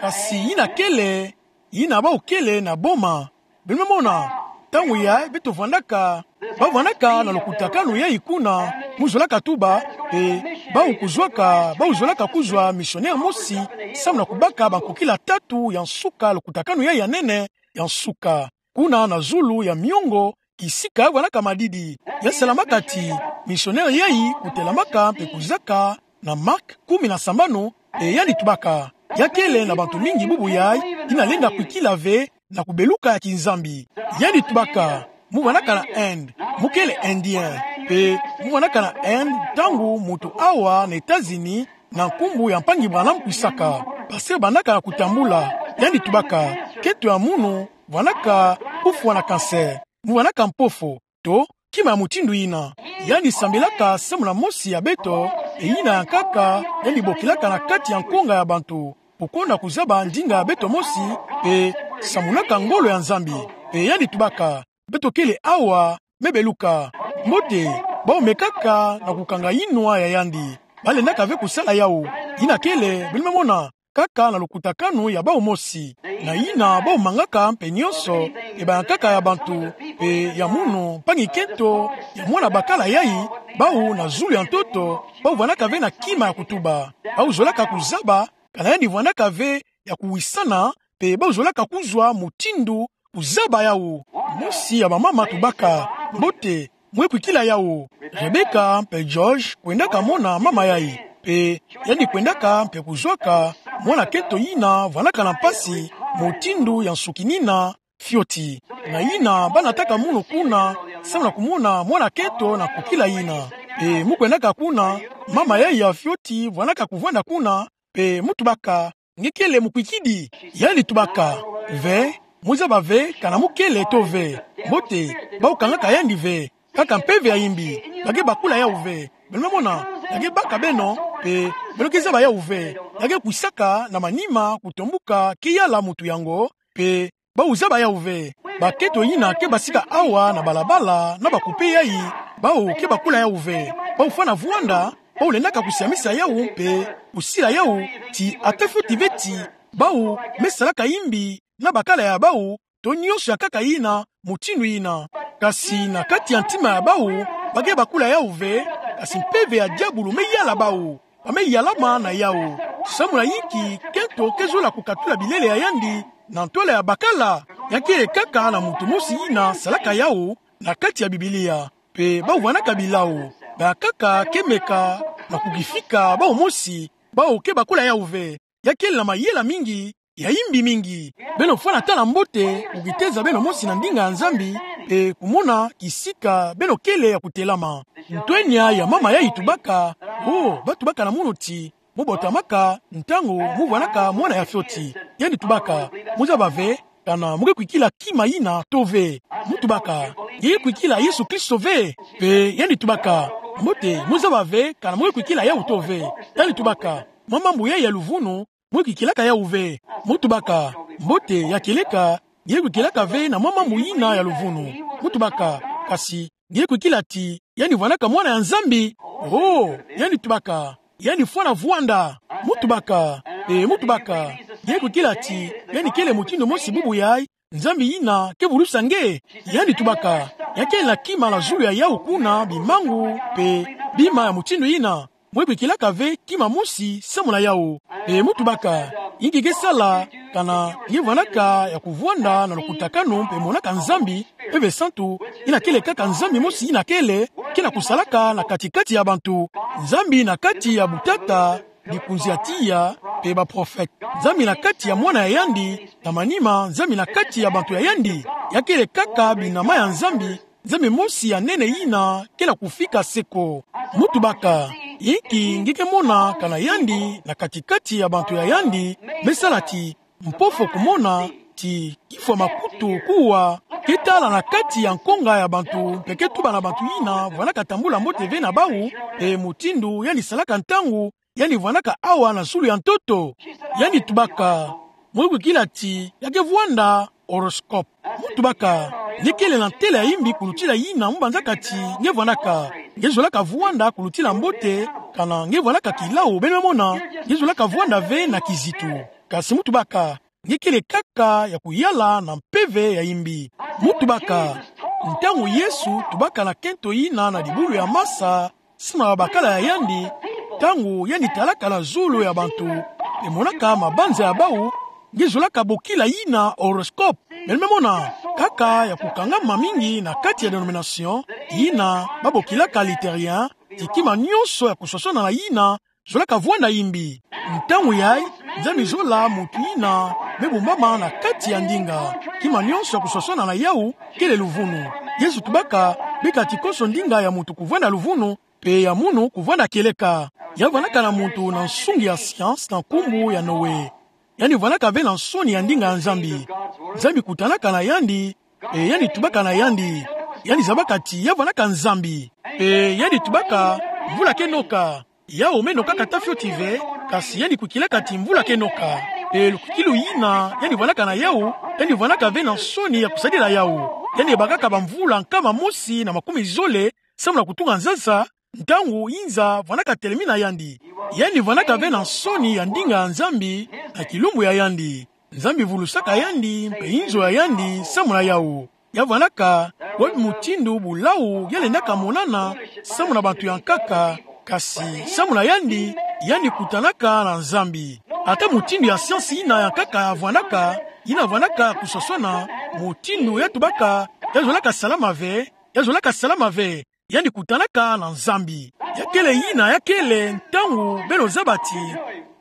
Kasi yina kele, yina bawu kele na boma. Beno me mona, ntangu yayi beto vandaka, ba vandaka na lukutakanu yayi kuna, mu zolaka tuba, pe bawu kuzwaka, bawu zolaka kuzwa missionnaire mosi, samu na kubaka bankokila tatu ya nsuka, lukutakanu yayi ya nene ya nsuka. Kuna na zulu ya miongo, kisika ya vandaka madidi. Ya salamaka ti missionnaire yayi kutelamaka pe kuzaka na Marc kumi na sambanu, pe yandi tubaka. Ya kele na bantu mingi bubu yayi, yina lenda kwikila ve na kubeluka ya kinzambi. Yandi tubaka, mu vandaka na Inde, mu kele Indien, pe mu vandaka na Inde, ntangu muntu awa na États-Unis, na nkumbu ya mpangi Branham kwisaka. Pasteur bandaka na kutambula, yandi tubaka, kento ya munu vandaka kufwa na cancer, mu vandaka mpofo, to kima ya mutindu yina. Yandi sambilaka samu na mosi ya beto, e yina ya nkaka, yandi bokilaka na kati ya nkonga ya bantu. kukonda kuzaba ndinga ya beto mosi, pe samunaka ngolo ya Nzambi. Pe yandi tubaka: Beto kele awa, me beluka. Mbote, bau me kaka na kukanga yinwa ya yandi. Balendaka ve kusala yawu. Yina kele, beno me mona, kaka na lukutakanu ya bau mosi. Na yina bau mangaka mpe nionso, e ba nkaka ya bantu, pe ya munu, mpangi-kento, ya mwana bakala yai, bau na zulu ya ntoto, bau vwandaka ve na kima ya kutuba. Bau zolaka kuzaba kana yandi vwandaka ve ya kuwisana, pe bau zolaka kuzwa mutindu kuzaba yawu. Mosi ya bamama tubaka: Mbote, mwe kwikila yawu. Rebecca mpe George kwendaka mona mama yai, pe yandi kwendaka mpe kuzwaka mwana-kento yina vwandaka na mpasi, mutindu ya nsukinina fioti. Na yina banataka munu kuna, samu na kumona mwana-kento na kwikila yina. Pe mu kwendaka kuna, mama yai ya fioti vwandaka kuvwanda kuna, pe mu tubaka: Nge kele mukwikidi? Yandi tubaka: Ve, mu zaba ve kana mu kele to ve. Mbote, bau kangaka yandi ve. Kaka mpeve ya yimbi. Ba ke bakula yawu ve. Beno me mona, ba ke baka beno, pe beno ke zaba yawu ve. Ba ke kwisaka na manima kutombuka ke yala muntu yango, pe bau zaba yawu ve. Bakento yina ke basika awa na balabala na bakupe yai, bau ke bakula yawu ve. Bau fwana vwanda, bau lendaka kusiamisa yawu mpe kusila yawu ti ata fioti ve ti bau me salaka yimbi na bakala ya bau, to nionso ya nkaka yina, mutindu yina. Kasi na kati ya ntima ya bau, ba ke bakula yawu ve, kasi mpeve ya diabulu me yala bau. Ba me yalama na yawu. Samu na yinki kento ke zola kukatula bilele ya yandi na ntwala ya bakala? Ya kele kaka na muntu mosi yina salaka yawu na kati ya Biblia. Pe bau vwandaka bilau. Ba nkaka ke meka na kukifika bau mosi, bau ke bakula yawu ve. Ya kele na mayela mingi, ya yimbi mingi. Beno fwana tala mbote, kukiteza beno mosi na ndinga ya Nzambi, pe kumona kisika beno kele ya kutelama. Ntwenya ya mama yai tubaka: O, ba tubaka na munu ti mu botamaka ntangu mu vwandaka mwana ya fioti. Yandi tubaka: Mu zaba ve kana mu ke kwikila kima yina to ve. Mu tubaka: Nge ke kwikila Yesu Kristo ve? Pe yandi tubaka: Mbote, mu zaba ve kana mu ke kwikila yawu to ve. Yandi tubaka: Mwa mambu yai ya luvunu, mu ke kwikilaka yawu ve. Mu tubaka: Mbote, ya kieleka, nge ke kwikilaka ve na mwa mambu yina ya luvunu. Mu tubaka: Kasi nge ke kwikila ti yandi vwandaka Mwana ya Nzambi? O, yandi tubaka: Yandi fwana vwanda. Mu tubaka: E, mu tubaka: Nge ke kwikila ti yandi kele mutindu mosi bubu yai, Nzambi yina ke vulusa nge? Yandi tubaka: Ya kele na kima na zulu ya yawu kuna, bimangu pe bima ya mutindu yina. Mu ke kwikilaka ve kima mosi samu na yawu. E, mu tubaka: Yinki ke sala kana nge vwandaka ya kuvwanda na lukutakanu mpe monaka Nzambi, Mpeve Santu, yina kele kaka Nzambi mosi yina kele, ke na kusalaka na kati-kati ya bantu. Nzambi na kati ya butata, likunzi ya tiya, pe baprofete. Nzambi na kati ya Mwana ya yandi, na manima Nzambi na kati ya bantu ya yandi. Ya kele kaka binama ya Nzambi, Nzambi mosi ya nene yina ke na kufika seko. Mu tubaka: Yinki nge ke mona kana yandi na kati-kati ya bantu ya yandi me sala ti mpofo kumona, ti kifwa makutu kuwa, ke tala na kati ya nkonga ya bantu mpe ke tuba na bantu yina vwandaka tambula mbote ve na bawu, pe mutindu yandi salaka ntangu yandi vwandaka awa na zulu ya ntoto? Yandi tubaka: Mu ke kwikila ti ya ke vwanda horoscope? Mu tubaka: Nge kele na ntele ya yimbi kulutila yina mu banzaka ti nge vwandaka. Nge zolaka vwanda kulutila mbote, kana nge vwandaka kilau, beno me mona, nge zolaka vwanda ve na kizitu. Kasi mu tubaka: Nge kele kaka ya kuyala na mpeve ya yimbi. Mu tubaka: Ntangu Yesu tubaka na kento yina na dibulu ya masa, samu na babakala ya yandi, ntangu yandi talaka na zulu ya bantu, pe monaka mabanza ya bawu, nge zolaka bokila yina horoscope? Beno me mona, kaka ya kukangama mingi na kati ya denomination, yina ba bokilaka luthérien, ti kima nionso ya kuswaswana na yina zolaka vwanda yimbi. Ntangu yai, Nzambi zola muntu yina me bumbama na kati ya ndinga. Kima nionso ya kuswaswana na yawu kele luvunu. Yesu tubaka: Bika ti konso ndinga ya muntu kuvwanda luvunu, pe ya munu kuvwanda kieleka. Ya vwandaka na muntu na nsungi ya science na nkumbu ya Noe. Yandi vwandaka ve na nsoni ya ndinga ya Nzambi. Nzambi kutanaka na yandi, pe yandi tubaka na yandi. Yandi zabaka ti ya vwandaka Nzambi. Pe yandi tubaka: Mvula ke noka. Yawu me nokaka ata fioti ve, kasi yandi kwikilaka ti mvula ke noka. Pe lukwikilu yina yandi vwandaka na yawu, yandi vwandaka ve na nsoni ya kusadila yawu. Yandi bakaka bamvula nkama mosi na makumini zole, samu na kutunga nzanza, ntangu yinza vwandaka telemi na yandi. Yandi vwandaka ve na nsoni ya ndinga ya Nzambi na kilumbu ya yandi. Nzambi vulusaka yandi, mpe inzo ya yandi, samu na yawu. Ya vwandaka, wapi mutindu bulawu ya lendaka monana samu na bantu ya nkaka, kasi samu na yandi, yandi kutanaka na Nzambi. Ata mutindu ya siansi yina ya nkaka ya vwandaka, yina vwandaka kusosona, mutindu ya tubaka, ya zolaka salama ve, ya zolaka salama ve, yandi kutanaka na Nzambi. Ya kele yina ya kele ntangu beno zaba ti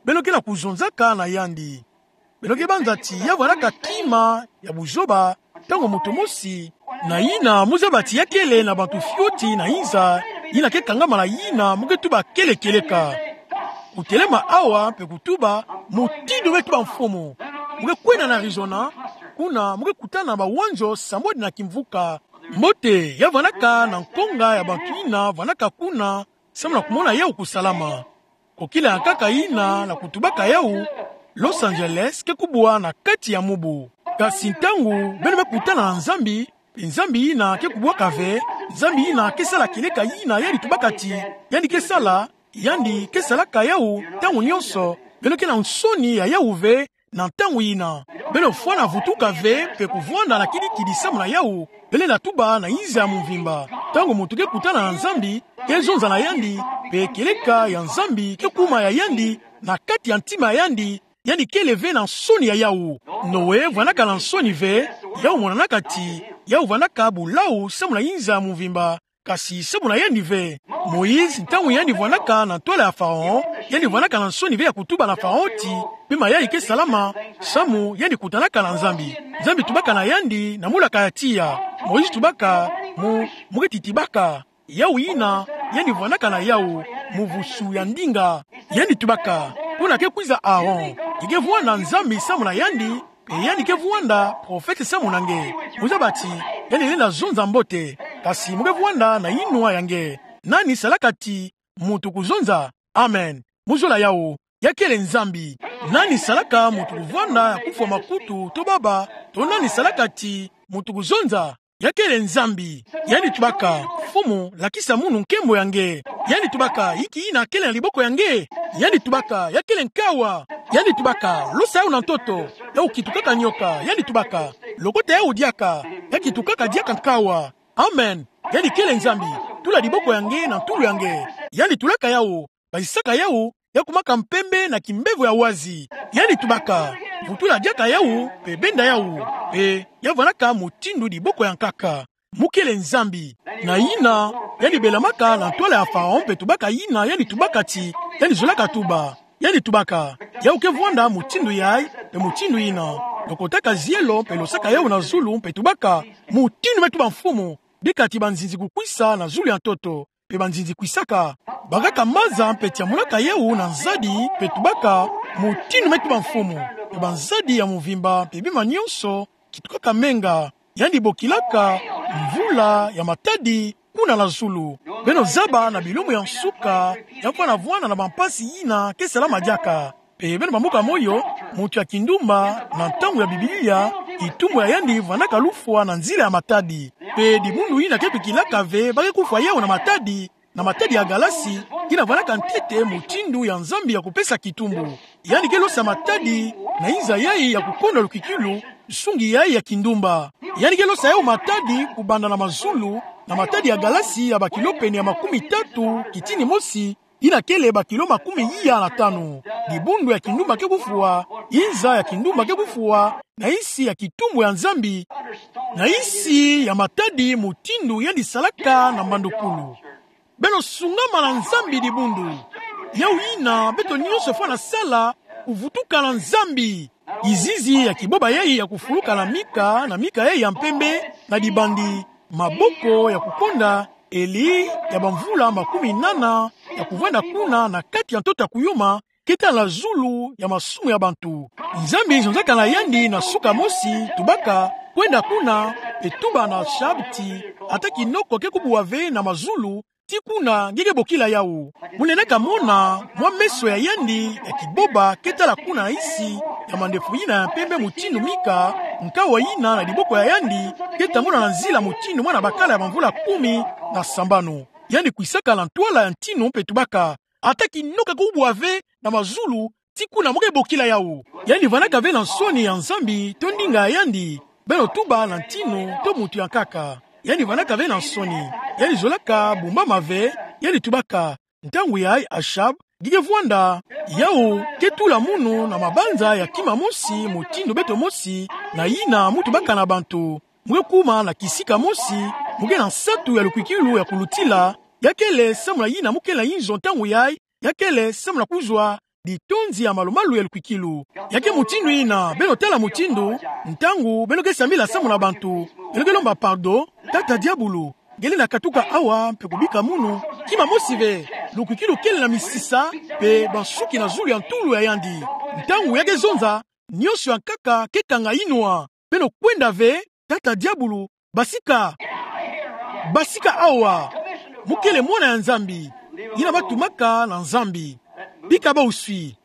beno ke na kuzonzaka na yandi. Beno ke banza ti ya vwandaka kima ya buzoba, ntangu muntu mosi, na yina mu zaba ti ya kele na bantu fioti na yinza, yina ke kangama na yina mu ke tuba kele kieleka. Kutelema awa mpe kutuba, mutindu me tuba Mfumu. Mu ke kwenda na Arizona, kuna mu ke kutana na bawanzo sambwadi na kimvuka. Mbote, ya vwandaka na nkonga ya bantu yina vwandaka kuna, samu na kumona yawu kusalama. Kokila ya nkaka yina na kutubaka yawu, Los Angeles ke kubwa na kati ya mubu. Kasi ntangu beno me kutana na Nzambi, mpe Nzambi yina ke kubwaka ve, Nzambi yina ke sala kieleka yina yandi tubaka ti yandi ke sala, yandi ke salaka yawu ntangu nyonso, beno ke na nsoni ya yawu ve, na ntangu yina. Beno fwana vutuka ve mpe kuvwanda na kidikidi samu na yawu, beno lenda tuba na yinza ya mvimba. Ntangu muntu ke kutana na Nzambi, ke zonza na yandi, mpe kieleka ya Nzambi ke kuma ya yandi, na kati ya ntima ya yandi, yandi kele ve na nsoni ya yawu. Noe vwandaka na nsoni ve, yawu monanaka ti, yawu vwandaka bulawu samu na yinza ya mvimba, kasi samu na yandi ve. Moïse, ntangu yandi vwandaka na ntwala ya Pharaon, yandi vwandaka na nsoni ve ya kutuba na Pharaon ti, pima yayi ke salama, samu yandi kutanaka na Nzambi. Nzambi tubaka na yandi na mulaka ya tiya. Moïse tubaka, mu, mu ke titibaka. Yawu yina, yandi vwandaka na yawu, muvusu ya ndinga. Yandi tubaka, kuna ke kwiza Aaron. Ke ke vwanda Nzambi samu na yandi, mpe yandi ke vwanda profete samu na nge. Mu zaba ti, yandi lenda zonza mbote, kasi mu ke vwanda na yinwa ya nge. Nani salaka ti muntu kuzonza? Amen. Mu zola yawu, ya kele Nzambi. Nani salaka muntu kuvwanda ya kufwa makutu, to baba, to nani salaka ti muntu kuzonza? Ya kele Nzambi. Yandi tubaka, Mfumu, lakisa munu nkembo ya nge. Yandi tubaka, inki yina kele na liboko ya nge? Yandi tubaka, ya kele nkawa. Yandi tubaka, losa yawu na ntoto. Yawu kitukaka nyoka. Yandi tubaka, lokota yawu diaka. Ya kitukaka diaka nkawa. Amen. Yandi kele Nzambi. Tula liboko ya nge na ntulu ya nge. Yandi tulaka yawu. Basisaka yawu, ya kumaka mpembe na kimbevo ya wazi. Yandi tubaka, vutula diaka yawu, mpe benda yawu, mpe ya vwandaka mutindu diboko ya nkaka. Mu kele Nzambi. Na yina, yandi belamaka na ntwala ya Pharaon mpe tubaka yina yandi tubaka ti yandi zolaka tuba. Yandi tubaka, yawu ke vwanda mutindu yayi, mpe mutindu yina. Lokotaka zielo, mpe losaka yawu na zulu, mpe tubaka, mutindu me tuba Mfumu, bika ti banzinzi kukwisa na zulu ya ntoto. Mpe banzinzi kwisaka. Bakaka maza mpe tiamunaka yawu na nzadi mpe tubaka, mutindu me tuba Mfumu. Mpe banzadi ya mvimba mpe bima nyonso kitukaka menga. Yandi bokilaka mvula ya matadi kuna na zulu. Beno zaba na bilumbu ya nsuka, ya fwana vwanda na bampasi yina ke salama diaka. Mpe beno bambuka moyo, muntu ya kindumba, na ntangu ya Biblia, kitumbu ya yandi vwandaka lufwa na nzila ya matadi. Mpe dibundu yina ke bikilaka ve ba ke kufwa yawu na matadi, na matadi ya galasi, yina vwandaka ntete mutindu ya Nzambi ya kupesa kitumbu. Yandi ke losa matadi, na inza yayi ya kukonda lukwikilu, nsungi yayi ya kindumba. Yandi ke losa yawu matadi kubanda na mazulu, na matadi ya galasi ya bakilo pene ya makumi tatu, kitini mosi, yina kele bakilo makumi iya na tanu. Dibundu ya kindumba ke kufwa, inza ya kindumba ke kufwa, na insi ya kitumbu ya Nzambi, na insi ya matadi mutindu yandi salaka na mbandukulu. Beno sungama na Nzambi dibundu. Yawu yina beto nyonso fwana sala, kuvutuka na Nzambi. Kizizi ya kiboba yayi ya kufuluka na mika, na mika yayi ya mpembe, na dibandi, maboko ya kukonda, Eli, ya bamvula makumi nana, ya kuvwanda kuna na kati ya ntoto ya kuyuma, ke tala zulu ya masumu ya bantu. Nzambi zonzaka na yandi na suka mosi, tubaka, kwenda kuna, mpe tuba na Shab ti, ata kinoko ke kubuwa ve na mazulu, Ti kuna nge ke bokila yawu. Mo lendaka mona mwa meso ya yandi ya kiboba ke tala kuna na nsi ya mandefu yina ya mpembe mutindu mika, nkawuwa yina na diboko ya yandi ke tambula na nzila mutindu mwana bakala ya bamvula kumi na sambanu. Yandi kwisaka na ntwala ya ntinu mpe tubaka: Ata kinoka ke ubwa ve na mazulu, ti kuna mo ke bokila yawu. Yandi vandaka ve na nsoni ya Nzambi to ndinga ya yandi, beno tuba na ntinu to muntu ya nkaka. Yandi vandaka ve na nsoni. Yandi zolaka bumbama ve, yandi tubaka: Ntangu yayi, Achab, nge ke vwanda? Yawu ke tula munu na mabanza ya kima mosi mutindu beto mosi, na yina mo tubaka na bantu. Mo ke kuma na kisika mosi, mo ke na nsatu ya lukwikilu ya kulutila, ya kele samu na yina mo kele na inzo ntangu yayi, ya kele samu na kuzwa litonzi ya malumalu ya lukwikilu. Ya ke mutindu yina, beno tala mutindu, ntangu beno ke sambila samu na bantu, beno ke lomba pardon: Tata Diabulu, nge lenda katuka awa mpe kubika munu, kima mosi ve. Lukwikilu kele na misisa mpe bansuki na zulu ya ntulu ya yandi. Ntangu ya ke zonza, nionso ya nkaka ke kanga inwa. Beno kwenda ve, Tata Diabulu, basika. Basika awa. Mo kele mwana ya Nzambi, yina ba tumaka na Nzambi. Bika bau swi.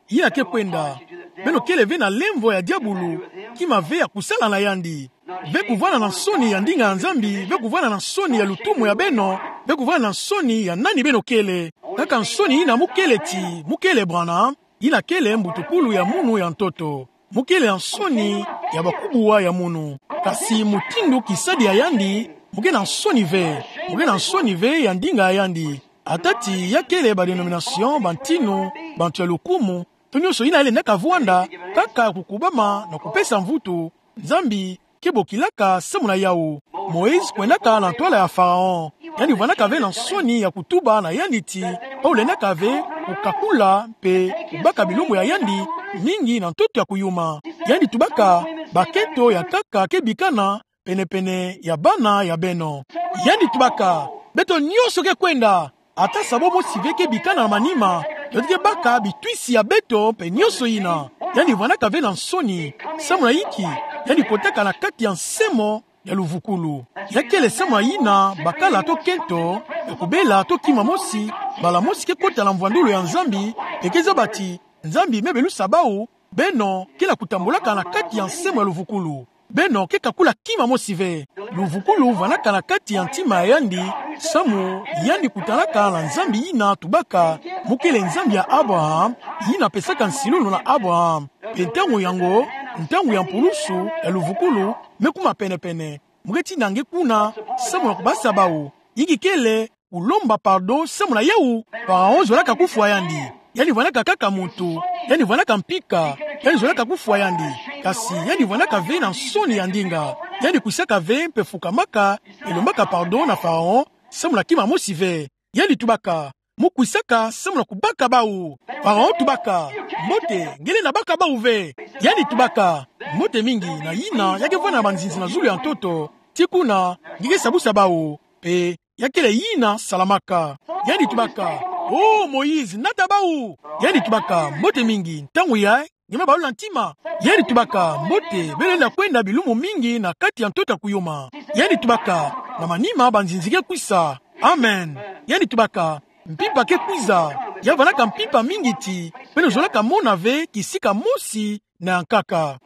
Yina ke kwenda. Beno kele ve na lemvo ya Diabulu, kima ve ya kusala na yandi. Ve kuvwanda na nsoni ya ndinga ya Nzambi, ve kuvwanda na nsoni ya lutumu ya beno, ve kuvwanda na nsoni ya nani beno kele. Kaka nsoni yina mo kele ti mo kele Branham, yina kele mbutukulu ya munu ya ntoto. Mo kele na nsoni ya bakubuwa ya munu. Kasi mutindu kisadi ya yandi, mo ke na nsoni ve. Mo ke na nsoni ve ya ndinga ya yandi. Ata ti ya kele ba dénomination, bantinu, bantu ya lukumu, to nionso yina ya lendaka vwanda, kaka kukubama na kupesa mvutu, Nzambi ke bokilaka samu na yawu. Moïse kwendaka na ntwala ya Pharaon. Yandi vandaka ve na nsoni ya kutuba na yandi ti, bau lendaka ve kukakula mpe kubaka bilumbu ya yandi mingi na ntoto ya kuyuma. Yandi tubaka: Bakento ya nkaka ke bikana pene-pene ya bana ya beno. Yandi tubaka: Beto nionso ke kwenda. Ata sabo mosi ve ke bikana na manima, beto ke baka bitwisi ya beto mpe nionso yina. Yandi vandaka ve na nsoni. Samu na inki? Yandi kotaka na kati ya nsemo ya luvukulu. Ya kele samu na yina bakala to kento ya kubela to kima mosi, mbala mosi ke kota na mvwandulu ya Nzambi, mpe ke zaba ti Nzambi me belusa bau: Beno ke na kutambulaka na kati ya nsemo ya luvukulu. Beno ke kakula kima mosi ve. Luvukulu vandaka na kati ya ntima ya yandi, samu yandi kutanaka na Nzambi yina tubaka: Mo kele Nzambi ya Abraham, yina pesaka nsilulu na Abraham. Mpe ntangu yango, ntangu ya mpulusu ya luvukulu me kuma pene-pene. Mo ke tina nge kuna samu na kubasa bau. Inki kele kulomba pardon samu na yawu? Pharaon zolaka kufwa yandi. Yandi vandaka kaka muntu. Yandi vandaka mpika. Yandi zolaka kufwa yandi. Kasi yandi vandaka ve na nsoni ya ndinga. Yandi kwisaka ve mpe fukamaka, mpe lombaka pardon na Pharaon samu na kima mosi ve. Yandi tubaka: Mo kwisaka samu na kubaka bau? Pharaon tubaka: Mbote, nge lenda baka bau ve. Yandi tubaka: Mbote mingi. Na yina ya ke vwanda na banzinzi na zulu ya ntoto. Ti kuna nge ke sabusa bau. Mpe ya kele yina salamaka. Yandi tubaka: O Moïse, nata bau. Yandi tubaka: Mbote mingi. Ntangu yayi nge me balula ntima. Yandi tubaka: Mbote, beno lenda kwenda bilumbu mingi na kati ya ntoto ya kuyuma. Yandi tubaka: Na manima banzinzi ke kwisa. Amen. Yandi tubaka: Mpimpa ke kwiza. Ya vandaka mpimpa mingi ti beno zolaka mona ve kisika mosi na ya nkaka.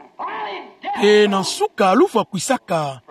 Mpe na nsuka lufwa kwisaka.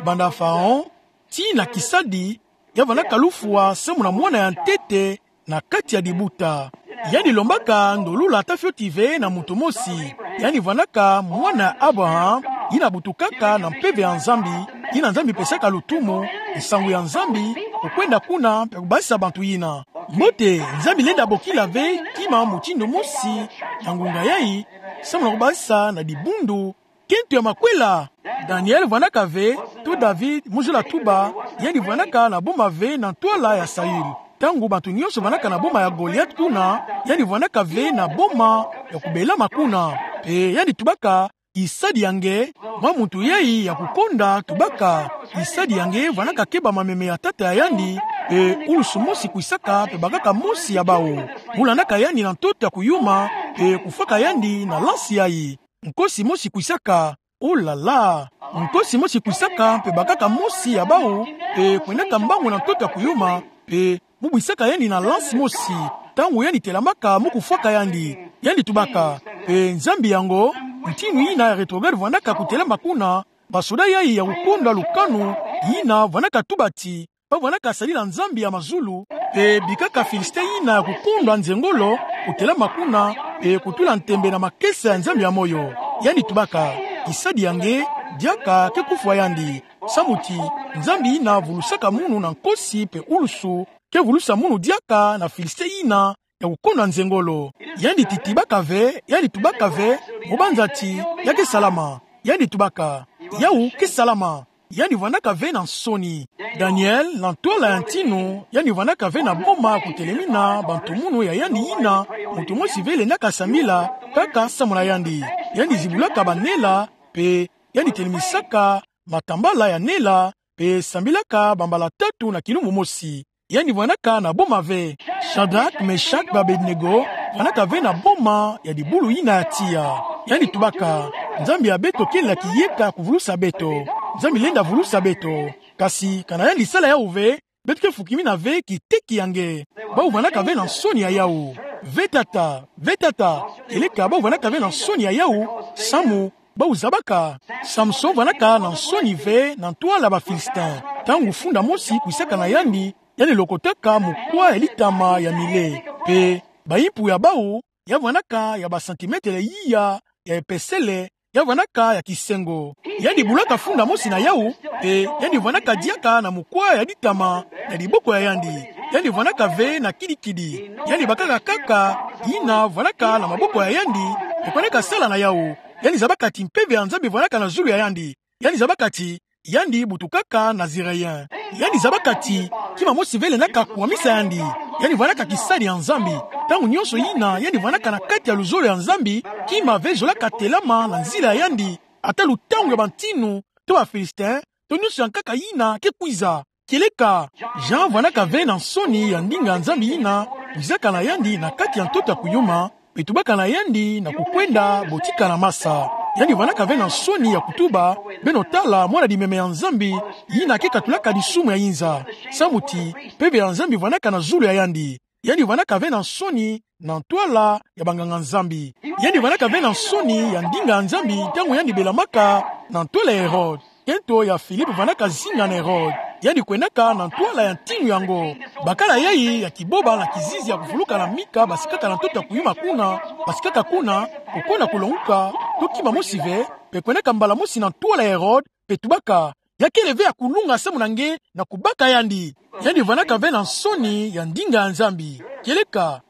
Banda Pharaon tii na kisadi, ya vandaka lufwa samu na mwana ya ntete na kati ya dibuta. Yandi lombaka ndolula ta fioti ve na muntu mosi. Yandi vandaka mwana ya Abraham, yina butukaka na mpeve ya Nzambi, yina Nzambi pesaka lutumu, nsangu ya Nzambi, kukwenda kuna mpe kubasisa bantu yina. Mbote, Nzambi lenda bokila ve kima mutindu mosi na ngunga yayi, samu na kubasisa na dibundu kento ya makwela. Daniel vandaka ve, to David, mu zola tuba, yandi vandaka na boma ve na ntwala ya Saül. Ntangu bantu nyonso vandaka na boma ya Goliath kuna, yandi vandaka ve na boma ya kubelama kuna. Mpe yandi tubaka: Kisadi ya nge, mwa muntu yayi ya kukonda, tubaka: Kisadi ya nge vandaka keba mameme ya tata ya yandi, mpe ulusu mosi kwisaka mpe bakaka mosi ya bawu. Mu landaka yandi na ntoto ya kuyuma, mpe kufwaka yandi na lansi yayi. Nkosi mosi kwisaka, oh là là! Nkosi mosi kwisaka mpe bakaka mosi ya bawu, mpe kwendaka mbangu na ntoto ya kuyuma, Pe mu bwisaka yandi na lance mosi, ntangu yandi telamaka mu kufwaka yandi. Yandi tubaka: Pe Nzambi yango, ntinu yina ya rétrograde vwandaka kutelama kuna, basoda yayi ya kukondwa lukanu yina vwandaka tuba ti ba vwandaka sadila Nzambi ya mazulu, pe bikaka Philistin yina ya kukondwa nzengolo kutelama kuna, pe kutula ntembe na makesa ya Nzambi ya moyo. Yandi tubaka: Kisadi ya nge, diaka ke kufwa yandi. Samu ti Nzambi yina vulusaka munu na nkosi pe ulusu, ke vulusa munu diaka na Philistin yina ya kukondwa nzengolo. Yandi titibaka ve, yandi tubaka ve, mu banza ti ya ke salama. Yandi tubaka: Yawu ke salama. Yandi vwandaka ve na nsoni. Daniel, na ntwala ya ntinu, yandi vwandaka ve na boma kutelemina bantu munu ya yandi yina muntu mosi ve lendaka sambila, kaka samu na yandi. Yandi zibulaka banela, pe yandi telemisaka matambala ya nela, pe sambilaka bambala tatu na kilumbu mosi. Yandi vwandaka na boma ve. Shadrach, Meshach, pe Abednego vwandaka ve na boma ya dibulu yina ya tiya. Yandi tubaka: Nzambi ya beto kele na kiyeka kuvulusa beto. Nzambi lenda vulusa beto. Kasi kana yandi sala yawu ve, beto ke fukimina ve kiteki ya nge. Bawu vwandaka ve na nsoni ya yawu. Ve tata, ve tata, kieleka bawu vwandaka ve na nsoni ya yawu, samu bawu zabaka Samson vwandaka na nsoni ve na ntwala ba Philistin. Ntangu funda mosi kwisaka na yandi, yandi lokotaka mukwa ya litama ya mile. Pe baimpu ya bawu ya vwandaka ya ba centimètres iya ya epesele, ya vwandaka ya kisengo. Yandi bulaka funda mosi na yawu, pe yandi vwandaka diaka na mukwa ya litama na diboko ya yandi. Yandi vwandaka ve na kidikidi. Yandi bakaka nkaka yina vwandaka na maboko ya yandi, pe kwendaka sala na yawu. Yandi zabaka ti mpeve ya Nzambi vwandaka na zulu ya yandi. Yandi zabaka ti yandi butukaka Naziréen. Yandi zabaka ti kima mosi ve lendaka kuwamisa yandi. Yandi vwandaka kisadi ya Nzambi. Ntangu nyonso yina yandi vwandaka na kati ya luzolo ya Nzambi, kima ve zolaka telama na nzila ya yandi, ata lutangu ya bantinu, to ba Philistin, to nyonso ya nkaka yina ke kwiza. Kieleka Jean vwandaka ve na nsoni ya ndinga ya Nzambi yina kwizaka na yandi na kati ya ntoto ya kuyuma, pe tubaka na yandi na kukwenda botika na masa. Yandi vwandaka ve na nsoni ya kutuba: Beno tala mwana dimeme ya Nzambi, yina ke katulaka disumu ya inza. Samu ti mpeve ya Nzambi vwandaka na zulu ya yandi. Yandi vwandaka ve na nsoni na ntwala ya banganga-Nzambi. Yandi vwandaka ve na nsoni ya ndinga ya Nzambi ntangu yandi belamaka na ntwala ya Hérode. Nkento ya Philippe vwandaka zinga na Hérode. Yandi kwendaka na ntwala ya ntinu yango. Bakala yayi ya kiboba na kizizi ya kuvuluka na mika basikaka na ntoto ya kuyuma kuna, basikaka kuna, koko na kulonguka, to kima mosi ve, pe kwendaka mbala mosi na ntwala ya Hérode, pe tubaka: Ya kele ve ya kulunga samu na nge na kubaka yandi. Yandi vwandaka ve na nsoni ya ndinga ya Nzambi. Kieleka,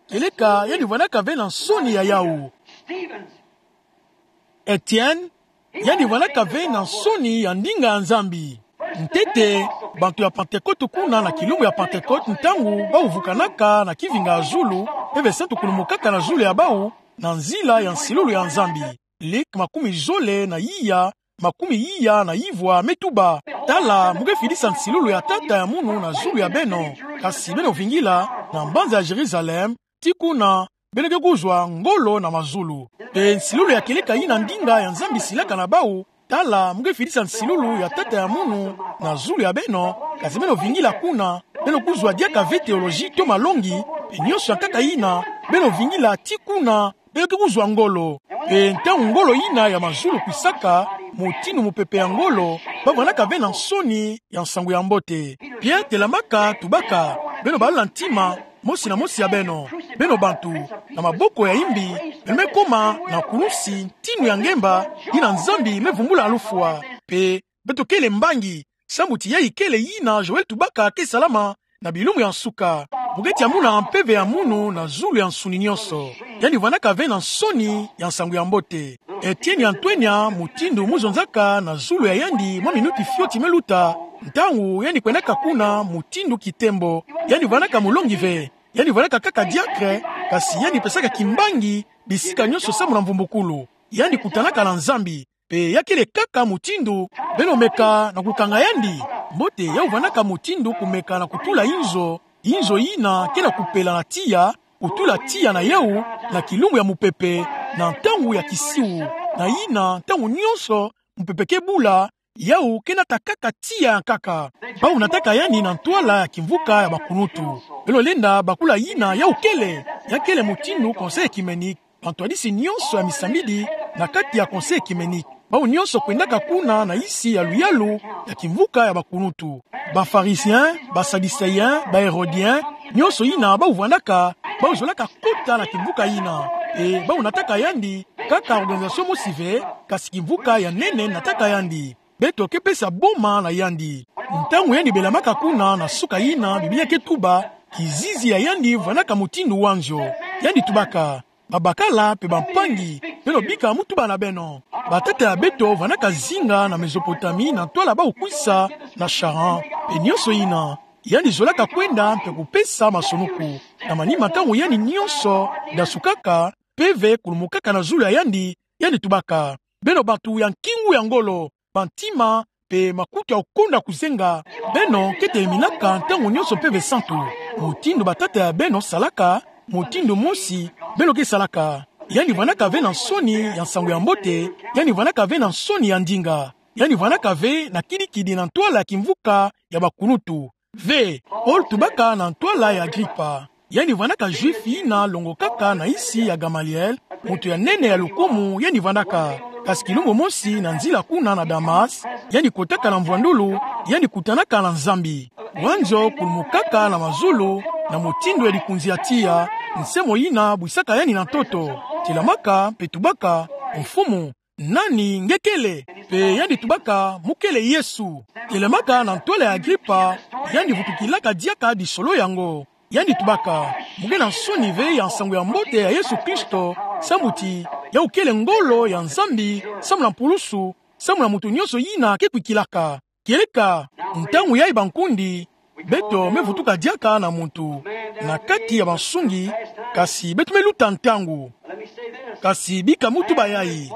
kieleka yandi vwandaka ve na nsoni ya yawu. Étienne, yandi vwandaka ve na nsoni ya ndinga ya Nzambi. Ntete, bantu ya Pantekote kuna na kilumbu ya Pantekote, ntangu bawu vukanaka na kivinga ya zulu, Mpeve Santu kulumukaka na zulu ya bawu, na nzila ya nsilulu ya Nzambi. Luc makumi zole na iya, makumi iya na ivwa me tuba: Tala, mu ke fidisa nsilulu ya Tata ya munu na zulu ya beno. Kasi beno vingila, na mbanza ya Jérusalem, tii kuna beno ke kuzwa ngolo na mazulu. Pe nsilulu ya kieleka yina ndinga ya Nzambi silaka na bawu: Tala, mu ke fidisa nsilulu ya Tata ya munu na zulu ya beno. Kasi beno vingila kuna, beno kuzwa diaka ve théologie to malongi, pe nyonso ya nkaka yina, beno vingila tii kuna beno ke kuzwa ngolo. Pe ntangu ngolo yina ya mazulu kwisaka, mutindu mupepe ya ngolo, bavwandaka ve na nsoni ya nsangu ya mbote. Pierre telamaka, tubaka: Beno balula ntima, mosi na mosi ya beno, beno bantu, na maboko ya imbi, beno me koma na kulusi ntinu ya ngemba yina Nzambi me vumbula na lufwa. Pe beto kele mbangi, samu ti yayi kele yina Joël tubaka ke salama na bilumbu ya nsuka. Mu ke tia muna mpeve ya munu na zulu ya nsuni nyonso. Yandi vwandaka ve na nsoni ya nsangu ya mbote. Étienne ya ntwenya mutindu mu zonzaka na zulu ya yandi mwa minuti fioti me luta, ntangu yandi kwendaka kuna mutindu kitembo. Yandi vwandaka mulongi ve. Yandi vwandaka kaka diacre, kasi yandi pesaka kimbangi bisika nyonso samu na mvumbukulu. Yandi kutanaka na Nzambi. Pe ya kele kaka mutindu beno meka na kukanga yandi. Mbote yawu vwandaka mutindu kumeka na kutula inzo, inzo yina ke na kupela na tiya, kutula tiya na yawu na kilumbu ya mupepe, na ntangu ya kisiu, na yina ntangu nyonso mupepe ke bula, yau ke nata kaka tiya ya nkaka. Bau nataka yandi na ntwala ya kimvuka ya bakunutu. Beno lenda bakula yina yau kele, ya kele mutindu conseil œcuménique. Bantwadisi nyonso ya misambidi na kati ya conseil œcuménique, bau nyonso kwendaka kuna na isi ya luyalu ya kimvuka ya bakunutu. Ba Pharisiens, ba Sadducéens, ba Hérodiens, nyonso yina bau vwandaka, bau zolaka kota na kimvuka yina. E bau nataka yandi kaka organisation mosi ve, kasi kimvuka ya nene nataka yandi. Beto ke pesa boma na yandi. Ntangu yandi belamaka kuna na suka yina, Biblia ke tuba, kizizi ya yandi vwandaka mutindu wanzio. Yandi tubaka: Babakala mpe bampangi, beno bika mutuba na beno. Batata ya beto vwandaka zinga na Mésopotamie na ntwala bau kwisa na Charan. Mpe nyonso yina, yandi zolaka kwenda mpe kupesa masunuku. Na manima, ntangu yandi nyonso dasukaka, mpeve kulumukaka na zulu ya yandi, yandi tubaka: Beno bantu ya nkingu ya ngolo, bantima mpe makutu ya kukonda kuzenga, beno ke teminaka ntangu nyonso mpeve santu. Mutindu batata ya beno salaka, mutindu mosi beno ke salaka. Yandi vwandaka ve na nsoni ya nsangu ya mbote, yandi vwandaka ve na nsoni ya ndinga, yandi vwandaka ve na kidikidi na ntwala ya kimvuka ya bakunutu. Ve, Paul tubaka na ntwala ya Agripa. Yandi vwandaka Juif yina longokaka na isi ya Gamaliel, muntu ya nene ya lukumu yandi vwandaka. Kasi kilumbu mosi na nzila kuna na Damas, yandi kotaka na mvwandulu, yandi kutanaka na Nzambi. Wanzio kulumukaka na mazulu, na mutindu ya likunzi ya tiya, nsemo yina bwisaka yandi na ntoto. Telamaka mpe tubaka: Mfumu, nani nge kele? Mpe yandi tubaka: Mu kele Yesu. Telamaka na ntwala ya Agripa, yandi vutukilaka diaka disolo yango. Yandi tubaka: Mu ke na nsoni ve ya nsangu ya mbote ya Yesu Kristo, samu ti yau kele ngolo ya Nzambi samu na mpulusu, samu na muntu nyonso yina ke kwikilaka. Kieleka, ntangu yayi bankundi, beto me vutuka diaka na muntu na kati ya bansungi, kasi beto me luta ntangu. Kasi bika mutuba yayi: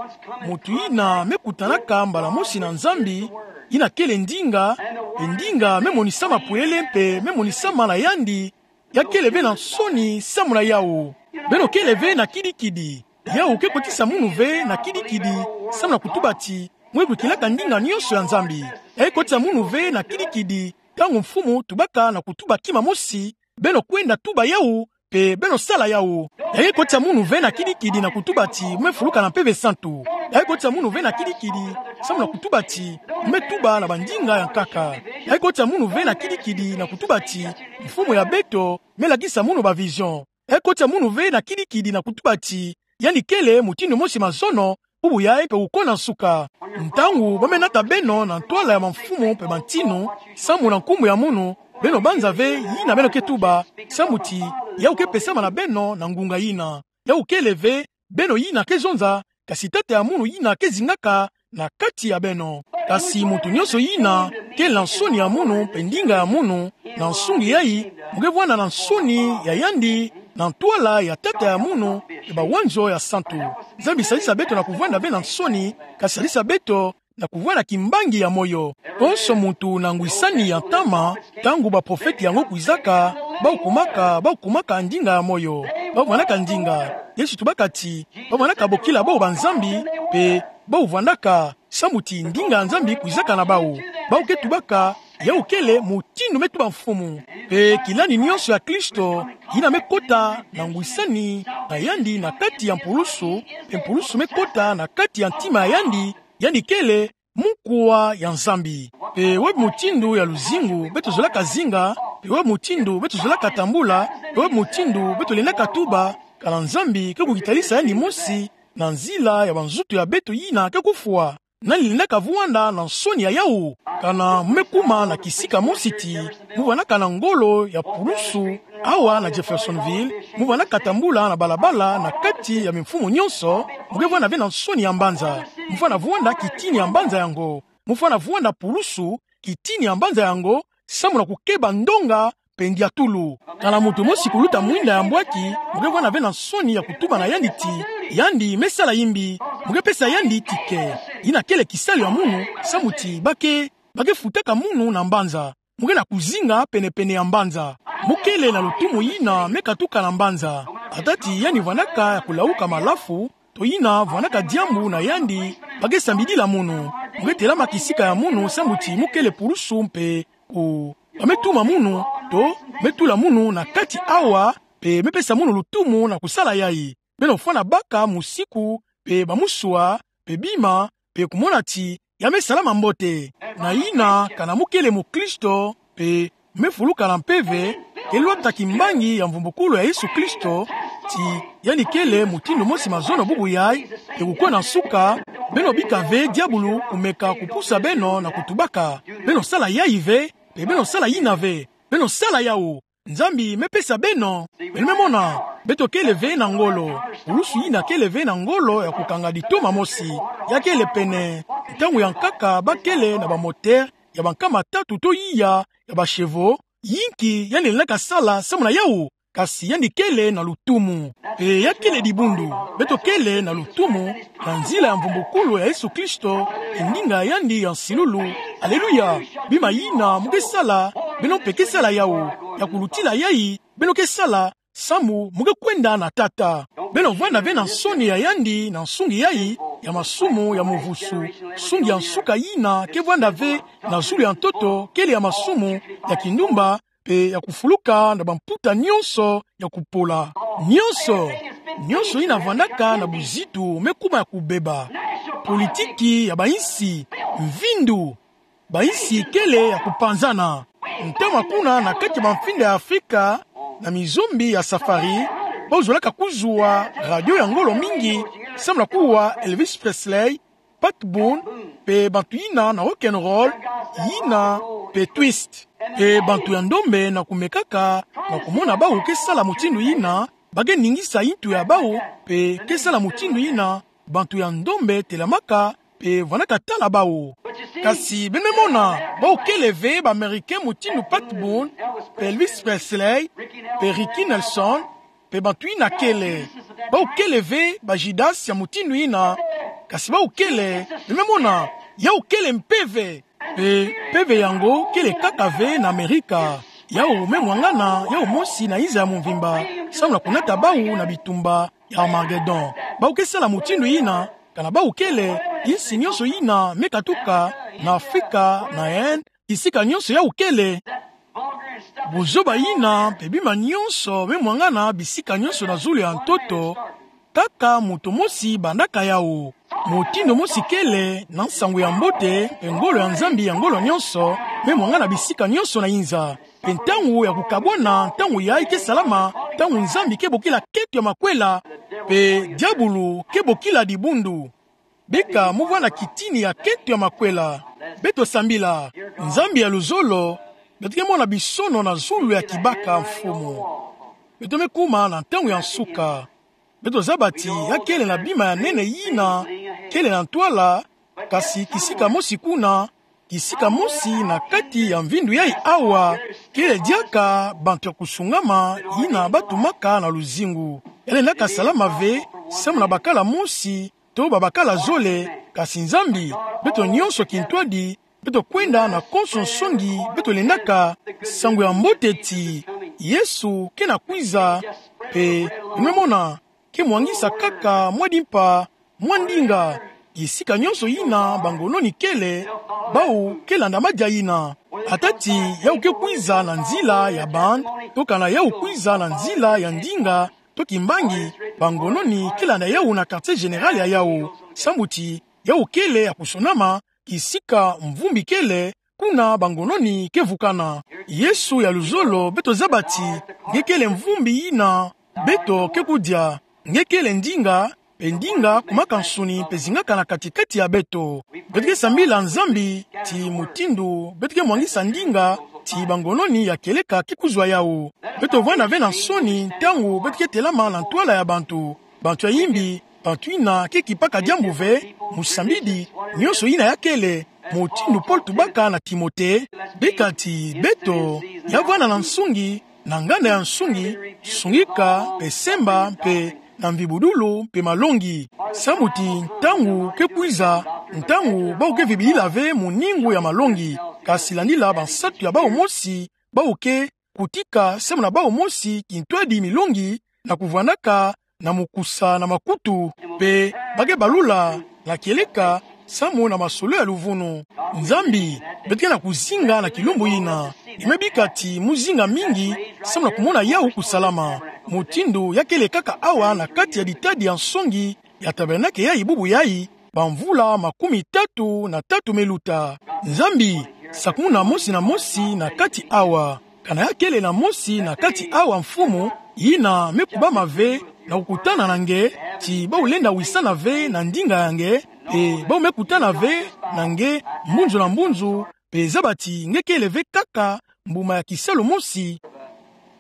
muntu yina me kutanaka mbala mosi na Nzambi, yina kele ndinga, mpe ndinga me monisama pwele mpe me monisama na yandi, ya kele ve na nsoni samu na yau. Beno kele ve na kidikidi. Yau ke kotisa munu ve na kidikidi samu na kutuba ti mu ke kwikilaka ndinga nyonso ya Nzambi. Ya ke kotisa munu ve na kidikidi ntangu Mfumu tubaka na kutuba kima mosi, beno kwenda tuba yau, mpe beno sala yau. Ya ke kotisa munu ve na kidikidi na kutuba ti mu me fuluka na Mpeve Santu. Ya ke kotisa munu ve na kidikidi samu na kutuba ti mu me tuba na bandinga ya nkaka. Ya ke kotisa munu ve na kidikidi na kutuba ti Mfumu ya beto me lakisa munu ba vision. Ya ke kotisa munu ve na kidikidi na kutuba ti yandi kele mutindu mosi mazono, bubu yayi mpe kuko na nsuka. Ntangu ba me nata beno na ntwala ya bamfumu mpe bantinu, samu na nkumbu ya munu, beno banza ve yina beno ke tuba, samu ti yau ke pesama na beno na ngunga yina. Yau kele ve beno yina ke zonza, kasi Tata ya munu yina ke zingaka na kati ya beno. Kasi muntu nyonso yina kele na nsoni ya munu mpe ndinga ya munu, na nsungi yayi mu ke vwanda na nsoni ya yandi, na ntwala ya Tata ya munu mpe bawanzo ya santu. Nzambi salisa beto na kuvwanda ve na nsoni, kasi salisa beto na kuvwanda kimbangi ya moyo. Konso muntu na ngwisani ya ntama, ntangu baprofete yango kwizaka, bau kumaka, bau kumaka ndinga ya moyo. Bau vwandaka ndinga. Yesu tubaka ti bau vwandaka bokila bau banzambi, mpe bau vwandaka samu ti ndinga ya Nzambi kwizaka na bau. Bau ke tubaka: Yau kele mutindu me tuba Mfumu. Mpe kilani nyonso ya Kristo, yina me kota na ngwisani na yandi na kati ya mpulusu, mpe mpulusu me kota na kati ya ntima ya yandi, yandi kele mukuwa ya Nzambi. Mpe wapi mutindu ya luzingu beto zolaka zinga, mpe wapi mutindu beto zolaka tambula, mpe wapi mutindu beto lendaka tuba, kana Nzambi ke kukitalisa yandi mosi na nzila ya banzutu ya beto yina ke kufwa? Nani lendaka vwanda na nsoni ya yau? Kana mu me kuma na kisika mosi ti mu vwandaka na ngolo ya pulusu awa na Jeffersonville, mu vwandaka tambula na balabala na kati ya bamfumu nyonso, mu ke vwanda ve na nsoni ya mbanza. Mu fwana vwanda kitini ya mbanza yango. Mu fwana vwanda pulusu kitini ya mbanza yango, samu na kukeba ndonga mpe ndiatulu. Kana muntu mosi kuluta mwinda ya mbwaki, mu ke vwanda ve na nsoni ya kutuba na yandi ti yandi me sala yimbi, mu ke pesa yandi tike. Yina kele kisalu ya munu, samu ti ba ke, ba ke futaka munu na mbanza. Mu ke na kuzinga pene-pene ya mbanza. Mu kele na lutumu yina me katuka na mbanza. Ata ti yandi vwandaka ya kulauka malafu, to yina vwandaka diambu na yandi ba ke sambidila munu, mu ke telama kisika ya munu, samu ti mu kele pulusu mpe ku, ba me tuma munu, to, me tula munu na kati awa, mpe me pesa munu lutumu na kusala yayi. Beno fwana baka musiku, mpe ba musua, mpe bima, mpe kumona ti ya me salama mbote. Na yina, kana mu kele mukristo, mpe me fuluka na mpeve, ke lwata kimbangi ya mvumbukulu ya Yesu Kristo, ti yandi kele mutindu mosi mazono bubu yayi, mpe kukwe na nsuka, beno bika ve diabulu kumeka kupusa beno na kutubaka. Beno sala yayi ve, mpe beno sala yina ve. Beno sala yawu. Nzambi me pesa beno. Beno me mona, beto kele ve na ngolo. Pulusu yina kele ve na ngolo ya kukanga ditoma mosi. Ya kele pene. Ntangu ya nkaka ba kele na ba moteur ya ba nkama tatu to iya ya ba chevaux. Yinki yandi lenda kasala samu na yawu. Kasi yandi kele na lutumu. Mpe ya kele dibundu. Beto kele na lutumu na nzila ya mvumbukulu ya Yesu Kristo, ndinga yandi ya nsilulu. Aleluya. Bima yina mu ke sala, beno mpe ke sala yawu. Ya kulutila yayi, beno ke sala, samu mu ke kwenda na Tata. Beno vwanda ve na nsoni ya yandi na nsungi yayi ya masumu ya muvusu. Nsungi ya nsuka yina ke vwanda ve na zulu ya ntoto kele ya masumu ya kindumba, mpe ya kufuluka na bamputa nyonso ya kupola. Nyonso, nyonso yina vwandaka na buzitu me kuma ya kubeba. Politiki ya bainsi, mvindu, bainsi kele ya kupanzana. Ntama kuna na kati ya bamfinda ya Afrika, na mizombi ya safari, ba zolaka kuzwa radio ya ngolo mingi, samu na kuwa Elvis Presley, Pat Boone, mpe bantu yina na rock and roll, yina mpe twist. Mpe bantu ya ndombe na kumekaka na kumona bawu ke sala mutindu yina, ba ke ningisa yintu ya bawu, mpe ke sala mutindu yina, bantu ya ndombe telamaka, mpe vwandaka tala bawu. Kasi beno me mona, bawu kele ve ba Américain mutindu Pat Boone, mpe Elvis Presley, mpe Ricky Nelson, mpe bantu yina kele. Bawu kele ve ba Judas ya mutindu yina, kasi bawu kele, beno me mona, yawu kele mpeve. Mpe mpeve yango kele kaka ve na Amerika. Yawu me mwangana, yawu mosi na inza ya mvimba, samu na kunata bawu na bitumba ya Armagedon. Bawu ke sala mutindu yina, kana bawu kele, insi nyonso yina me katuka, na Afrika, na Inde, bisika nyonso yawu kele. Buzoba yina, mpe bima nyonso me mwangana bisika nyonso na zulu ya ntoto, kaka moto mosi bandaka yawu. Mutindu mosi kele na nsangu ya mbote, mpe ngolo ya Nzambi ya ngolo nyonso, me mwangana bisika nyonso na inza. Mpe ntangu ya kukabwana, ntangu yayi ke salama, ntangu Nzambi ke bokila kento ya makwela, mpe diabulu ke bokila dibundu. Bika mu vwanda kitini ya kento ya makwela. Beto sambila, Nzambi ya luzolo, beto ke mona bisono na zulu ya kibaka, Mfumu. Beto me kuma na ntangu ya nsuka. Beto zaba ti ya kele na bima ya nene yina kele na ntwala, kasi kisika mosi kuna, kisika mosi na kati ya mvindu yayi awa, kele diaka bantu ya kusungama yina ba tumaka na luzingu. Ya lendaka salama ve samu na bakala mosi to babakala zole, kasi Nzambi, beto nyonso kintwadi, beto kwenda na konso nsongi beto lendaka, nsangu ya mbote ti Yesu ke na kwiza, mpe beno me mona, ke mwangisa kaka mwa dimpa, mwa ndinga, kisika nyonso yina bangononi kele, bawu ke landa madia yina. Ata ti yawu ke kwiza na nzila ya bande, to kana yawu kwiza na nzila ya ndinga, to kimbangi, bangononi ke landa yawu na quartier général ya yawu, samu ti yawu kele ya kusonama, kisika mvumbi kele, kuna bangononi ke vukana. Yesu ya luzolo, beto zaba ti nge kele mvumbi yina beto ke kudia, nge kele ndinga, mpe ndinga kumaka nsuni mpe zingaka na kati-kati ya beto. Beto ke sambila Nzambi ti mutindu beto ke mwangisa ndinga ti bangononi ya kieleka ke kuzwa yawu. Beto vwanda ve na nsoni ntangu beto ke telama na ntwala ya bantu, bantu ya imbi, bantu yina ke kipaka diambu ve, musambidi, nyonso yina ya kele, mutindu Paul tubaka na Timote, bika ti beto ya vwanda na nsungi, na nganda ya nsungi, sungika, mpe semba, mpe na mvibudulu, mpe malongi. Samu ti ntangu ke kwiza, ntangu bawu ke vibilila ve muningu ya malongi, kasi landila bansatu ya bawu mosi, bawu ke kutika samu na bawu mosi kintwadi milongi, na kuvwandaka na mukusa na makutu, mpe ba ke balula na kieleka, samu na masolo ya luvunu. Nzambi, beto ke na kuzinga na kilumbu yina. Nge me bika ti mu zinga mingi, samu na kumona yawu kusalama. Mutindu ya kele kaka awa na kati ya ditadi ya nsongi ya tabernake yayi bubu yayi, bamvula makumi tatu na tatu me luta. Nzambi, sakumuna mosi na mosi na kati awa. Kana ya kele na mosi na kati awa, Mfumu, yina me kubama ve na kukutana na nge, ti bawu lenda wisana ve na ndinga ya nge, mpe bawu me kutana ve na nge mbunzu na mbunzu, mpe zaba ti nge kele ve kaka mbuma ya kisalu mosi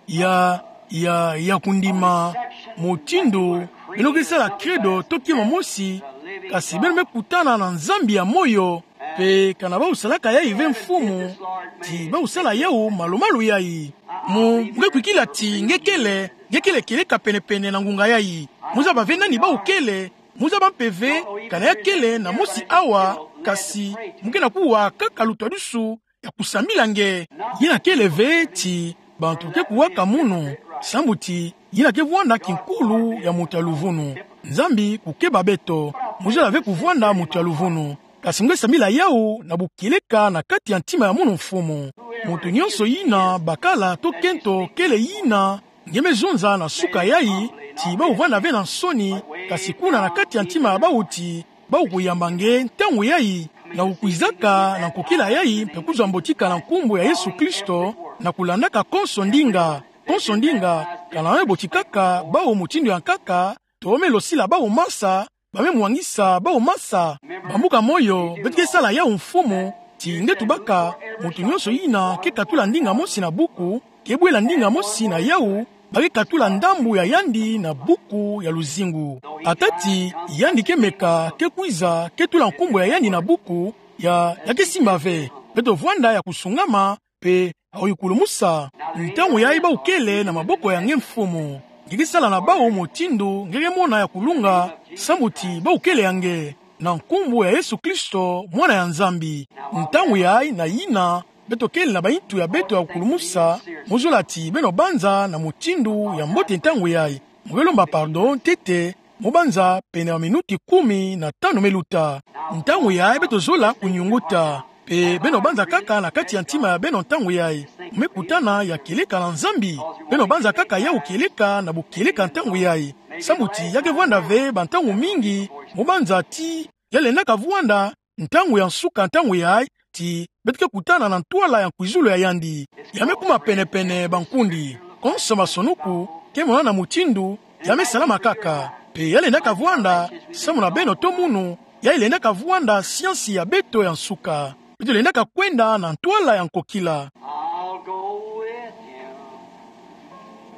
ya, ya, ya kundima, mutindu beno ke sala credo to kima mosi, kasi beno me kutana na Nzambi ya moyo, mpe kana bawu salaka yayi ve, Mfumu, ti bawu sala yawu malu-malu yayi. Mu nge kwikila ti nge kele, nge kele kieleka pene-pene na ngunga yayi. Mu zaba ve nani bawu kele, mu zaba mpe ve kana ya kele na mosi awa, kasi mu ke na kuwa kaka lutwadusu ya kusambila nge. Yina kele ve ti bantu ke kuwaka munu, sambu ti yina ke vwanda kinkulu ya mutu ya luvunu. Nzambi kukeba beto, mu zola ve kuvwanda mutu ya luvunu. Kasi nge sambila yawu na bukieleka na kati ya ntima ya munu, Mfumu. Mutu nyonso yina bakala to kento kele yina nge me zonza na suka yayi, ti bawu vwanda ve na nsoni, kasi kuna na kati ya ntima ya bawu ti bawu kuyamba nge ntangu yayi, na kukwizaka na nkokila yayi, mpe kuzwa mbotika na nkumbu ya Yesu Kristo, na kulandaka konso ndinga, konso ndinga, kana me botikaka bawu mutindu ya nkaka, to me losila bawu masa, ba me mwangisa bawu masa. Bambuka moyo, beto ke sala yawu, Mfumu, ti nge tubaka, mutu nyonso yina ke katula ndinga mosi na buku, ke bwela ndinga mosi na yawu, ba ke katula ndambu ya yandi na buku ya luzingu. Ata ti yandi ke meka, ke kwiza, ke tula nkumbu ya yandi na buku, ya, ya ke simba ve. Beto vwanda ya kusungama, mpe ya kuyikulumusa. Ntangu yayi bawu kele na maboko ya nge, Mfumu. Nge ke sala na bawu mutindu nge ke mona ya kulunga, sambu ti bawu kele ya nge, na nkumbu ya Yesu Kristo, Mwana ya Nzambi. Ntangu yayi na yina, beto kele na bayintu ya beto ya kukulumusa, mu zola ti beno banza na mutindu ya mbote ntangu yayi. Mu ke lomba pardon ntete, mu banza pene ya minuti kumi na tanu me luta. Ntangu yayi beto zola kunyunguta. Mpe beno banza kaka na kati ya ntima ya beno ntangu yayi. Mu me kutana ya kieleka na Nzambi. Beno banza kaka yawu kieleka na bukieleka ntangu yayi. Sambu ti ya ke vwanda ve bantangu mingi, mu banza ti ya lendaka vwanda ntangu ya nsuka ntangu yayi, ti beto ke kutana na ntwala ya nkwizulu ya yandi. Ya me kuma pene-pene, bankundi. Konso masonuku ke monana mutindu ya me salama kaka. Mpe ya lendaka vwanda, samu na beno to munu, ya lendaka vwanda siansi ya beto ya nsuka. Beto lendaka kwenda na ntwala ya nkokila. I'll go with him,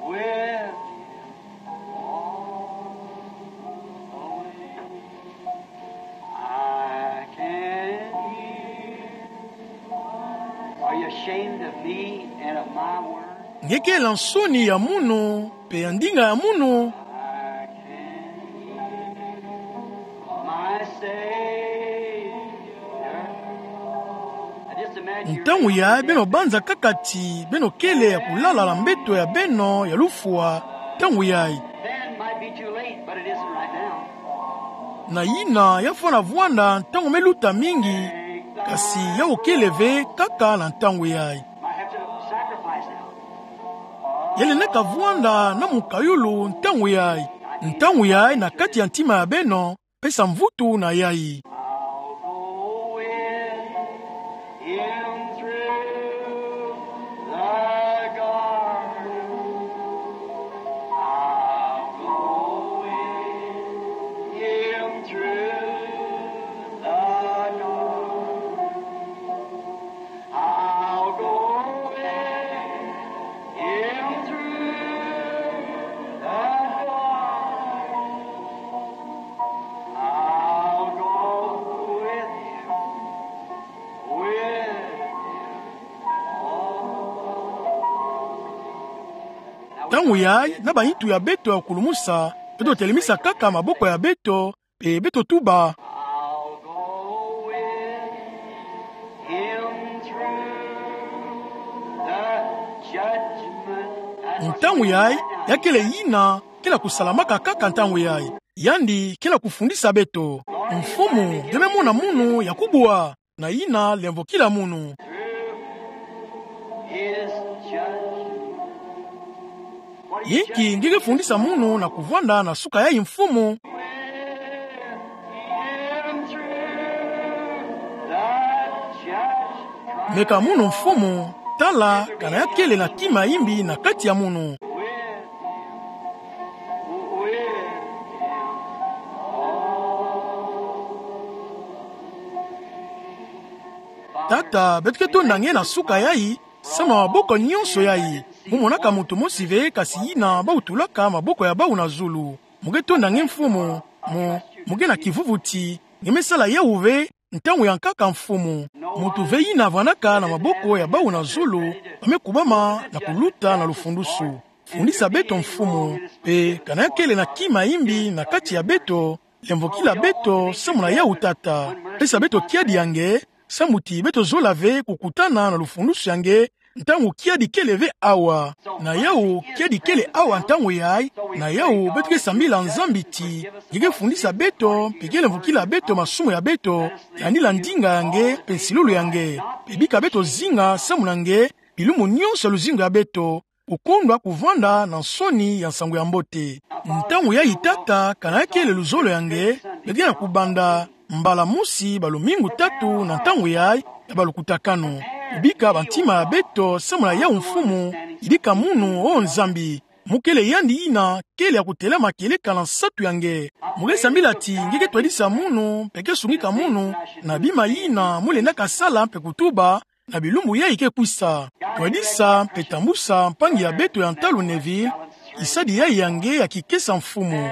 with him all the way. I can hear. Are you ashamed of me and of my word? Nge kele na nsoni ya munu, mpe ya ndinga ya munu? I can hear my Savior. Now just imagine. Ntangu yayi beno banza kaka ti beno kele ya kulala na mbeto ya beno ya lufwa, ntangu yayi. Then might be too late, but it isn't right now. Na yina ya fwana vwanda ntangu me luta mingi, kasi yawu kele ve kaka na ntangu yayi. Might have to sacrifice now. Ya lendaka vwanda na mukayulu ntangu yayi. Ntangu yayi na kati ya ntima ya beno, pesa mvutu na yayi. I'll go with him through the garden. I'll go with him through the garden. I'll go with him through the fire. I'll go with him, with him. Ntangu yayi, na bayintu ya beto ya kulumusa, beto telemisa kaka maboko ya beto, mpe beto tuba. I'll go with him through the judgment. Ntangu yayi, ya kele yina ke na kusalamaka kaka ntangu yayi. Yandi ke na kufundisa beto. Mfumu, nge me mona munu ya kubua, na ina lemvokila munu. Inki nge ke fundisa munu na kuvwanda na suka yayi, Mfumu? Meka munu, Mfumu, tala kana ya kele na kima ya imbi na kati ya munu. Tata, beto ke tonda nge na suka yayi, samu na maboko nyonso yayi. Mu monaka muntu mosi ve, kasi yina bau tulaka maboko ya bau na zulu. Mu ke tonda nge, Mfumu. Mu, mu ke na kivuvuti. Nge me sala yawu ve, ntangu ya nkaka, Mfumu. Muntu ve yina vwanaka na maboko ya bau na zulu, ba me kubama na kuluta na lufundusu. Fundisa beto, Mfumu, mpe kana ya kele na kima ya imbi na kati ya beto, lemvokila beto samu na yawu, Tata. Pesa beto kiadi ya nge, samu ti beto zola ve kukutana na lufundusu ya nge ntangu kiadi kele ve awa. Na yawu, kiadi kele awa ntangu yayi, na yawu beto ke sambila Nzambi ti nge ke fundisa beto, mpe ke lemvokila beto masumu ya beto, yandi la ndinga ya nge, mpe nsilulu ya nge. Mpe bika beto zinga samu na nge, bilumbu nyonso ya luzingu ya beto, kukondwa kuvwanda na nsoni ya nsangu ya mbote. Ntangu yayi, Tata, kana ya kele luzolo ya nge, beto ke na kubanda mbala mosi balumingu tatu na ntangu yayi ya balukutakanu. Kubika bantima ya beto samu na yawu, Mfumu, yidika munu, o Nzambi. Mu kele yandi yina kele ya kutelama kieleka na nsatu ya nge. Mu ke sambila ti nge ke twadisa munu, mpe ke sungika munu na bima yina mu lendaka sala mpe kutuba, na bilumbu yayi ke kwisa. Twadisa mpe tambusa mpangi ya beto ya ntalu Neville, kisadi yayi ya nge ya kikesa, Mfumu.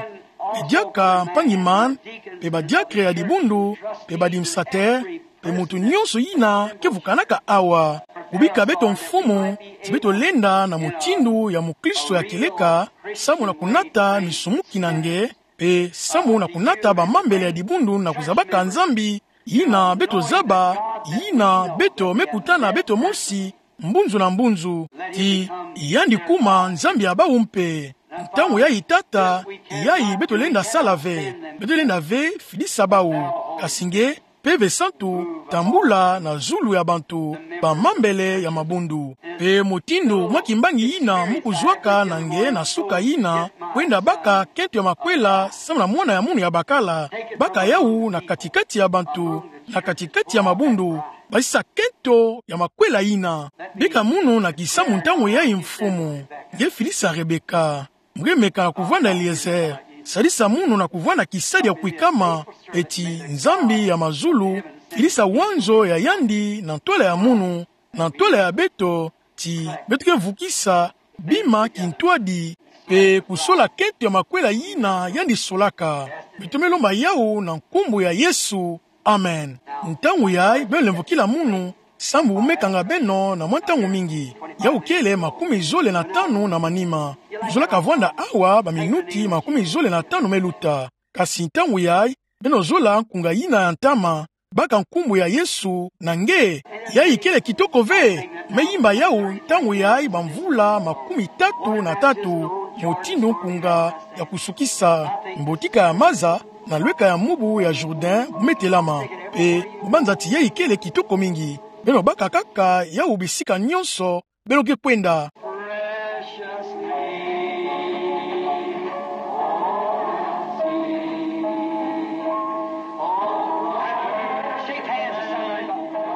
Mpe diaka mpangi Mann, mpe badiakre ya dibundu, mpe badministrateur, mpe muntu nyonso yina ke vukanaka awa. Kubika beto, Mfumu, ti beto lenda na mutindu ya mukristo ya kieleka, samu na kunata misumuki na nge, mpe samu na kunata bamambele ya dibundu na kuzabaka Nzambi, yina beto zaba, yina beto me kutana beto mosi, mbunzu na mbunzu, ti yandi kuma Nzambi ya bau mpe. Ntangu yayi, Tata, yayi beto lenda sala ve. Beto lenda ve fidisa bau. Kasi nge, Mpeve Santu, tambula na zulu ya bantu bamambele ya mabundu. Mpe mutindu mwa kimbangi yina mu kuzwaka na nge na suka yina, kwenda baka kento ya makwela samu na Mwana ya munu ya bakala, baka yawu na katikati ya bantu, na katikati ya mabundu, basisa kento ya makwela yina. Bika munu na kisamu ntangu yayi, Mfumu. Nge fidisa Rebecca. Mu ke meka na kuvwanda Eliezer. Sadisa munu na kuvwanda kisadi ya kwikama, mpe ti Nzambi ya mazulu fidisa wanzo ya yandi na ntwala ya munu, na ntwala ya beto, ti beto ke vukisa bima kintwadi, mpe kusola kento ya makwela yina yandi solaka. Beto me lomba yawu na nkumbu ya Yesu. Amen. Ntangu yayi, beno lemvokila munu, samu mu me kanga beno na mwa ntangu mingi. Yawu kele makumi zole na tanu na manima. Mu zolaka vwanda awa baminuti makumi zole na tanu me luta. Kasi ntangu yayi, beno zola nkunga yina ya ntama, baka nkumbu ya Yesu na nge. Yayi kele kitoko ve. Me yimba yawu ntangu yayi bamvula makumi tatu na tatu, mutindu nkunga ya kusukisa, mbotika ya maza, na lweka ya mubu ya Jourdain bu me telama. Mpe mu banza ti yayi kele kitoko mingi, beno baka kaka yawu bisika nyonso beno ke kwenda.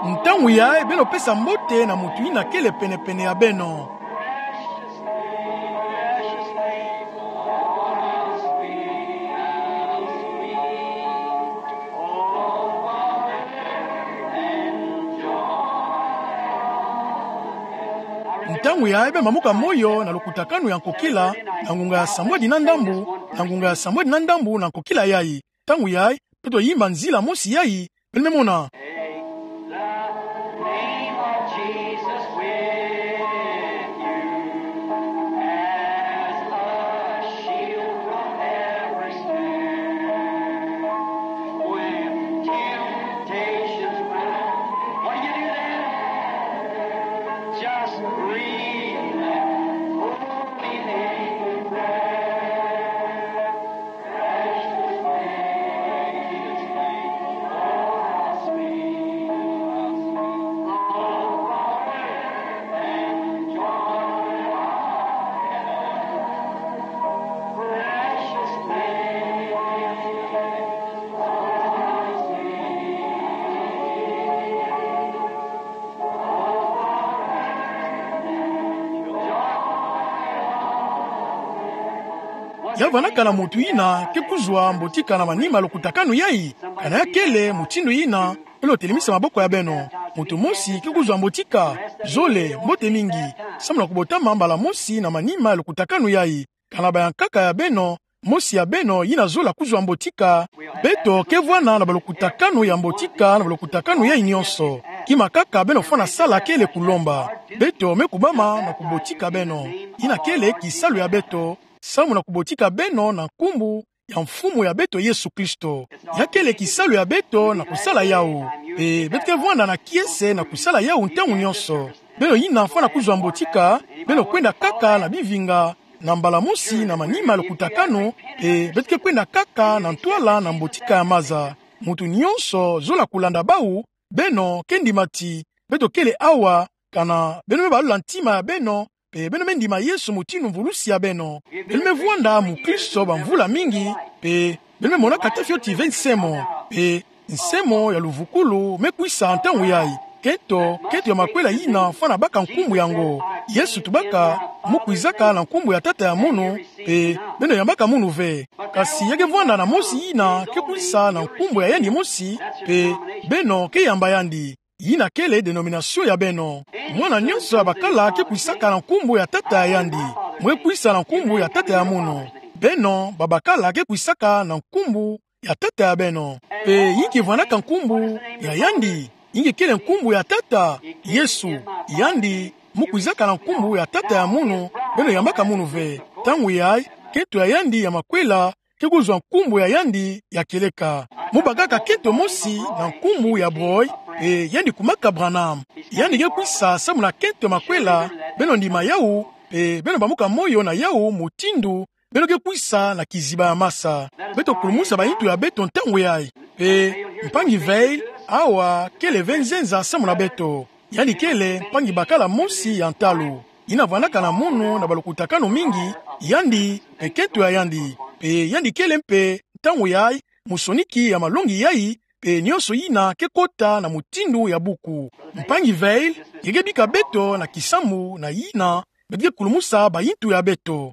Ntangu yayi, beno pesa mbote na muntu yina kele penepene ya beno. Ntangu yayi, beno mamuka moyo na lukutakanu ya nkokila, na ngunga ya sambwadi na ndambu, na ngunga ya sambwadi na ndambu na nkokila yayi. Ntangu yayi, beto yimba nzila mosi yayi, beno me mona. Take the name of Jesus with you as a shield from every snare. When temptations rise, what do you do then? Just breathe that holy name in prayer. Precious name, Ya vandaka na muntu yina ke kuzwa mbotika na manima ya lokutakanu yayi? Kana ya kele mutindu yina, beno telemisa maboko ya beno. Muntu mosi ke kuzwa mbotika? Zole, mbote mingi. Samu na kubotama mbala mosi na manima ya lokutakanu yayi. Kana bayankaka ya beno, mosi ya beno yina zola kuzwa mbotika? Beto ke vwanda na balokutakanu ya mbotika na balokutakanu yayi nyonso. Kima kaka beno fwana sala kele kulomba. Beto me kubama na kubotika beno. Yina kele kisalu ya beto, samu na kubotika beno na nkumbu ya Mfumu ya beto Yesu Kristo. Ya kele kisalu ya beto na kusala yawu. Mpe beto ke vwanda na kiese na kusala yawu ntangu nyonso. Beno yina fwana kuzwa mbotika, beno kwenda kaka na bivinga, na mbala mosi na manima ya lokutakanu, mpe beto ke kwenda kaka na ntwala na mbotika ya maza. Muntu nyonso zola kulanda bawu. Beno ke ndima ti beto kele awa, kana beno me balola ntima ya beno, mpe beno me ndima Yesu mutindu mvulusi ya beno. Beno me vwanda mukristo bamvula mingi, mpe beno me monaka te fioti ve nsemo, mpe nsemo ya luvukulu me kwisa ntangu yayi. Kento, kento ya makwela yina fwana baka nkumbu yango. Yesu tubaka: Mu kwizaka na nkumbu ya Tata ya munu, mpe beno yambaka munu ve. Kasi ya ke vwanda na mosi yina ke kwisa na nkumbu ya yandi mosi, mpe beno ke yamba yandi. Yina kele denomination ya beno. Mwana nyonso ya bakala ke kwisaka na nkumbu ya tata ya yandi. Mwe kwisa na nkumbu ya tata ya munu. Beno babakala ke kwisaka na nkumbu ya tata ya beno. Mpe inki vwandaka nkumbu ya yandi? Inki kele nkumbu ya tata? Yesu. Yandi, mu kwizaka na nkumbu ya tata ya munu, beno yambaka munu ve. Ntangu yayi, kento ya yandi ya makwela ke kuzwa nkumbu ya yandi ya kieleka. Mu bakaka kento mosi na nkumbu ya boy, mpe yandi kumaka Branham. Yandi ke kwisa samu na kento ya makwela. Beno ndima yawu, mpe beno bamuka moyo na yawu mutindu beno ke kwisa na kiziba ya masa. Beto kulumusa bayintu ya beto ntangu yayi. Mpe mpangi Vayle, awa, kele ve nzenza samu na beto. Yandi kele mpangi bakala mosi ya ntalu, yina vwandaka na munu na balukutakanu mingi, yandi mpe kento ya yandi. Mpe yandi kele mpe ntangu yayi musoniki ya malongi yayi, mpe nyonso yina ke kota na mutindu ya buku. Mpangi Vayle, nge ke bika beto na kisambu na yina beto ke kulumusa bayintu ya beto.